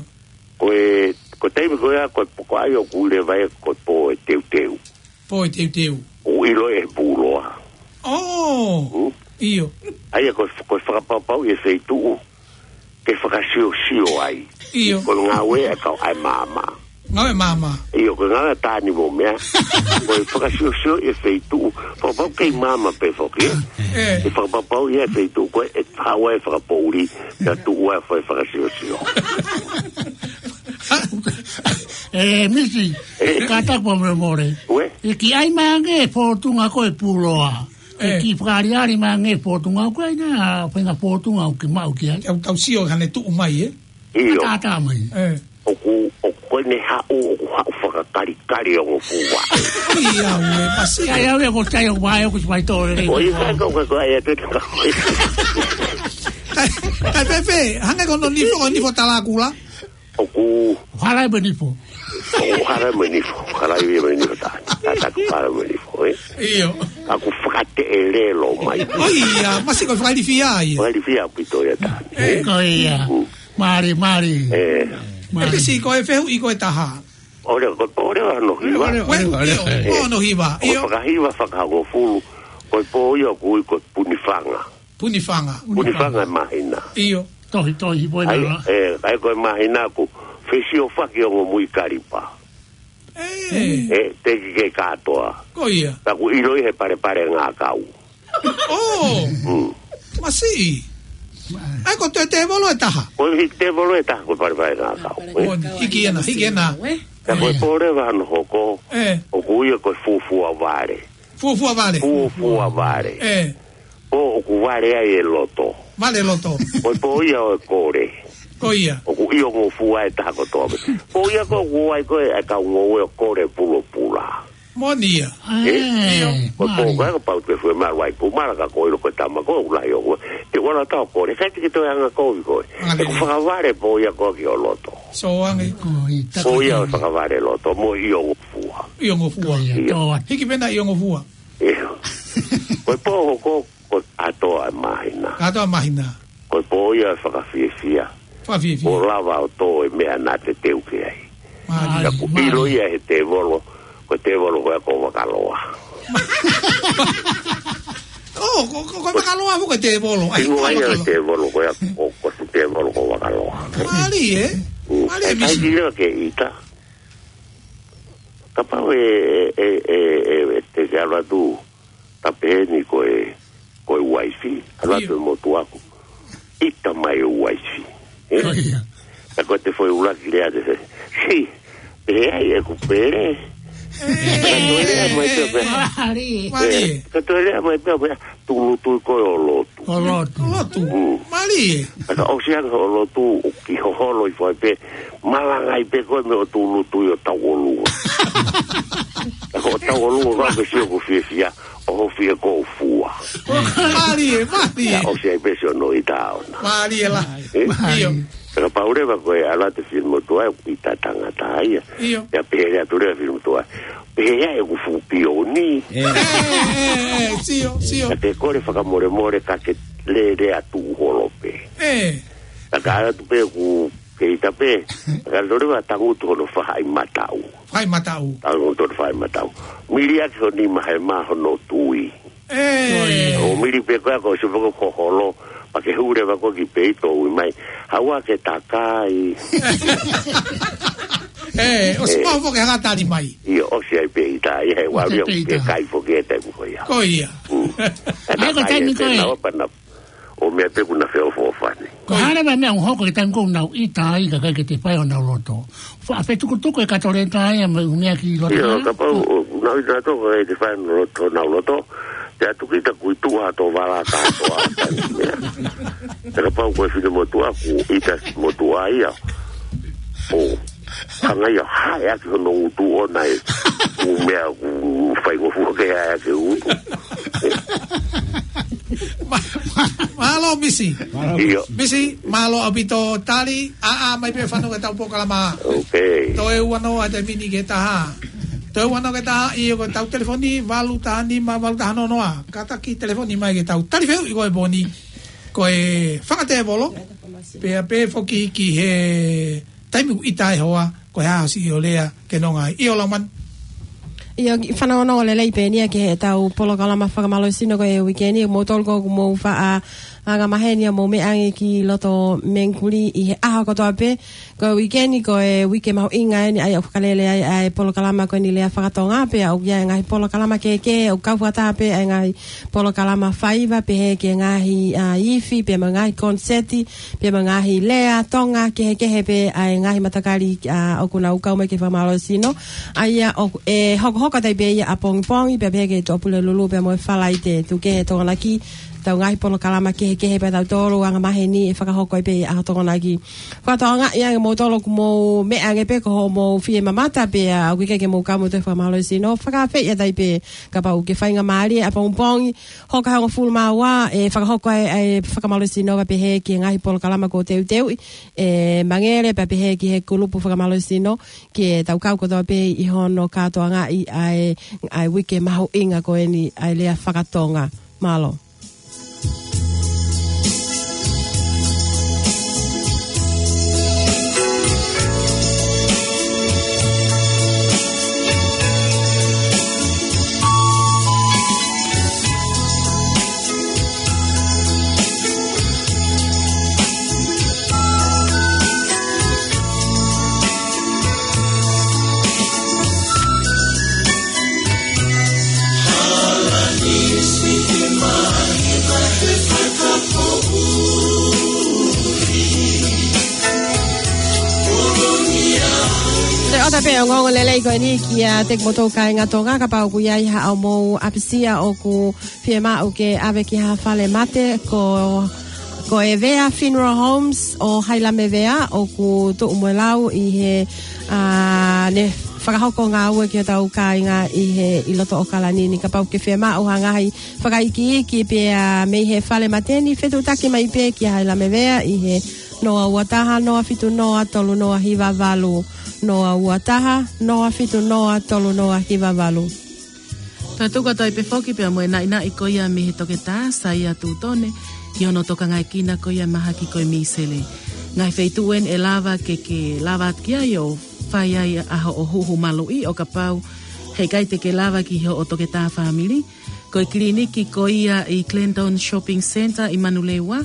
Ko e, ko e taimi ko ia, ko e pō ko ia ʻoku ui leva ia ko e pō ʻo e teuteu. Pō ʻo e teuteu. ʻOku ʻilo ʻe he pūloa. ʻŌ. Hmm? ʻIo. ʻA ia ko e, ko e fakapapauʻi e feituʻu ke fakasiosio ai. ʻIo. Ko e ngāue ʻa e kau ʻa e maama. Ngāue maama. ʻIo, ko e ngāue ʻa Tani mo meʻa. Ko e fakasiosio e feituʻu. Fakapapauʻi kei maama pē foki, ē? Ē. Ke fakapapauʻi e feituʻu ko ē ʻe haʻu ai e fakapoʻuli, pea tuʻu ai e fai fakasiosio. ʻE, Misi, ē? Kātaki pē mole mole. Uē? ʻE kiʻi ʻai mai ange e fōtunga ko e pūloa. ʻE, ē, kiʻi fakaaliali mai ange e fōtunga ko ē, ʻa e faʻahinga fōtunga ʻoku ke maʻu ki ai. Ke tau sio hane tuʻu mai, ē? ʻIo. Tātā mai. Ē. ʻOku, ʻoku ko ʻene haʻu, ʻoku haʻu fakakalikali ʻo ngofua. ʻIo, ʻe, pasi. ʻIo, ʻio, ʻio, ko tai ʻo vai, ʻoku sipai tō, ē. ʻO i ka ko ka ko ai atu ka ko. Kae, kae Fefe, hangē ko hono nifo, ko e nifo talakula. ʻOku. Hala e nifo. ʻO hala e nifo, hala e nifo tā. Tātā ko hala e nifo, ē. ʻIo. ʻOku fakateʻelelo mai. ʻIo, masi ko e fakalifia ia. Fakalifia ʻaupito ia tā. Ē. Ko ia. Mm. Mālie, mālie. Ē. Mālie. ʻE Misi ko e fehuʻi ko e taha. ʻOleva, ko e pō ʻoleva hono hiva. ʻOleva, ʻoleva, ʻio, ʻoleva. Pō hono hiva. ʻIo. Ko e fakahiva fakahongofulu. Ko e pō ia ʻoku ui ko e Punifanga. Punifanga. Punifanga e māhina. ʻIo. Tohi, tohi, pō ʻai, ʻena. Ē, ʻai ko e māhina ʻoku fesiofaki ʻo ngomui kalipa. Ē. Ē, teʻeki ke kātoa. Ko ia. Pea ʻoku ʻiloʻi he palepale ngākau. ʻŌ. Mm. Masi. ʻAi ko e tēvolo e taha. Ko e tēvolo e taha ko e palepale ngākau. Ko e hiki ʻena, hiki ʻena. Ka ko e pō ʻoleva hono hoko. Ē. ʻOku ui ia ko e fuofua vale. Fuofua vale. Fuofua vale. Ē. Pō ʻoku vale ai e loto. Vale loto. Ko e pō ia ʻo e kole. Ko ia. ʻOku ʻio ngofua e taha kotoa. Pō ia ko ē ʻoku ʻai ko ē ʻa e kau ngoue ʻo kole pulopula. Moʻoni ia. Ē? ʻIo. Ko e pō ko ē kapau te ke fue malu ai pumala ka ko ilo ko e tama ko ē ʻoku lahi ʻo koe. Te ʻoua naʻa tau kole. Kai te ke toe anga kovi ko ē. Mālie. ʻOku fakavale pō ia ko ē ki ho loto. So ange. Ko i Pō ia ʻo e fakavale loto. Mo ʻio ngofua. ʻIo ngofua. Ko ia, ʻio. Tō atu. Hiki pē ʻena ʻio ngofua. ʻIo. Ko e pō hoko, ko e kātoa e māhina. Kātoa māhina. Ko e pō ia ʻo e fakafiefia. Fakafiefia. ʻO lava ʻo tō e meʻa naʻa te teu ki ai. Mālie. Ka ʻoku ʻilo ia he tēvolo, ko e tēvolo ko ē ko Vakaloa. ʻŌ, ko, ko, ko Vakaloa foki ko e tēvolo. ʻAi, ʻIngoa ia Vakaloa. Tēvolo ko ē, ko, ko e tēvolo ko Vakaloa. Mālie, ē? Mm. Mālie, ʻIo, Misi. Kai ʻilo ke ʻita. Kapau ʻe, ʻe, ʻe, ʻe, ʻe te ke ala tu. Tapu heni ko e, ko e uaifi, ʻalu atu ʻIo. e motuʻa ʻoku ʻita mai e uaifi. Ē? ʻIo. Ka ko e te foʻi ʻuluaki lea te fē. Si, pehē ai ʻeku pele. Ē. Ka toe lea mai pē pē. Mālie. Mālie. Ē, ka toe lea mai pē pē. Tūʻulutui ko ē ʻo lotu. ʻO lotu. ʻO lotu. Mm. Mālie. Ka ʻosi ange hoʻo lotu, ʻoku hoholo ʻi fai pē. Malangaʻi pē koe mei hoʻo tūʻulutui ʻo tauʻolunga. Ka ko e tauʻolunga ko ē ʻoku ke sio ʻoku fiefia. ʻO ho fie ko fua. Mālie, mālie. Ka ʻosi ai pē siʻono ʻita ʻoʻona. Mālie lahi. Ē? ʻIo. Ka kapau leva ko e ʻalu atu e finemotuʻa ʻoku ʻita tangata ia. ʻIo. Pea pehē leva atu leva e finemotuʻa. Pehē ai ʻeku fuʻu pioni. Ē. Ē, ē, ē, sio, sio. Ka te kole fakamolemole ka ke lele atu holo pē. Ē. Ka ka ʻalu atu pē ʻoku ke ʻita pē. Ka lole va tangutu hono fahaʻi mataʻu. Fahaʻi mataʻu. Tangutu hono fahaʻi mataʻu. Mili ʻaki ho nima he mā hono tui. Ē. ʻO mili pē ko ē ko e sio pē ko e hoholo, pea ke hū leva ko ē ki peito ui mai. Haua ke takai. Ē, ʻosi Ē. pau foki ha tali mai. ʻIo, ʻosi ai pē ʻita, ʻi he ʻOsi ai ualia pē ke ʻita. kai foki e taimi ko ia. Ko ia. Mm. ʻAi ko e takai taimi e ko ē. tēnā o pana. ʻO meʻa pē ʻoku na feʻofoʻofani. Ko e hā leva e meʻa ʻoku hoko he taimi ko ē ʻoku nau ʻita ai kae ʻikai ke te fai honau loto. Fa-, fetukutuku e kato leta ia mo e ʻū meʻa ki loto ʻIo, ē? kapau ʻoku nau ʻita ʻo kae ʻikai te fai honau loto, honau loto. Te atu kita kui tuʻa ʻo tō vala kātoa. Te kapau ko e finemotuʻa ʻoku ʻita motuʻa ia. ʻO. Hanga ia ʻo hae ʻaki hono ngutu ʻona e ʻū meʻa ʻoku faingofua ke hae ʻaki e ngutu. Ma-, ma-, mālō, Misi. ʻIo. Misi, mālō ʻaupito tali, ʻā, ʻā mai pē fanongo ki heʻetau polokalama. Ok. Toe ua noa ʻa e taimi ni ki he taha. Toe ua noa ki he taha, ʻio, ko ʻetau telefoni, valu taha nima, valu taha noa noa. Kātaki telefoni mai ki heʻetau tali fehuʻi ko e pō ni. Ko e fakatēvolo, pea pehē foki ki he taimi ʻoku ʻita ai e hoa, ko e hā hoʻo siʻi ʻo lea ke nonga ai. ʻIo, Laumanu. ʻIo, kiʻi fanongonongo lelei pē eni ia ki heʻetau polokalama fakamālohisino ko e uike ni, moutolu ko ē ʻoku mou faʻa anga maheni ʻa hoʻomou meʻa ange ki loto Mengikuli ʻi he ʻaho kotoa pē. Ko e uike ni, ko e uike mahuʻinga eni ʻa ia ʻoku fakalele ai ʻa e polokalama ko eni Lea Fakatonga, pea ʻoku ʻi ai e ngaahi polokalama kehekehe, ʻoku kau fakataha pē ʻa e ngaahi polokalama faiva, pehē ki he ngaahi, ʻa, ifi, pea mo e ngaahi koniseti, pea mo e ngaahi lea Tonga kehekehe pē ʻa e ngaahi matakali, ʻa, ʻoku nau kau mai ke fakamālohisino. ʻA ia ʻoku, ʻe hokohoko atu ai pē ia ʻapongipongi, pea pehē ki he Tuʻapulelulu, pea mo e Falaite, tuku kehe Tokonaki, ʻetau ngaahi polokalama kehekehe pē ʻa tautolu anga maheni ʻe fakahoko ai pē ia ʻa Tokonaki. Fakatokangaʻi ange moutolu ʻoku mou meʻa ange pē ko hoʻomou fie mamata pea ʻoku ʻikai ke mou kau mo e toe fakamālohisino. Fakaafeʻi atu ai pē kapau ʻoku ke faingamālie ʻapongipongi, hoka hongofulu mā ua, ʻe fakahoko ai ʻa e fakamālohisino pea pehē ki he ngaahi polokalama kuo teuteuʻi ʻe Mangele pea pehē ki he kulupu fakamālohisino ke tau kau kotoa pē ʻi hono kātoangaʻi ʻa e, ʻa e uike mahuʻinga ko eni ʻa e Lea Fakatonga. Mālō. Toe ʻoatu pē ʻa e ongoongo lelei ko eni kiate kimoutolu kāinga Tonga, kapau ʻoku ʻi ai haʻamou ʻapisia ʻoku fiemaʻu ke ʻave ki ha fale mate, ko, ko e Vea Funeral Homes ʻo Hailamevea ʻoku tuʻu mo e lau ʻi he, ʻa, ne fakahoko ngāue ki hotau kāinga ʻi he, ʻi loto ʻAokalani ni. Kapau ʻoku ke fiemaʻu ha ngaahi fakaikiiki pea mei he fale mate ni, fetuʻutaki mai pē kia Hailamevea ʻi he noa ua taha, noa fitu noa, tolu noa hiva valu, noa ua taha, noa fitu noa, tolu noa hiva valu. Tau tuku atu ai pē foki pea mo e naʻinaʻi ko ia mei he Toketā Saia Tutone, ʻi hono tokangaekina ko ia e mahaki ko e mīsele. Ngaahi feituʻu eni ʻe lava ke ke lava atu ki ai ʻo fai ai ʻa hoʻo huhu maluʻi ʻo kapau heʻikai te ke lava ki hoʻo toketā fāmili. Ko e kiliniki ko ia ʻi Glendon Shopping Centre ʻi Manurewa,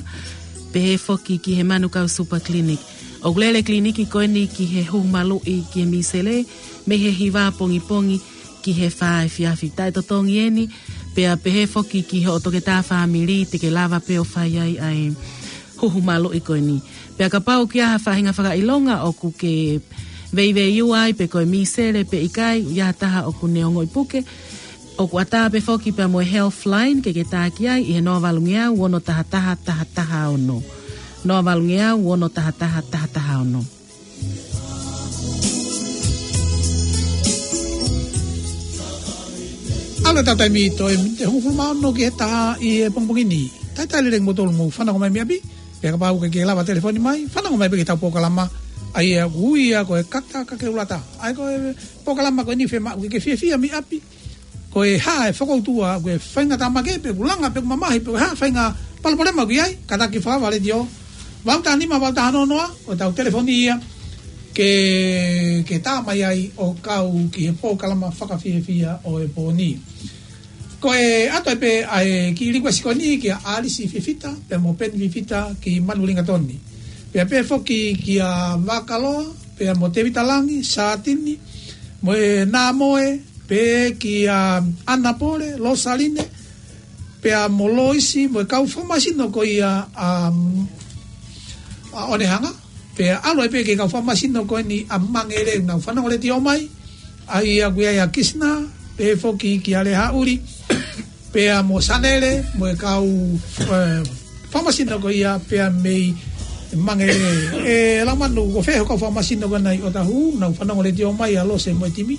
pehē foki ki he Manukau Super Clinic. ʻOku lele e kiliniki ko eni ki he huhu maluʻi ki he mīsele, mei he hiva ʻapongipongi ki he fā efiafi. Taʻetotongi eni, pea pehē foki ki hoʻo toketā fāmili te ke lava pē ʻo fai ai ʻa e huhu maluʻi ko eni. Pea kapau ʻoku ʻi ai ha faʻahinga fakaʻilonga ʻoku ke veiveiua ai pe ko e mīsele pe ʻikai, ʻi ai ha taha ʻoku ne ongoʻi puke, ʻoku ʻatā pē foki pea mo e Healthline ke ke tā ki ai ʻi he noa valungeau ono taha taha taha taha ono. Noa valungeau ono taha taha taha taha ono. ʻAlu ʻetau taimi toe miniti ʻe hongofulu mā ono ki he taha ʻi he pongipongi ni. Talitali lelei kimoutolu ʻoku mou fanongo mai mei ʻapi. Pea kapau ʻoku ke lava telefoni mai, fanongo mai pē ki heʻetau polokalama, ʻa ia ʻoku ui ia ko e Kata Kakeulata. ʻA ia ko e polokalama ko eni fiemaʻu ke ke fiefia mei ʻapi. Ko e hā e fokoutua, ko e faʻahinga tāmaki pe ʻoku langa pe ʻoku mamahi pe ko e hā e faʻahinga palopalema ʻoku ʻi ai, kātaki fakavale ʻi he valu taha nima, valu taha noa noa, ko ʻetau telefoni ia ke, ke tā mai ai ʻo kau ki he polokalama fakafiefia ʻo e pō ni. Ko e ʻoatu ai pē ʻa e kiʻi likuesi ko eni kia ʻAlisi Fifita, pea mo Peni Fifita ki Manulingatoni. Pea pehē foki kia Vakaloa, pea mo Tevita Langi, Sātini, mo e Nāmoe, pehē kia Anapole, Losaline, pea mo Loisi, mo e kau fakamasino ko ia ʻa, ʻa Onehanga, pea ʻalu ai pē ki he kau fakamasino ko eni ʻa Mangele ʻoku nau fanongo letiō mai, ʻa ia ʻoku ʻi ai ʻa Kisina, pehē foki kia Lehaʻuli, pea mo Sanele, mo e kau, eh, fakamasino ko ia, pea mei Mangelē. ʻE Laumanu, ko fē hoʻo kau fakamasino ko ena ʻi ʻOtahuhu? Naʻa ku fanongo letiō mai ʻa Lose mo e timi.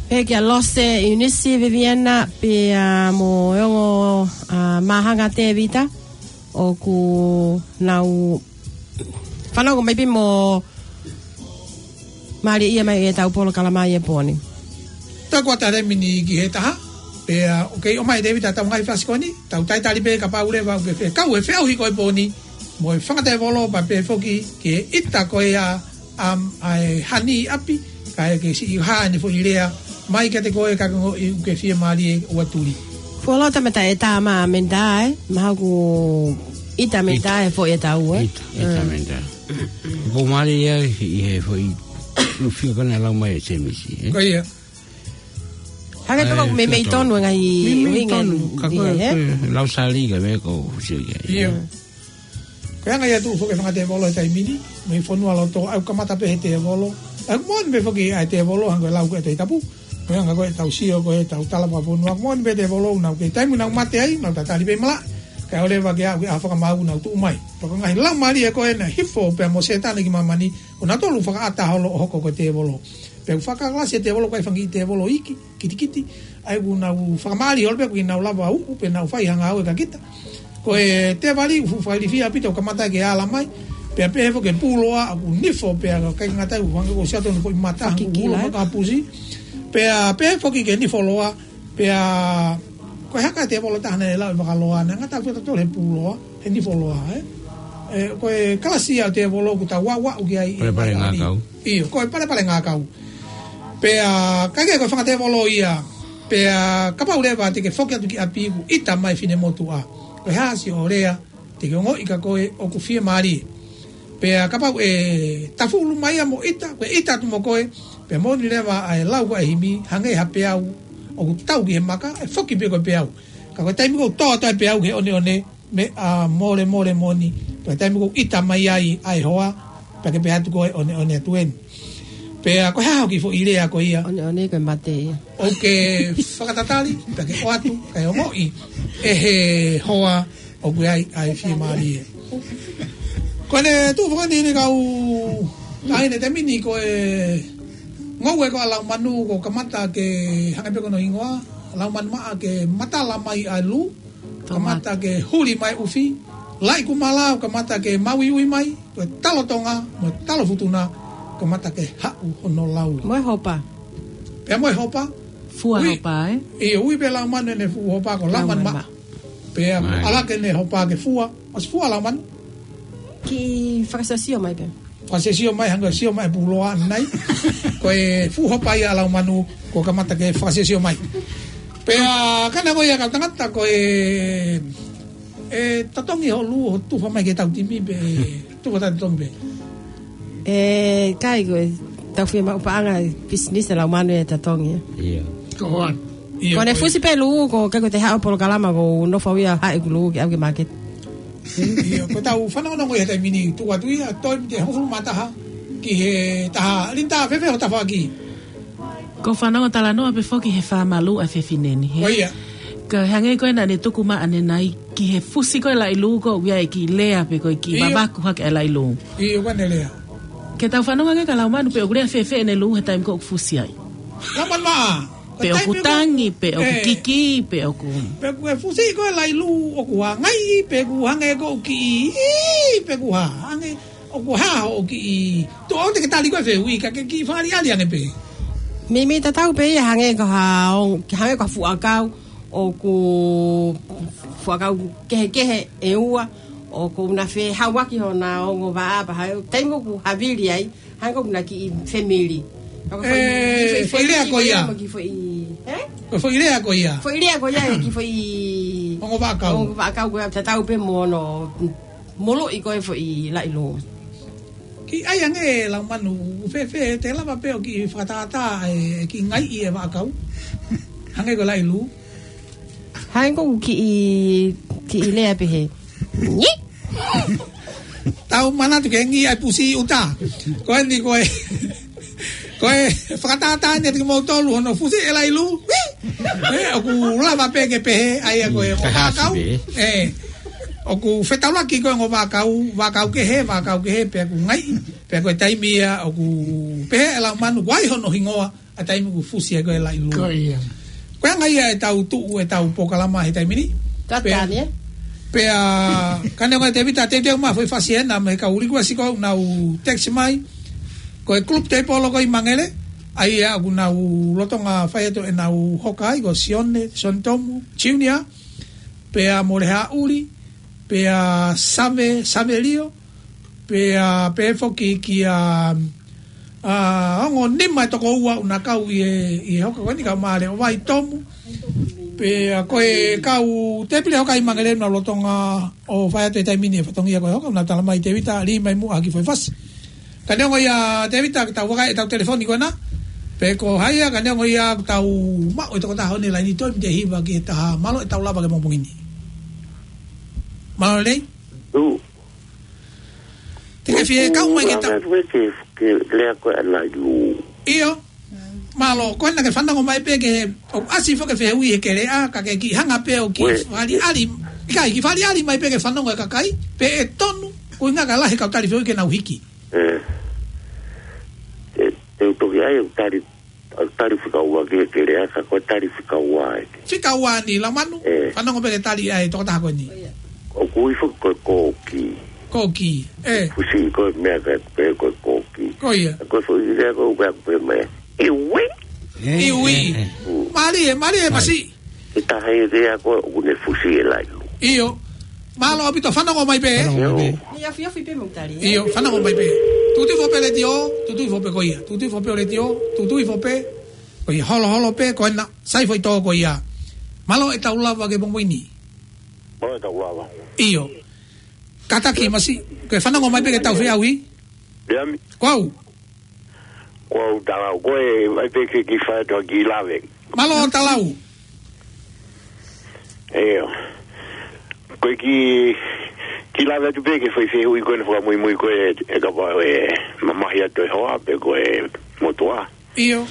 Pehē kia Lose, ʻIunisi, Viviana, pea mo e ongo, ʻa, Māhanga Tēvita, ʻoku nau fanongo mai pē mo mālieʻia mai ʻetau polokalama ʻi he pō ni. Tau kuata lēmini ki he taha, pea ʻoku kei ʻomai Tēvita ʻetau ngaahi fasi ko eni, tau talitali pē kapau leva ʻoku ke fekau he feʻauhi ko e pō ni, mo e fanga tēvolo pea pehē foki ki he ʻita ko ia ʻa, ʻa e hani ʻi ʻapi, kae ke siʻi hā ʻene foʻi lea mai kiate koe ka ke ongoʻi ʻoku ke fiemālie ʻo tuli. Fuoloa tamata e tā mā menitā, ē? Mahalo ʻoku ʻita menitā ʻe foʻi e tau, ē? ʻIta, ʻita menitā. Ko mālie ia ʻi he foʻi ʻū fika ko ena ʻe lau mai ʻe Sēmisi, ē? Ko ia. Hake toka ʻoku meimei tonu e ngaahi meimei ʻuhinga tonu, ka ko e, ē? Ko e lau sali ka me ko sio ia. Ia. Ko e anga ia tuʻu foki e fanga tēvolo he taimi ni, mei fonua loto, ʻoku kamata pē he tēvolo. ʻOku moʻoni pē foki ʻa e tēvolo, hangē ko e lau ko ē ʻa e Tohi Tapu. Ko e anga ko ē ʻetau sio ko ē ʻetau tala fakafonua, ʻoku moʻoni pē tēvolo, nau kei taimi nau mate ai, nau tatali pē ʻi malaʻe. Kae ʻoua leva ke aʻu ki he ʻaho fakamaau nau tuʻu mai. Pea ko e ngaahi lau mālie ko ē naʻe hifo pea mo Sētane ki māmani, ʻo nautolu fakaʻatā holo ʻo hoko ko e tēvolo. Pea ʻoku fakakalasi e tēvolo, ʻikai fanga kiʻi tēvolo iiki, kitekite, ʻa ia ʻoku nau fakamālie holo pē ʻoku nau lava uʻu pē nau fai ha ngāue kia kita. Ko e tēvali ʻoku fuʻu fakailifia ʻaupito, kamata ke ala mai, pea pehē foki ki he pūloa ʻoku nifo, pea ʻikai ngata ai ʻoku hangē ko Siato ʻoku nau foʻi mata, ʻoku ulo makapusi. Pea pehē foki ki he nifo loa, pea ko e hā e tēvolo ʻe taha naʻe lau ʻe Vakaloa, naʻe ngata ʻaupito he pūloa, he nifo loa, ē? ʻE, ko e kalasi ia ʻo e tēvolo ʻoku tau aʻu ki ai ʻi he palepale ngākau. ʻIo, ko e palepale ngākau. Pea, ka ke ko e fanga tēvolo ia, pea kapau leva te ke foki atu ki ʻapi ʻoku ʻita mai e finemotuʻa, ko e hā siʻo lea te ke ongoʻi kia koe ʻoku fiemālie? Pea kapau ʻe tafulu mai ia mo ʻita, ko e ʻita atu mo koe, pea moʻoni leva ʻa e lau ko ē ʻa e himi, hangē ha peau ʻoku tau ki he maka, ʻe foki pē ko e peau. Ka ko e taimi ʻoku tō atu ai e peau ki he ʻoneʻone, meʻa mole mole moʻoni, pea taimi ʻoku ʻita mai ai ʻa e hoa, pea ke pehē atu ko e ʻoneʻone atu eni. Pea ko e hā hoʻo kiʻi foʻi lea ko ia? ʻOneʻone ko e mate ia. ʻOku ke fakatatali, pea ke ʻoatu, kae ongoʻi ʻe he hoa ʻoku ʻi ai ʻa e fiemālie. Ko ʻene tuʻu foki eni kau taʻahine he taimi ni ko e ngoue ko ē ʻa Laumanu, ko e kamata ke hangē pē ko hono hingoa, Laumanu Maʻa, ke matala mai ʻa e lū, kamata ke huli mai ʻufi, laʻi kumala, kamata ke mauiui mai, ko e talo Tonga, mo e talo Futuna, kamata ke haʻu hono laulā. Mo e hopa. Pea mo e hopa. Fua hopa, ē? ʻIo, ui pē ʻe Laumanu ʻene fuʻu hopa ko Laumanu Maʻa. Pea ʻalaki ʻene hopa ke fua, ʻosi fua Laumanu. Kiʻi fakasiosio mai pē. Fakasiosio mai, hangē ko e sio mai e pūloa ʻanenai. Ko e fuʻu hopa ia ʻa Laumanu, kuo kamata ke fakasiosio mai. Pea ka naʻe ko ia kau tangata ko e, ʻe totongi hoʻo lū ʻo tufa mai ki heʻetau timi pe tufa taʻetotongi pē? ʻE ʻikai, ko ʻetau fiemaʻu paʻanga pisinisi ʻa Laumanu ʻe totongi. ʻIo. Ko hoan. ʻIo, ko ʻene fusi pē lū, ko e ʻikai ko ʻete haʻu polokalama ʻoku ou nofo au ia ʻo haʻi ʻeku lū ke ʻalu ki he maketi. ʻIo, ko ʻetau fanongonongo ia he taimi ni, tuku atu ia, toe mite hongofulu mā taha ki he taha. Linda, fēfē hoʻo tafaʻaki? ʻOku ou fanongo talanoa pē foki he fāmalū ʻa e fefine ni, hē? Ko ia. Ka hangē ko ē naʻa ne tuku mai ʻanenai ki he fusi ko ē e laʻi lū, ko e ʻuhinga e kiʻi lea pe ko e kiʻi vavaku hake e laʻi lū. ʻIo, ko ʻene lea. Ke tau fanongo ange kia Laumanu pe ʻoku lea fēfē ʻene lū he taimi ko ē ʻoku fusi ai. Laumanu Maʻa. Pe ʻoku tangi, pe ʻoku kiki, pe ʻoku, pe ʻoku fusi ko ē e laʻi lū ʻoku hangē, pe ʻoku hangē ko e kiʻi, pe ʻoku hā, hangē, ʻoku hā hoʻo kiʻi, tuʻo te ke tali ko ē e fehuʻi, ka ke kiʻi fakaʻaliʻali ange pē. Meimei tatau pē ia hangē ko ha, hangē ko ha fuʻu ʻakau, ʻoku fuʻu ʻakau kehekehe ʻe ua, ʻoku na fehauaki hona ongo vaʻa, pea ʻi he taimi ʻoku havili ai, hangē ko ʻena kiʻi family. Ka ko e foʻi, ʻe, foʻi lea ko ia. Foʻi lea ko ia. Ē? Ko e foʻi lea ko ia. Foʻi lea ko ia, ʻe kiʻi foʻi ongo vaʻakau. Ongo vaʻakau ko ia, tatau pē mo hono moloʻi ko ē e foʻi laʻi lū. Kiʻi ʻai ange Laumanu, fēfē, te lava pē ʻo kiʻi fakatātā e kiʻi ngaiʻi e vaʻakau. Hangē ko e laʻi lū. Hangē ko ʻeku kiʻi, kiʻi lea pehē. Ngi! Tau manatu ke ngi ai pusi ʻuta. Ko eni ko e, ko e fakatātā eni ʻiate kimoutolu hono fusi e laʻi lū. Ngi! Ē, ʻoku lava pē ke pehē, ʻa ia ko e, mm, ongo vaʻakau. Ē. ʻOku fetaulaki ko e ongo vaʻakau, vaʻakau kehe, vaʻakau kehe, pea ʻoku ngaahi, pea ko e taimi ia ʻoku pehē ʻe Laumanu, ʻoku ʻi ai hono hingoa, ʻa e taimi ʻoku fusi ai ko e Laʻilū. Ko ia. Ko e anga ia ʻetau tuʻu, ʻetau polokalama he taimi ni. Ka Pea, tani, ē? pea, ka neongo ʻa Tēvita, teuteu mai foʻi fasi ena, mo e kau request ko ē ʻoku nau text mai. Ko e group table ko ē ʻi Mangele, ʻa ia ʻoku nau lolotonga fai atu ʻenau hoka ai, ko Sione, Sione Tomu, Junior, pea Mole Haʻuli, pea Same, Samelio, pea, pea foki kia, ʻa, ongo nima e tokoua ʻoku na kau ʻi he, ʻi he hoka ko eni, kau Male ʻo Vai Tomu. Pea ko e kau tēpile hoka ʻi Mangele ʻoku nau lolotonga ʻo fai atu he taimi ni e fatongia ko e hoka, ʻoku nau tala mai Tēvita, lī mai muʻa ha kiʻi foʻi fasi. Ka neongo ia Tēvita, ka tau vakai ʻetau telefoni ko ena. Pe ko hai ia, ka neongo ia ʻoku tau maʻu e tokotaha ʻi he laini, toe mite hiva ki he taha. Mālō ʻetau lava ki he pongipongi ni. Mālō lelei. Ū. Te ke fie kau mai ke ta- Ua, ke, ke lea ko ē ʻa Laʻilū. ʻIo. Mālō, ko ena ke fanongo mai pē ke, ʻoku ʻasi foki e fehuʻi he keleʻa, ka ke kiʻi hanga pē ʻo kiʻi Ue. fakaʻaliʻali, ʻikai, kiʻi fakaʻaliʻali mai pē ke fanongo e kakai, pe ʻe tonu, ko e ʻuhinga ka lahi e kau tali fehuʻi ke nau hiki. Ē. Te, te u toki ʻai ʻeku tali, ʻeku tali fika ua ki he keleʻa, ka ko e tali fika ua ē. Fika ua ni, Laumanu, Ē. fanongo pē ke tali ʻa e tokotaha ko eni. ʻOku ui foki ko e kōkī. Kōkī, ē. Fusi ko e meʻa ka pehē ko e kōkī. Ko ia. Ko e foʻi lea ko ē ʻoku pehē mai, ʻiui. ʻIui. Ū. Mālie, mālie, Mālie. Masi. Ke taha e lea ko ē ʻoku ne fusi e Laʻilū. ʻIo. Mālō ʻaupito, fanongo mai pē. Fanongo mai pē. ʻIo. Ni afi afi pē mo tali, ē? ʻIo, fanongo mai pē. Tuʻutuʻu foʻi pē letiō, tuʻutuʻu foʻi pē ko ia. Tuʻutuʻu foʻi pē letiō, tuʻutuʻu foʻi pē. Ko ia, holoholo pē, ko ena, sai foʻi tō ko ia. Mālō ʻetau lava ki he pongipongi ni. Mālō ʻetau lava. ʻIo. Kātaki, Masi, ke fanongo mai pē ke tau feʻauhi. Leami. Ko au. Ko au Talau, ko e, ʻai pē ke kiʻi fai atu ha kiʻi lave. Mālō Talau. ʻIo. Ko e kiʻi, kiʻi lave atu pē ki he foʻi fehuʻi ko ē naʻe fakamuimui ko ē, ʻe kapau ʻe mamahi atu e hoa pe ko e motuʻa. ʻIo.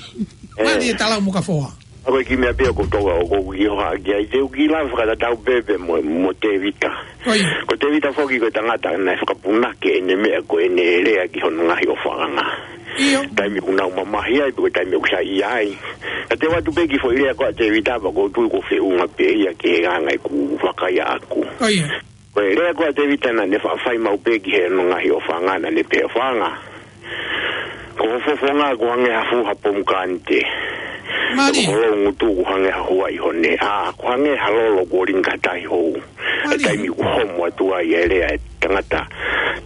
Ē. Mālie Talau mo Kafoa. ʻA ko e kiʻi meʻa pē ʻoku ou tokanga ʻoku ou kiʻi hohaʻa ki ai, te u kiʻi lave fakatatau pē pea mo, mo Tēvita. Ko ia. Ko Tēvita foki ko e tangata naʻe fakapunake ʻene meʻa ko ʻene lea ki hono ngaahi ʻofaʻanga. ʻIo. Taimi ʻoku nau mamahi ai, pe ko e taimi ʻoku saiʻia ai. Ka te u ʻoatu pē kiʻi foʻi lea ko ē ʻa Tēvita, pea ʻoku ou tui ʻoku feʻunga pē ia ki he anga ʻeku vakai ʻaʻaku. Ko ia. Ko e lea ko ē ʻa Tēvita naʻa ne faʻa fai maʻu pē ki hono ngaahi ʻofaʻanga, naʻa ne pehē, ʻofaʻanga, ko ho fofonga ʻoku hangē ha fuʻu ha pomukanite. Mālie. Ko ho loungutu ʻoku hangē ha huaʻi hone. ʻA, ʻoku hangē ha lolo kuo lingi ki ha tahi hou. Mālie. Taimi ʻoku homo atu ai e lea e tangata.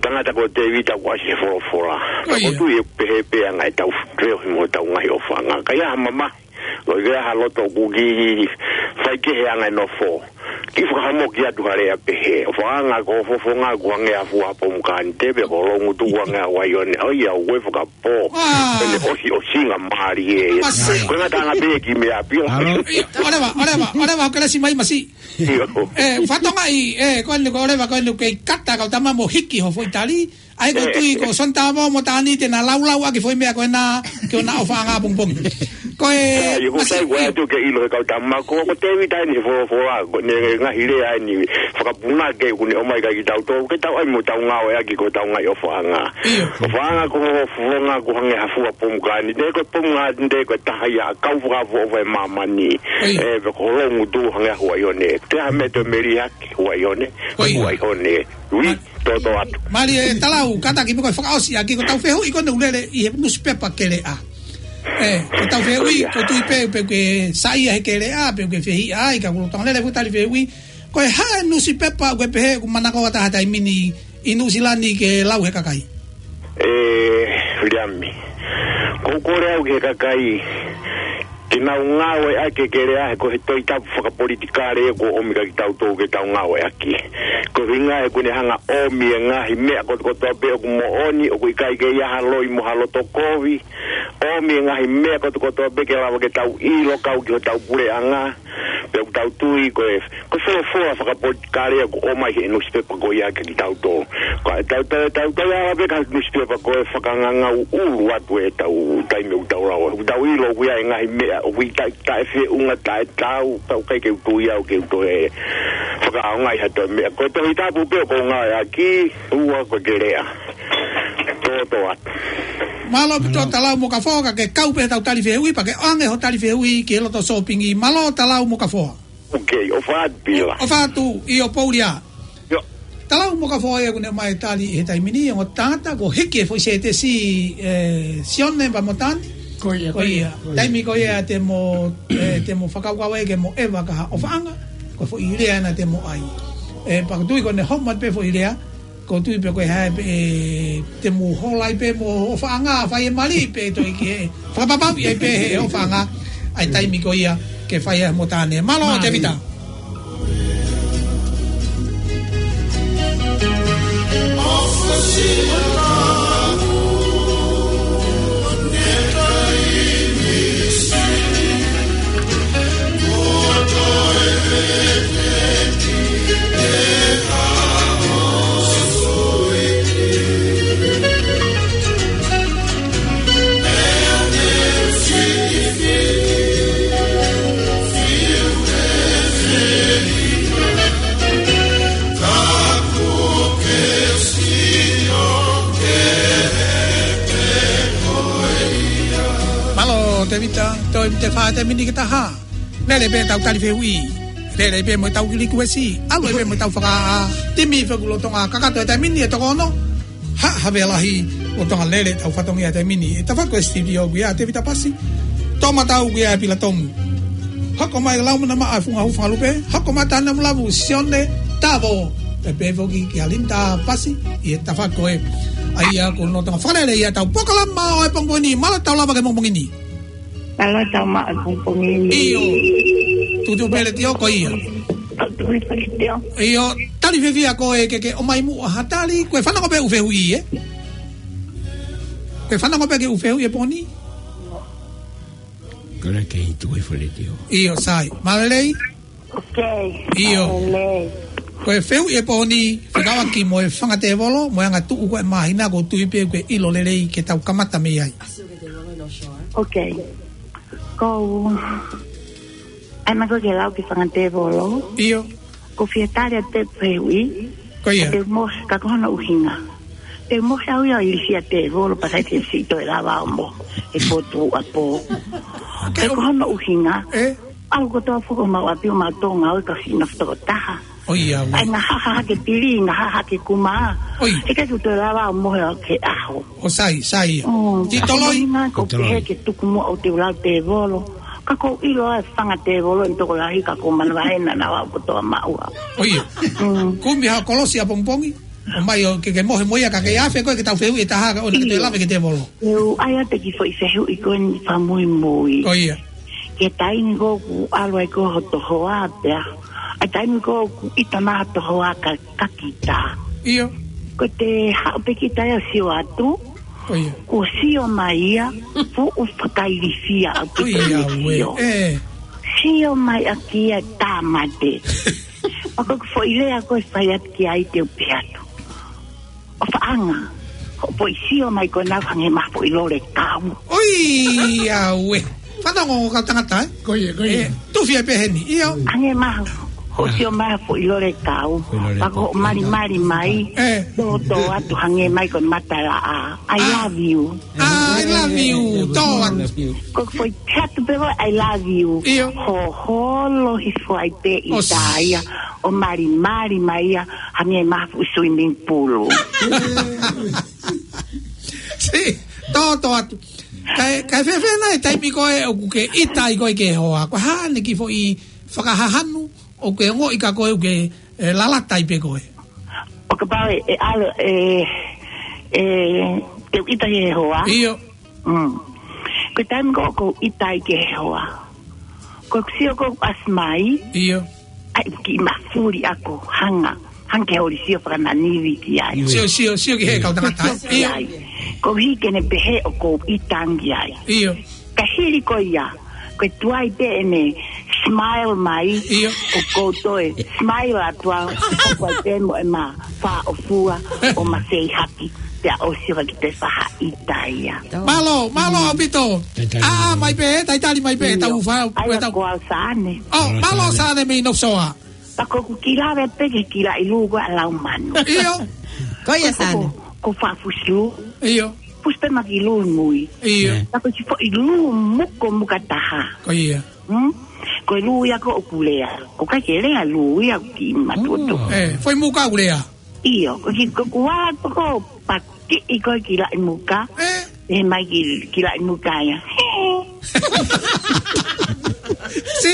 Tangata ko Tēvita ʻoku ʻasi he folofola. Ko ia. ʻOku ou tui ʻe pehē pē ʻa e anga ʻetau feohi mo hotau ngaahi ʻofaʻanga. Ka ʻi ai ha mamahi, ko e ha loto ʻoku kiʻi faikehe anga e nofo, kiʻi fakahamoki atu ha lea pehē. ʻOfaʻanga, ko ho fofonga ʻoku hangē ha fuʻu ha pomukanite, pea ko ho loungutu ʻoku hangē ha huaʻi hone. ʻOiauē, ʻoku ou fakapō. ʻĀ. Pea ne ʻosi, ʻosinga mālie. Masi. Ko e ngataʻanga pē kiʻi meʻa pio. Mālō. ʻIo, ʻoleva, ʻoleva, ʻoleva, kelesi mai Masi. ʻIo. Ē, fatongia, ē, ko eni ko ʻoleva, ko eni kei kata kau tama mo hiki ho foʻi tali. ʻA ia ʻoku ou tui ko Soni Tavao mo Tani te na laulau ʻaki e foʻi meʻa ko ena ki hona ʻofaʻanga pongipongi. Ko e ʻIo, ko Masi, sai, ko e ʻio. ʻAtu ke ʻilo he kau tama ko, ko Tēvita eni he folofola, ko ʻene ngaahi lea eni fakapunake ʻoku ne ʻomai kia kitautolu, ke tau ʻai mo tau ngāueʻaki ki hotau ngaahi ʻofaʻanga. ʻIo. ʻOfaʻanga, ko ho fofonga ʻoku hangē ha fuʻu ha pomukanite, ko e pomukanite ko e taha ia ʻa e kau fakaʻofoʻofa ʻo e māmani. ʻIo. Ē, pea ko ho loungutu hangē ha huaʻi hone. Te ha meʻa toe meli hake, huaʻi hone, ʻIo. huaʻi hone. Ui, Ma-, toto atu. Mālie Talau, kātaki pē ko e fakaʻosi ʻaki, ko ʻetau fehuʻi ko eni ʻoku lele ʻi he nusipepa keleʻa. Ē, ko ʻetau fehuʻi, ʻIo. ʻOku ou tui pē, pe ke saiʻia he keleʻa, pe ke fehiʻa ai, ka ʻoku lolotonga lele e fuʻu tali fehuʻi. Ko e hā e nusipepa ʻoku ke pehē ʻoku manako ʻa e taha taimi ni ʻi Nuʻusila ni ke lau he kakai? Ē, Leami. ʻOku ou kole au ki he kakai, ke nau ngāueʻaki e keleʻa he ko e Tohi Tapu fakapolitikale ia kuo ʻomi kia kitautolu ke tau ngāueʻaki. Ko e ʻuhinga he ʻoku ne hanga ʻo ʻomi e ngaahi meʻa kotokotoa pē ʻoku moʻoni, ʻoku ʻikai ke ʻi ai ha loi mo ha loto kovi. ʻOmi e ngaahi meʻa kotokotoa pē ke lava ke tau ʻilo kau ki hotau puleʻanga. Pea ʻoku tau tui ko e, ko e folofola fakapolitikale ʻoku ʻomai he nusipepa ko ia kiate kitautolu. Ko e tau, tau, tau, tau ala pē ka nusipepa ko e fakangangau ʻulu atu ʻetau taimi ʻoku tau lau. ʻOku tau ʻilo ʻoku ʻi ai e ngaahi meʻa, ʻoku ʻi ai taʻe feʻunga, taʻe tau, tau kai ke u tui au ke u toe fakaʻaongaʻi ha toe meʻa. Ko e Tohi Tapu pē ʻoku ou ngāueʻaki, ʻoua ko e ke lea. Tōtōatu. Mālō ʻaupito Talau Mokafoa, ka ke kau pē he tau tali fehuʻi, pea ke ʻoange hoʻo tali fehuʻi ki he loto sōpingi. Mālō Talau Mokafoa. Ok, ʻofa atu Pila. ʻOfa atu, ʻio Poulia. ʻIo. Talau Mokafoa ia ʻoku ne ʻomai e tali he taimi ni, ongo tangata kuo hiki e foʻi sētesi, ē, Sione pea mo Tane. Ko ia, ko ia. Taimi ko ia te mo, ē, te mo fakakaukau ai ke mo ʻeva ki ha ʻofaʻanga, ko e foʻi lea ena te mo ʻai. Ē, pea ʻoku ou tui ko ʻene homo atu pē foʻi lea, ʻoku ou tui pē ko e hā pē, ē, te mo hola ai pē mo ʻofaʻanga, fai e mali pē toe ki he fakapapauʻi ai pē he ʻofaʻanga, ʻa e taimi ko ia ke fai ai mo Tane. Mālō, mālō. Tēvita. Mālō, Tēvita, toe mite fā te mini ke taha. Lele pē tau tali fehuʻi. Lele pē mo tau kili kuesi. ʻAlu pē mo tau faka-, timi Fuakolotonga kakato e taimi ni ʻe toko ono. Ha, Havea Lahi, Lolotonga Lele, tau fatongia e taimi ni. ʻE tafa ko e studio ʻoku ʻia Tēvita Pasi. Toʻomataʻu ʻoku ʻia Pila Tomu. Hoko mai Laumana Maʻa Funga Hufangalupe. Hoko mai Tane Mulavu Sione Tavo. Pea pehē foki kia Linda Pasi. ʻI he tafa ko ē. ʻA ia ko Lolotonga Fakalele ia tau polokalama ʻo e pongipongi ni. Mālō tau lava ki he pongipongi ni. Mālō tau maʻu e pongipongi ni. ʻIo. Tuʻutuʻu pē letiō ko ia. Tuʻutuʻu pē letiō. ʻIo, tali fiefia ko e ke ke ʻomai muʻa ha tali, ko e fanongo pē ʻū fehuʻi, ē? Ko e fanongo pē ke ʻū fehuʻi he pongipongi ni? Ko e ke tuʻutuʻu pē letiō. ʻIo, sai. Mālō lelei? Ok. ʻIo. Mālō lelei. Ko e fehuʻi he pongipongi ni, fekauʻaki mo e fanga tēvolo, mo e anga tuʻu ko e māhina ʻoku ou tui pē ʻoku ke ʻilo lelei ke tau kamata mei ai. Ok. Ko, ʻai mai ko e ke lau ki he fanga tēvolo. ʻIo. Ko e fie tali atu pē fehuʻi. Ko ia. Te mo, ka ko hono ʻuhinga. Te mo he au ia ʻi he fia tēvolo, pea sai te si toe lava ʻo mo. E potu a po. Ka ko hono ʻuhinga. Ē? ʻAlu kotoa foki ʻo maʻu ʻapi ʻo maʻu Tonga ʻo e ka fina fo toko taha. ʻOi, ʻauē. ʻAi ngaahi haha ke pili, ngaahi haha ke kuma. ʻOi. He ʻikai ke u toe lava ʻo mohe au ki he ʻaho. ʻO sai, sai ia. Mm, Ti toloi. Ko e ʻuhinga, ko Ti toloi. Pehē ke tuku muʻa ʻo te u lau tēvolo. Ka ʻoku ou ʻilo ʻa e fanga tēvolo ʻe tokolahi ka ʻoku ou manavahē naʻa nau aʻu kotoa maʻu au. ʻOi. Mm. Kumi ha kolosi ʻapongipongi. ʻOmai ʻo ke, ke mohe mo ia ka ke afe ko e ke tau fehuʻi ʻe taha ka ʻoua naʻa ke toe lave ki he tēvolo. ʻIo. ʻIo, ʻai atu e kiʻi foʻi fehuʻi ko eni fakamuimui. Ko ia. Ki he taimi ko ē ʻoku ʻalu ai ko ē hoto hoa pea. ʻA e taimi ko ē ʻoku ʻita mai hoto hoa ka, ka kita. ʻIo. Ko e te haʻu pē kita ia ʻo sio atu. Ko ia. Kuo sio mai ia, fuʻu fakailifia ʻaupito Ko ia, ʻene ʻauē. Sio. Ē. Sio mai ʻaki ia e tāmate. Pea ko e foʻi lea ko ē fai atu ki ai te u pehē atu. ʻOfaʻanga. Hoʻo foʻi sio mai ko ena hangē mai ha foʻi lole kau. ʻOi, ʻauē. Fanongo kau tangata, ē? Ko ia, ko ia. Ē, tufi ai pē heni, ʻio. Hangē mai hoʻo sio mai ha foʻi lole kau. Foʻi lole kau. Pea ko hoʻo malimali mai. Ē. Tōtōatu hangē mai ko e matalaʻā. I love you. I love you, tō atu. Ko e foʻi pehē atu pē ko e I love you. ʻIo. Hoholo hifo ai pē ʻi ʻOsi. Taia. ʻO malimali mai ia, hangē mai ha fuʻu swimming pool. Sai, tōtōatu. Kae, kae fēfē nai e taimi ko ē ʻoku ke ʻita ai ko ē ki he hoa? Ko e hā ʻene kiʻi foʻi fakahahanu, ʻoku ke ongoʻi ka ko ē ʻoku ke, ē, lalata ai pē ko ē? ʻO kapau ʻe, ʻe ʻalu, ē, ē, te u ʻita ki he hoa. ʻIo. Mm. Ko e taimi ko ē ʻoku ou ʻita ai ki he hoa. Ko e sio ko ē ʻoku ʻasi mai. ʻIo. ʻAi kiʻi mafuli ʻaku hanga. Hanga ke holi sio fakananivi ki ai. ʻIo. Sio, sio, sio ki he kau tangata. Sio ki ai. ʻIo. Koeʻuhi ke ne pehē ʻoku ou ʻita ange ai. ʻIo. Ka hili ko ia. Ko e tuai pē ʻene Smile mai. ʻIo. ʻO kou toe smile atu au, ʻoku ʻai pē mo ʻema fāʻofua ʻo ma feihaki, pea ʻosi ʻo ka ki te faha ʻita ia. Mālō, mālō ʻaupito. Talitali mai. ʻĀ, mai pē, talitali mai pē, ʻIo. tau fa, ʻAi tau. Ko au Sane. ʻŌ, mālō Sane mei North Shore. Pea ko ʻeku kiʻi lave pē ki he kilaʻi lū ko ē ʻa Laumanu. ʻIo. Ko ia Sane. Ko, ko fafusi lū. ʻIo. Fusi pē ma ki lū mui. ʻIo. Pea ko e kiʻi foʻi lū muko muka taha. Ko ia. Hmm? Ko e lū ia ko ʻoku lea. ʻOku ʻikai ke lea lū ia ki matuto. ʻŌ. ʻE, foʻi muka ʻoku lea. ʻIo, ko ki, ko kua ko ko pakiʻi ko e kilaʻi muka. ʻE. ʻE mai ki, kilaʻi muka ia. Si,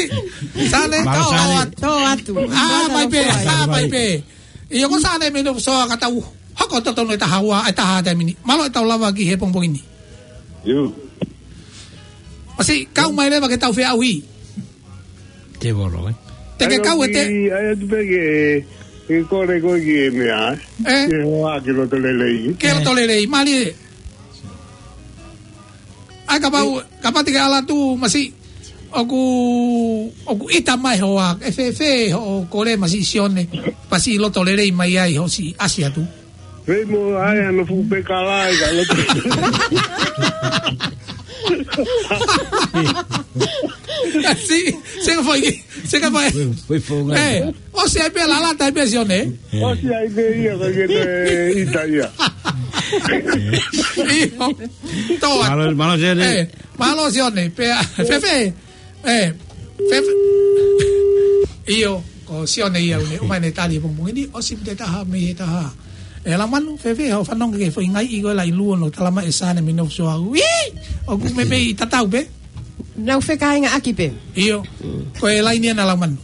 Sane, Mālō, tō Sane. atu. Tō atu. ʻĀ, mai pē, ʻā, mai pē. ʻIo, ko Sane mei North Shore ka tau hoko totonu e taha ua, e taha taimi ni. Mālō e tau lava ki he pongipongi ni. ʻIo. ʻOsi, kau mai leva ke tau feʻauhi. Te volo, ē? Te ke kau e te. ʻAi atu pē ke, ke kole ko e ki he meʻa, ē? ʻE? Ke hoa ke loto lelei. Ke loto lelei, mālie. ʻAi kapau, kapau te ke ʻalu atu Masi, ʻoku, ʻoku ʻita mai hoa, ʻe fēfē hoʻo kole Masi Sione, pasi loto lelei mai ai hoʻo siʻi ʻasi atu. Pei mo ai ano fuʻu pekala ai ka loto. Si, se ka fai, se ka fai. Fai, fai fōnga. ʻE, ʻosi ai pē lala tai pē Sione. ʻOsi ai pē ia ka ke te ʻita ia. ʻIo. Tō atu. Mālō, mālō Sione. ʻE, mālō Sione. Pea, fēfē. ʻE, fēfē. ʻIo, ko Sione ia ʻoku ne ʻomai ʻene tali he pongipongi ni, ʻosi mite taha mei he taha. ʻE Laumanu, fēfē, hoʻo fanongo ki he foʻi ngaahi ʻi ko e laʻi lū ʻoku talamai ʻe Sane mei North Shore. ʻUi! ʻOku meimei tatau pē. Nau fekāingaʻaki pē. ʻIo, ko e laini ʻena Laumanu.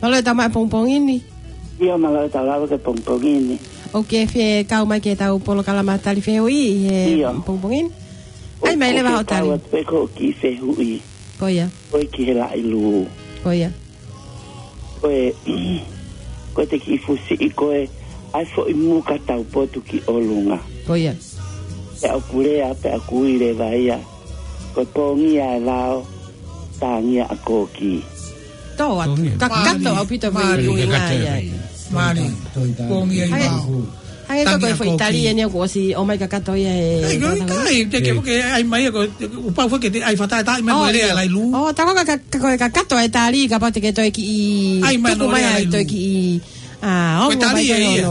Mālō e tau mai pongipongi ni. ʻIo, mālō e tau lava ki he pongipongi ni. ʻOku ke fie kau mai ki he tau polokalama tali fehuʻi ʻi he ʻIo. pongipongi ni. ʻAi mai leva hoʻo tali. ʻOku kau atu pē ko e kiʻi fehuʻi. Ko ia. Ko e ki he laʻi lū. Ko ia. Ko e, ko e te kiʻi fusiʻi ko e, ʻai foʻi muka taupotu ki ʻolunga. Ko ia. Pea ʻoku lea, pea ʻoku ui leva ia. Ko e pongia e lao, tāngia ʻa kōkī. Tō atu. Pongia. Kakato ʻaupito. Mālie. Mālie. Mālie. Pongia e lao. Hangē ko e foʻi tali ʻeni ʻoku ʻosi ʻomai kakato ia he. ʻAi, ko e kai, te ke, ke ʻai mai ko, ʻoku pau ke te ʻai fata, ta ʻai mai ko e lea laʻi lū. ʻO, tā ko e ka, ka, ko e kakato e tali, kapau te ke toe kiʻi, ʻai mai tuku mai ai toe kiʻi, ʻa, ongo mai ko ia.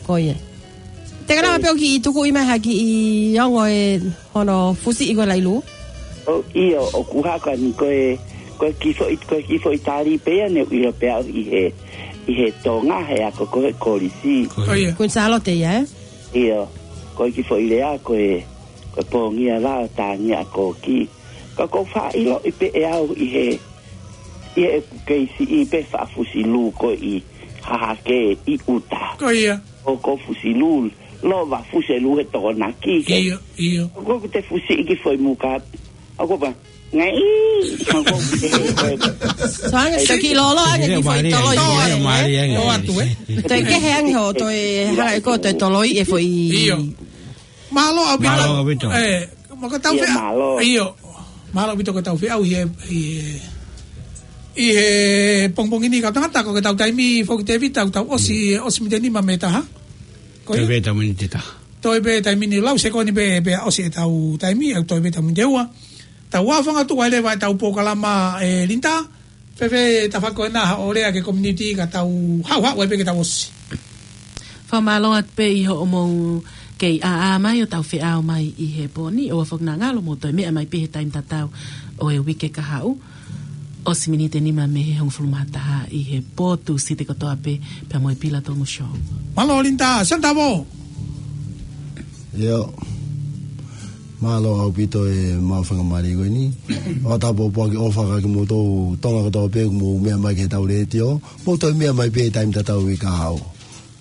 Ko ia. Te ke lava pē ʻo kiʻi tuku ʻi mai ha kiʻi ongo e hono fusiʻi ko e laʻi lū. ʻO, ʻio, ʻoku haka ni ko e, ko e kiʻi foʻi, ko e kiʻi foʻi tali pē ia ne u ʻilo pē au ʻi he, ʻi he Tonga he ako ko e kolisi. Ko ia. Kuini Sālote ia, ē? ʻIo, ko e kiʻi foʻi lea ko e, ko e pongia lao tāngia ʻa kōkī. Ka ʻoku ou faʻa ʻiloʻi pē ʻe au ʻi he, ʻi he kei siʻi pē faʻa fusi lū ko ē ʻi Hahake ʻi ʻuta. Ko ia. ʻOku ou fusi lū, lova fusi lū he Tokonaki ke. ʻIo, ʻio. ʻOku ou te fusiʻi kiʻi foʻi muka. ʻOku ou pehē, ngai, ʻoku ou te he koe. So ange, so kiʻi lolo ange kiʻi foʻi toloi. Mālie ange. Tō atu, ē? Toe kehe ange hoʻo toe hanga ʻe koe toe toloi e foʻi. ʻIo. Mālō ʻaupito. Mālō ʻaupito. ʻE, mo ka tau fea. ʻIo, mālō. ʻIo. Mālō ʻaupito ko e tau feʻauhi ʻi he, ʻi he, ʻi he pongipongi ni kau tangata ko e tau taimi foki Tēvita, tau ʻosi, ʻosi miniti nima mei he taha. Ko ia? Toe pē tau miniti ʻe taha. Toe pē taimi ni lau sekoni pē, pea ʻosi e tau taimi, ʻa e toe pē tau miniti ʻe ua. Tau ʻaofanga atu ai leva e tau polokalama ʻe Linda. Fēfē, tafako ena haʻo lea ki he community ka tau haʻuhaʻu ai pē ke tau ʻosi. Fakamālō atu pē ʻi hoʻomou kei ʻāʻā mai ʻo tau feʻao mai ʻi he pō ni, ʻoua foki naʻa ngalo mou toe meʻa mai pē he taimi tatau ʻo e uike kahaʻu. ʻOsi miniti ʻe nima mei he hongofulu mā taha ʻi he pō Tūsite kotoa pē, pea mo e Pila Tomu Show. Mālō Linda, Santavo. ʻIo. Mālō ʻaupito e mau fakamālō ko eni. ʻOku tau pōpoaki ʻofa kia kimoutolu Tonga kotoa pē ʻoku mou meʻa mai ki he tau letiō. Mou toe meʻa mai pē taimi tatau ʻi kahaʻu.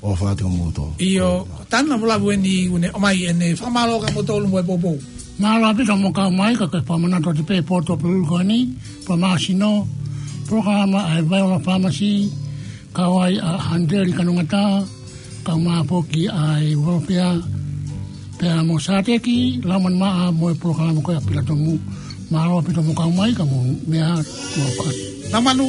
ʻOfa atu kia moutolu. ʻIo, tana mo lavu eni ʻoku ne ʻomai ʻene fakamālō kia moutolu mo e poupou. Mālō ʻaupito mo kau mai ka ke fakamanatu atu pē pō Tuʻapulelulu ko eni, pō Māsino, polokalama ʻa e Viola Pharmacy, kau ai ʻa Handeli Kanongata, kau mai foki ʻa e Uelofea, pea mo Sāteki, Laumanu Maʻa mo e polokalama ko ia ʻa Pila Tomu. Mālō ʻaupito mo kau mai ka mou meʻa ā, mo kau. Nau Manu.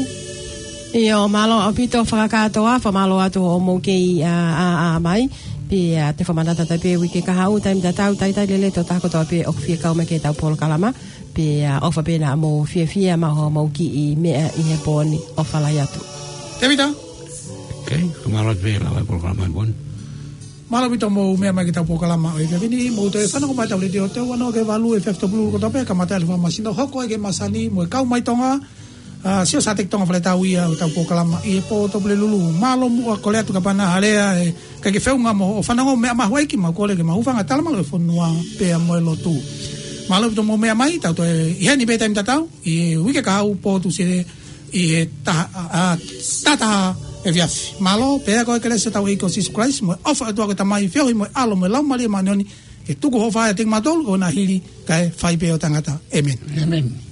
ʻIo, mālō ʻaupito fakakātoa, fakamālō atu hoʻomou kei ʻā, ʻā, ʻā mai. Pea te fakamanatu atu pē uike kahaʻu, taimi tatau, talitali lelei ʻa e tokotaha kotoa pē ʻoku fie kau mai ki heʻetau polokalama. Pea ʻofa pē naʻa mou fiefia maʻa hoʻomou kiʻi meʻa ʻi he pō ni, ʻofa lahi atu. Tēvita. Okay, fakamālō atu pē lava e polokalama ʻi he pō ni. Mālō ʻaupito hoʻomou meʻa mai ki heʻetau polokalama ʻo e efiafi ni, mou toe fanongo mai ki heʻetau letiō, teau ono ki he valu F M Topolulu kotoa pē, kamata e ʻaho fakamasino, hoko e ke masani mo e kau mai Tonga, ʻa, sio sa teki Tonga Fale Tau ia ʻo ʻetau polokalama ʻi he pō Tupulelulu. Mālō muʻa, kole atu kapau naʻe ʻi ai ha lea ʻe ʻikai ke feʻunga mo hoʻo fanongo, meʻa mahuʻinga ke mau kole ke mau hūfanga ʻo talamai e fonua pea mo e lotu. Mālō ʻaupito hoʻomou meʻa mai, tau toe ʻi heni pē taimi tatau, ʻi he uike kahaʻu, pō Tūsite ʻi he taha, ʻa, ʻa, taha taha efiafi. Mālō, pea ko e kelesi ʻa hotau ʻEiki ko Sīsū Kalaisi, mo e ʻofa ʻa e ʻOtua ko e Tamai, feohi mo e ʻAlo mo e Laumālie Māʻoniʻoni, ke tuku hoʻo faʻahinga ʻiate kimautolu, ʻo na hili kae fai pē ʻo taʻengata. ʻĒmeni. ʻĒmeni.